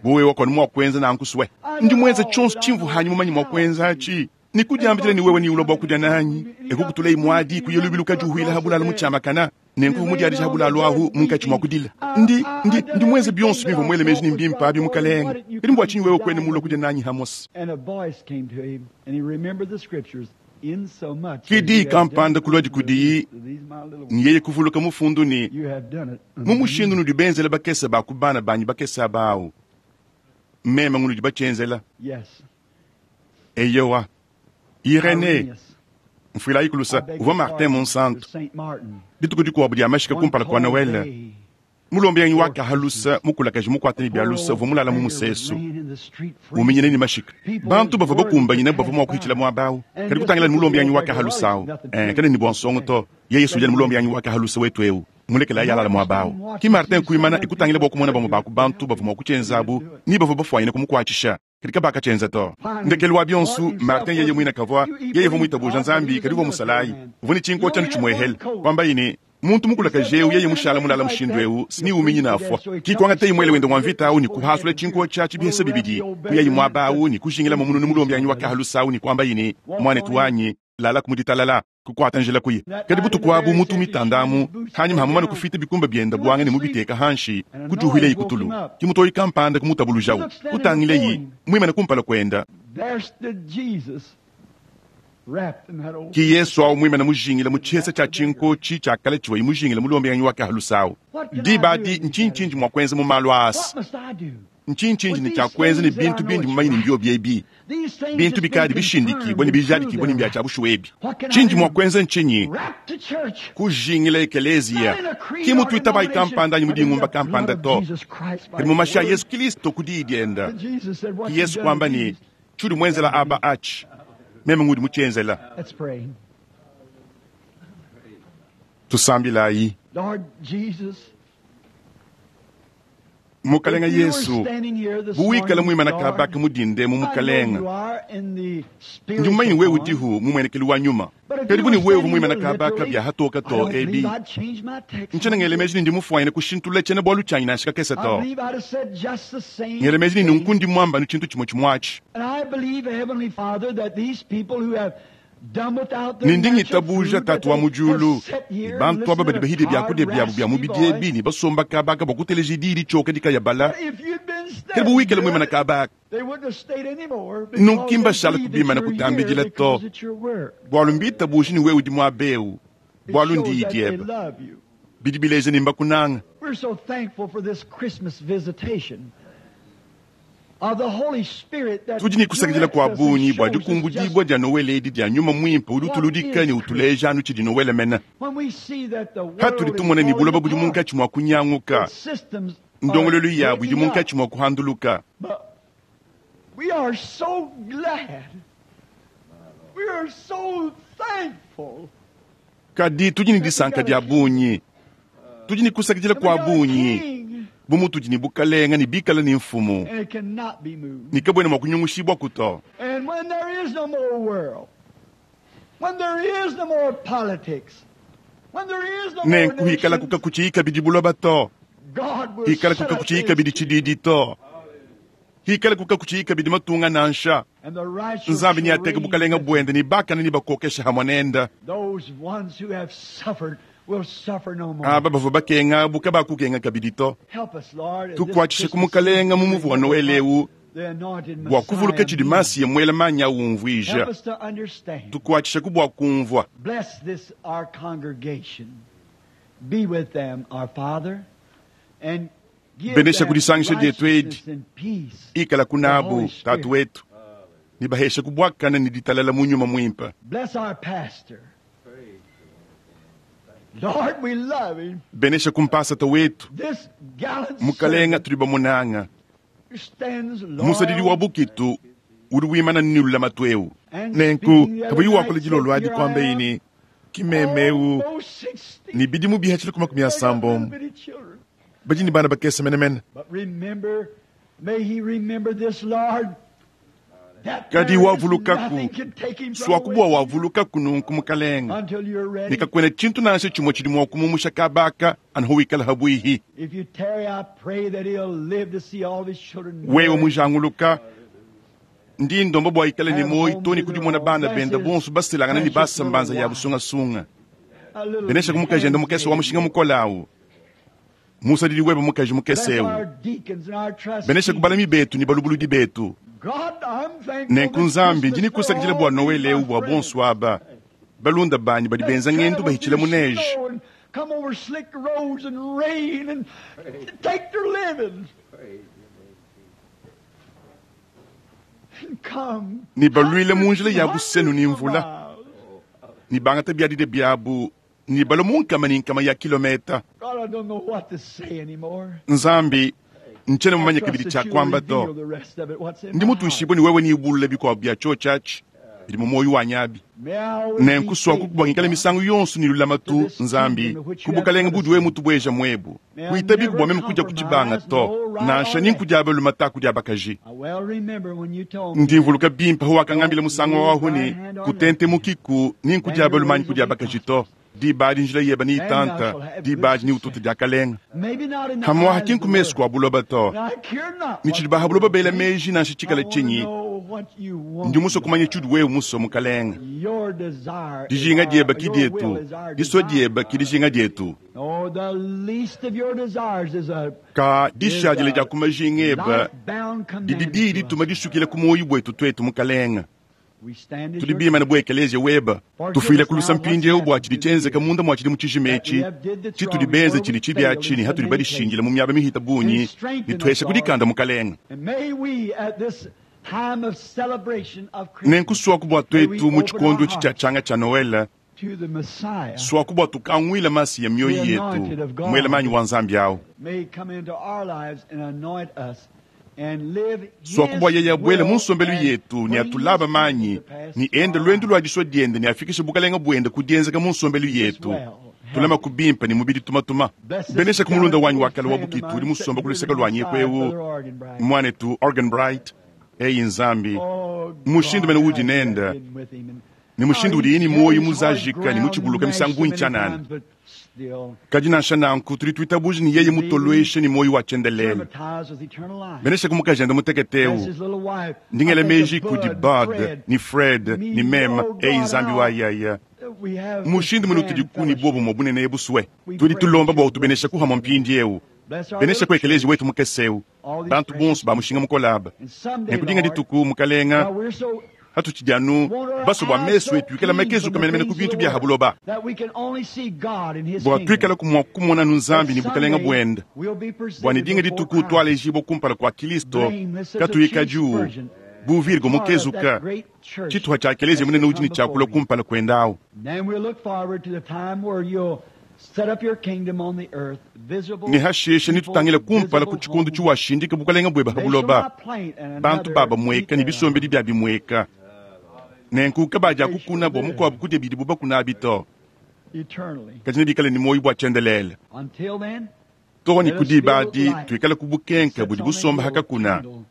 Buwe wakoni mua kuenza nankuswe ndi muenza tshionso tshimvu hanyuma mua kuenza atshi. Nikudiambila ni wewe ni ulo bua kudia nanyi ekukutula imwadi kuyelubila ukajuhwila habulala mutshiamakana Nenku mudiadija bulalu ahu munkatshi mua kudila. Ndi ndi ndi mwenze bionso bimvua muele meji ne mbimpe abi mukalenge. Kadi mbua tshinyi wewe kuena mulue kudia nanyi hamosi? And a voice came to him, and he remembered the scriptures in so much. Ki diyi kampanda kulua kudiyi, These my little ones, ne yeye kuvuluka mufundu ne you have done it. mu mushindu nudi benzela bakese ba ku bana banyi bakese aba awu. Meme ngunudi batshienzela. Yes. Eyowa. Irene, Irenaeus. mfuilayi kulusa I beg uvua your Martin pardon, Monsanto. Saint Martin. Dituku dikuabu dia mashika One kumpala kua cold Noel. day, Mulombi yanyi wakahalusa mukulakaji mukuate ne bialusa uvua mulala mu musesu. laying in the street uminyene ne mashika. Bantu bavua bakumbanyine bavua mua kuhitshila muaba awu. Kadi kutangila ne mulombi yanyi wakahalusa awu. Eh, kene ne bua nsongo to. Yeye sudia ne mulombi yanyi wakahalusa wetu eu. Mulekela yalala muaba awu. Ki Martin kuimana ikutangila bua kumona bamue ba ku bantu bavua mua kutshienza abu ni bavua bafuanyine kumukuatshisha. Kadi kabakatshienza to. Ndekelu wa bionso Martin yeye muina kavua yeye uvua muitabuja Nzambi kadi uvua musalayi. Uvua ne tshinko tshianu tshimuehele. Kwambaye ne muntu mukulakaje eu yeye mushala mulala mushindu eu sini uminyina afwa. Kikwangata imwele wende wa mvita awu ni kuhasula tshinko tshia tshibihesa bibidi. Kuyayi muaba awu ni kujingila mumunu ne mulombi yanyi wakahalusa awu ni kwamba yine mwanetu wanyi lala kumuditalala kukwata njila kuyi. Kadi butuku abu mutu mitandamu hanyuma hamumana kufita bikumba byenda bwanga ne mubiteka hanshi kujuhile ikutulu. Kimutoyi kampanda kumutabulujawu. Kutangileyi mwimene kumpala kwenda. There stood Jesus, wrapped in that old. Ki Yesu awu mwimene mujingila mu tshihesa tshia tshinkochi tshia kale tshiwa imujingila mulombi yanyi wakahalusa awu. Diba adi ntshinchinji mua kuenza mu malu asa. What must I do? Ntshinchinji ne tshia kuenza ne bintu bindi mumanyi ne mbio biebi. These things Bintu has bikadi been bishindikibwa ne confirmed bijadikibwa and ne mbia tshia bushuwa ebi. What can I Tshinji do? mua kuenza ntshinyi? Wrapped to church. Kujingila ekeleziya. Ki mutuita bayi kampanda anyi mudingumba kampanda to. Kadi mu mashi a Yesu Kristo ku diyi dienda. Jesus said, what Ki you Yesu done kwamba to ne these. tshudi muenzela aba atshi. Meme ngudi mutshienzela. Let's pray. Tusambilayi. Lord Jesus, Mukalenga if you were Yesu standing here this buwikala morning, muimana Lord, kabaka mudinde mu I know mukalenga. you are in the Ndi mumanyi spiritual wewe form. udihu mumuenekeli wa nyuma. But if Kadi you buni were wewe standing muimana here kabaka literally, bya hatoka I to don't ebi. believe I'd change my text. Ntshiena ngele meji ne ndi mufuanyine kushintulula tshiena bualu tshianyi nansha kakese I to. believe I'd have said just the same Ngele meji ne thing. nunku ndi muamba nu tshintu tshimue tshimuatshi. And I believe, Heavenly Father, that these people who have done without their Ne ndi natural ngitabuja food, that tatu wa they mu diulu. have sat here and Bantu aba listened badi to bahidi a byakudia tired, byabu bya raspy mubidi voice. ebi ne basomba kabaka bua kuteleja diyi ditshioka dikayabala. But if you'd been Kadi standing buwikala here, muimana kabaka. they wouldn't have stayed anymore because Nunku they mbashala believe that kubimana you're here kutambidila to. because it's your word. Bualu mbitabuji ni wewe udi muaba eu. It Bualu shows ndiyi that they diebe. love you. Bidi bileja ne mbakunanga. We're so thankful for this Christmas visitation of the Holy Spirit that Tudi ne kusakidila directs kua us and bungi bua shows us dikumbudibua just dia Noel edi dia nyuma muimpe udi utuludika ne utuleja anu tshidi Noel mene. when we see that the world Patudi is tumona ne falling buloba budi apart, munkatshi mua kunyanguka. that systems are Ndongololu yabu idi breaking up. munkatshi mua kuhanduluka. But we are so glad. We are so thankful. Kadi tudi ne disanka dia bungi. Tudi ne kusakidila And we kua got a bungi. king, Bu mutudi ne bukalenga ne bikala ne mfumu. and it cannot be moved. Ne kabuena mua kunyungushibua kuto. And when there is no more world, when there is no more politics, when there is no more Nenku hikala nations, kukakutshiyi bidi buloba to. God will Hikala set up kukakutshiyi his kabidi kingdom, tshididi to. Hikala kukakutshiyi kabidi matunga nansha. and the righteous Nzambi shall neateke reign bukalenga with buende ne bakana ne bakokesha hamwe nenda. Those ones who have suffered will suffer no more. Aba bavua bakenga abu kabakukenga kabidi to. Help us, Lord, in this Tukuatshishe ku Christmas mukalenga mu season muvu wa Noel eu the anointed bua kuvuluka Messiah tshidi means. Masiya muela manyi Help awumvuija. us to understand. Tukuatshishe ku bua kumvua. Bless this our congregation. Be with them, our Father, and give Benesha them kudisangisha dietu edi. righteousness and peace. Ikala The kunabu Holy tatu Spirit. wetu. Ne baheshe kubwakana ne ditalala mu nyuma muimpe. Bless our pastor. Lord, we love him. Benesha kumpasata wetu. This gallant Mukalenga servant tudi bamunanga. who stands Musadidi wa loyal bukitu udi wimana nilula matu eu. and Nenku speaking the other kabuyi night wakula said, dilolo adi "Here I kwamba am, ini kimeme eu almost sixty. ni bidimu bihachile ku makumi They got little asambombo. bitty children." Badi ni bana bakese menemene. But remember, may he remember this, Lord. That Kadi there is wavulukaku. nothing can take him from Swakubwa away wavulukaku nunku mukalenga. until you're ready. Nikakwena tshintu nansha tshimue tshidi mua kumumusha kabaka anu wikala habwihi. If you tarry, I pray that he'll live to see all his children Wewe married. mujanguluka ndi ndomba bua ikale ne moyi to ne kudimona bana benda bonso baselangana ne basa mbanza ya busungasunga. Benesha ku mukajende mukese wa mushinga mukole awu, musadidi webe mukaji mukese ewu. Benesha ku balami betu ne balubuludi betu. Nenku Nzambi, ndi nikusakidila bua Noele ewu bua bonso aba balunda banyi badi benza ngendo bahitshila mu neige. Come over slick roads and rain and take their living. And come. Ne baluile mu njila ya busenu ne mvula, ne bangata biadide biabu, ne balua mu nkama ne nkama ya kilometa. God, I don't know what to say anymore. Nzambi, ntshiena mumanye I trust kabidi that tshia you'll kuamba reveal to. the rest of it, what's in Ndi my heart. mutuishibue ne wewe niubulule bikuabu bia tshiotshi bidi mu muoyo wanyi abi. May I always be Nenku swaku faithful, kubwangikala God. misangu yonso ne lulamatu Nzambi, ku bukalenge budi wewe mutubueja muebu. Kuitabiku bua meme kudia ku tshibanga to, nansha ni nkudia balume ta kudia bakaji. I well remember when you told me Ndi mvuluka bimpe wakangambila musangu waho ne kutente mukiku ni nkudia balume anyi kudia bakaji to. Diba adi njila yeba ni itanta, diba adi ni ututu dia kalenga. maybe not in the Hamwaha eyes ki of the nkumesu world. kua buloba to. And I care not Ni what tshidi the baha buloba world bela thinks. meji nansha I tshikala wanna tshinyi. know what you want, Ndi musue kumanya Lord. tshidi wewe musue mukalenga. Your desire is Dijinga our, dieba ki your will dietu, is our disua desire. dieba ki dijinga dietu. Oh, the least of your desires is a Ka is dishadile dia a ku majinga eba life-bound didi commandment diyi to dituma us. disukila ku muoyo buetu twetu mukalenga. We stand as Tudi your bimane bu ekeleziya weba, Forgive tufuile us ku lusa now what's mpindieu bua happened tshidi through the tshienzeka years. munda mua tshidi mu tshijima That we etshi. have did that's Tshitudi wrong and benze where tshidi we tshibi failed atshi in ne so hatudi many badishindila places. mu miaba mihita And bunyi, ne strengthen us, tuhesha Lord. kudikanda mukalenga. And may we at this time of celebration of Christmas Nenku suaku bua may we twetu mu open our tshikondo etshi tshia hearts tshanga tshia Noele, to the Messiah, suaku bua tukanguila masi ya mioyo the yetu, anointed of muela manyi God, wa Nzambi awu. may come into our lives and anoint us and live Suaku bua His yeye abuele mu will nsombelu and yetu ne bring His atulaba kingdom manyi, to pass ne through ende our luendu lives. lua disua diende ne afikishe bukalenga buende ku dienzeka mu nsombelu Keep us yetu. well, Tulama healthy. ku bimpe ne mubidi tumatuma. Bless this Benesha ku mulunda gallant wanyi wa old kale wa friend of bukitu mine udi musomba sitting ku here luseke to my luanyi side, kwewu, Brother Arganbright. mwanetu Arganbright, eyi Nzambi. Oh Mushindu God, mene how udi you have nenda, been with him and ne how mushindu he udi ni carries muoyo hard muzajika ne ground and muchibuluka mashed misangu so many nchanana. times, but still Kadi nansha nanku tudi tuitabuja ne yeye believing, mutolweshe ne muoyo wa tshiendelele. traumatized with eternal life. Benesha ku mukajende mutekete Bless ewu. his little wife. I Ndingela think meji of kudi Bud, Bud, Fred, ni Fred, me. ni mema, Oh eyi God, Nzambi how wa yaya. we have this Mushindu mene utudi grand kuni fellowship. bobo mobunene ebuswe. We Tudi pray tulomba that bua you'll bless utubenesha us kuhamwa together. mpindi ewu. Bless our Benesha little ku ekeleziya church, wetu mukese ewu. all these Bantu precious bonso ba people. mushinga mukolaba. And someday, Nekudinga Lord, dituku mukalenga while we're so hatutshidi anu want our baso bua eyes mesu so etu ikala clean makezuka from the menemene ku things of bintu the bia world habuloba. that we can only see God and His Bua kingdom. tuikala kumua kumona nu That Nzambi ne bukalenga someday buende. we'll be Bua ne presented dinga before dituku Christ, tualejibua kumpala kua Kristo blameless as a chaste katuikadiu virgin, bu virgo part of that mukezuka great church tshituha tshia ekeleziya that's munene to udi come ne before tshiakula Him. kumpala kuendawu. Then we'll look forward to the time where you'll set up your kingdom on the earth, visible Ne hasheshe people, nitutangila kumpala ku visible tshikondo homes. tshiwashindika bukalenga bueba They shall habuloba. not plant and Bantu another baba eat mweka ne bisombedi thereof. bia bimweka. Nenku kabadia They shall kukuna bua live mukuabu kudia bidi bubakuna abi to. eternally. Kadi nebikale ne muoyo bua tshiendelele. Until then, Too ne let us ku be diba adi light tuikale ku that bukenka sits budi on a busomba hill, hakakuna. candle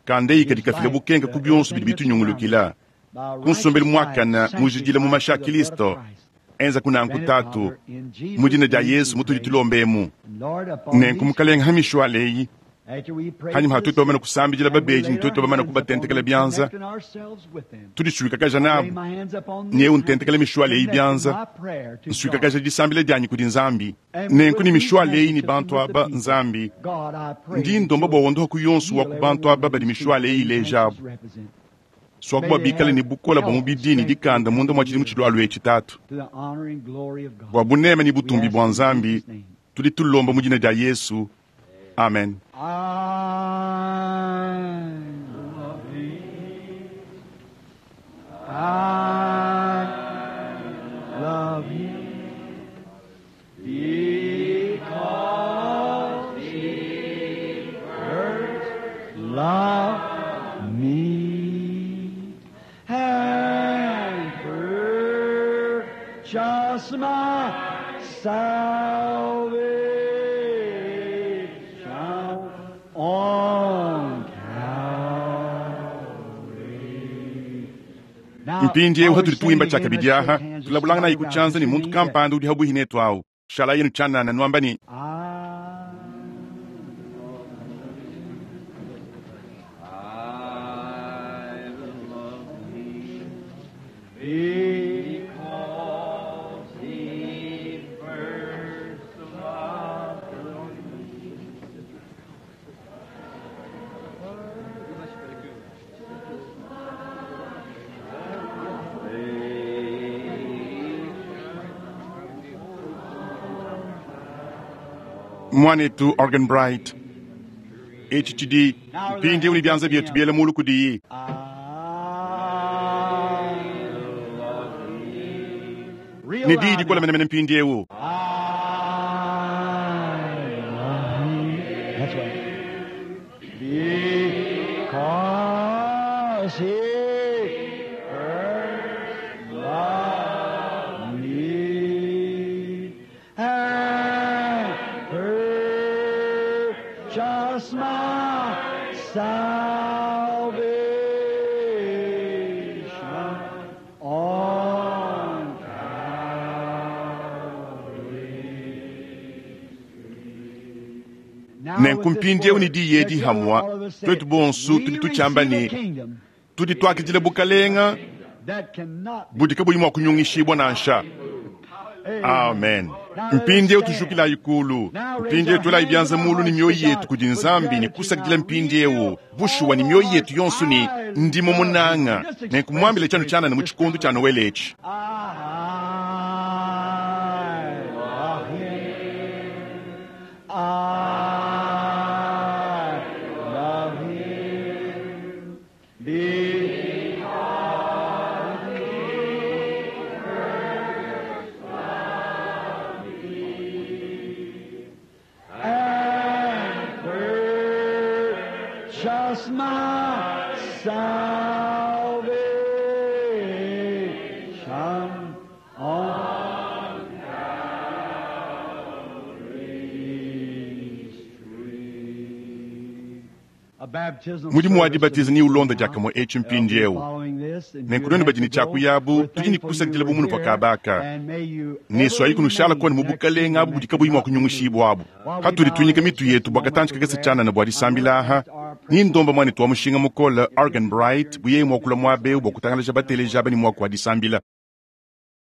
Kandeyi kadi gives kafika light bukenka to ku bionso everything bidi that surrounds us. bitunyungulukila. By Ku nsombelu righteous life, muakana mujidila mu sanctified mashi a through the blood of Kristo. Christ. Enza kunanku Grant it, tatu. Father, in Mu Jesus' dina dia name Yesu we mutudi pray. tulombemu. And Lord, upon Nenku these mukalenga hamishwale eyi. after we pray Hanyuma for the hatutu bamana sick kusambidila and we babeji laid ne our tuetu bamana hands upon kubatentekela them, bianza. connecting ourselves with them. Tudisuikakaja I lay nabu. my hands upon Nyewu these ntentekela handkerchiefs, mishwale eyi connecting bianza. my prayer to God. Nsuikakaja disambila dianyi kudi Nzambi. And Nenku with ne these mishwale eyi ne handkerchiefs and bantu with the aba people, Nzambi. God, I pray Ndi that ndomba you'll bua wondoha ku yonso wa heal ku every bantu one aba of badi these mishwale people eyi these ileja handkerchiefs abu. represent. Swaku May bua they bikale have ne bukola bua health and mubidi ne strength in the dikanda munda mua coming tshidimu year tshilualua etshi tatu. to the honor and glory of God. Bua buneme ne We butumbi ask bua in Nzambi, Jesus' name. tudi tulomba mu dina dia Yesu. Amen. I love Him. I love Him because He first loved me and purchased my salvation on Calvary. Now, Mpindiewu while we're hatuli singing tuimba again, let's tshiakabidi shake aha hands with tulabulanga somebody nayi around us kutshianza ne who muntu means that. kampanda udi habuhi netu awu shala yenu tshianana nuamba ne I I love thee because he Mwanetu Arganbright, etshi tshidi mpindieu ne bianza bietu biela mulu kudiyi. Ne diyi dikola menemene mpindieu. That's right. Because he first loved me and purchased my salvation on Nenku mpindieu ne diyi edi hamwa, twetu bonso tudi tutshiamba ne tudi tuakidila bukalenga budi kabuyi mua kunyungishibua nansha. Amen. Mpindieu tujukilayi kulu, mpindieu tuelayi bianza mulu ne mioyo yetu kudi Nzambi ne kusakidila mpindieu bushuwa ne mioyo yetu yonso ne ndimo munanga nenku muambile tshianu tshianana mu tshikondo tshia Noele etshi. I love him. I love him. Because he first loved me and purchased my salvation on Calvary's tree. A baptism Mudimu wa service dibatiza ni ulonda diakamue etshi mpindieu. Nenku nuenu badi ne tshiakuyabu, tudi ne kusakidila bumunu pa kabaka. Ne swayi kunushala koni mu bukalenga abu budi kabuyi mua kunyungishibua abu. Hatudi tuinyika mitu yetu bua katantshi kakese tshianana bua disambila aha, ni ndomba muanetu wa mushinga mukole Arganbright buye muakula muabe bua kutangalaja bateleja aba ne muaku wa disambila.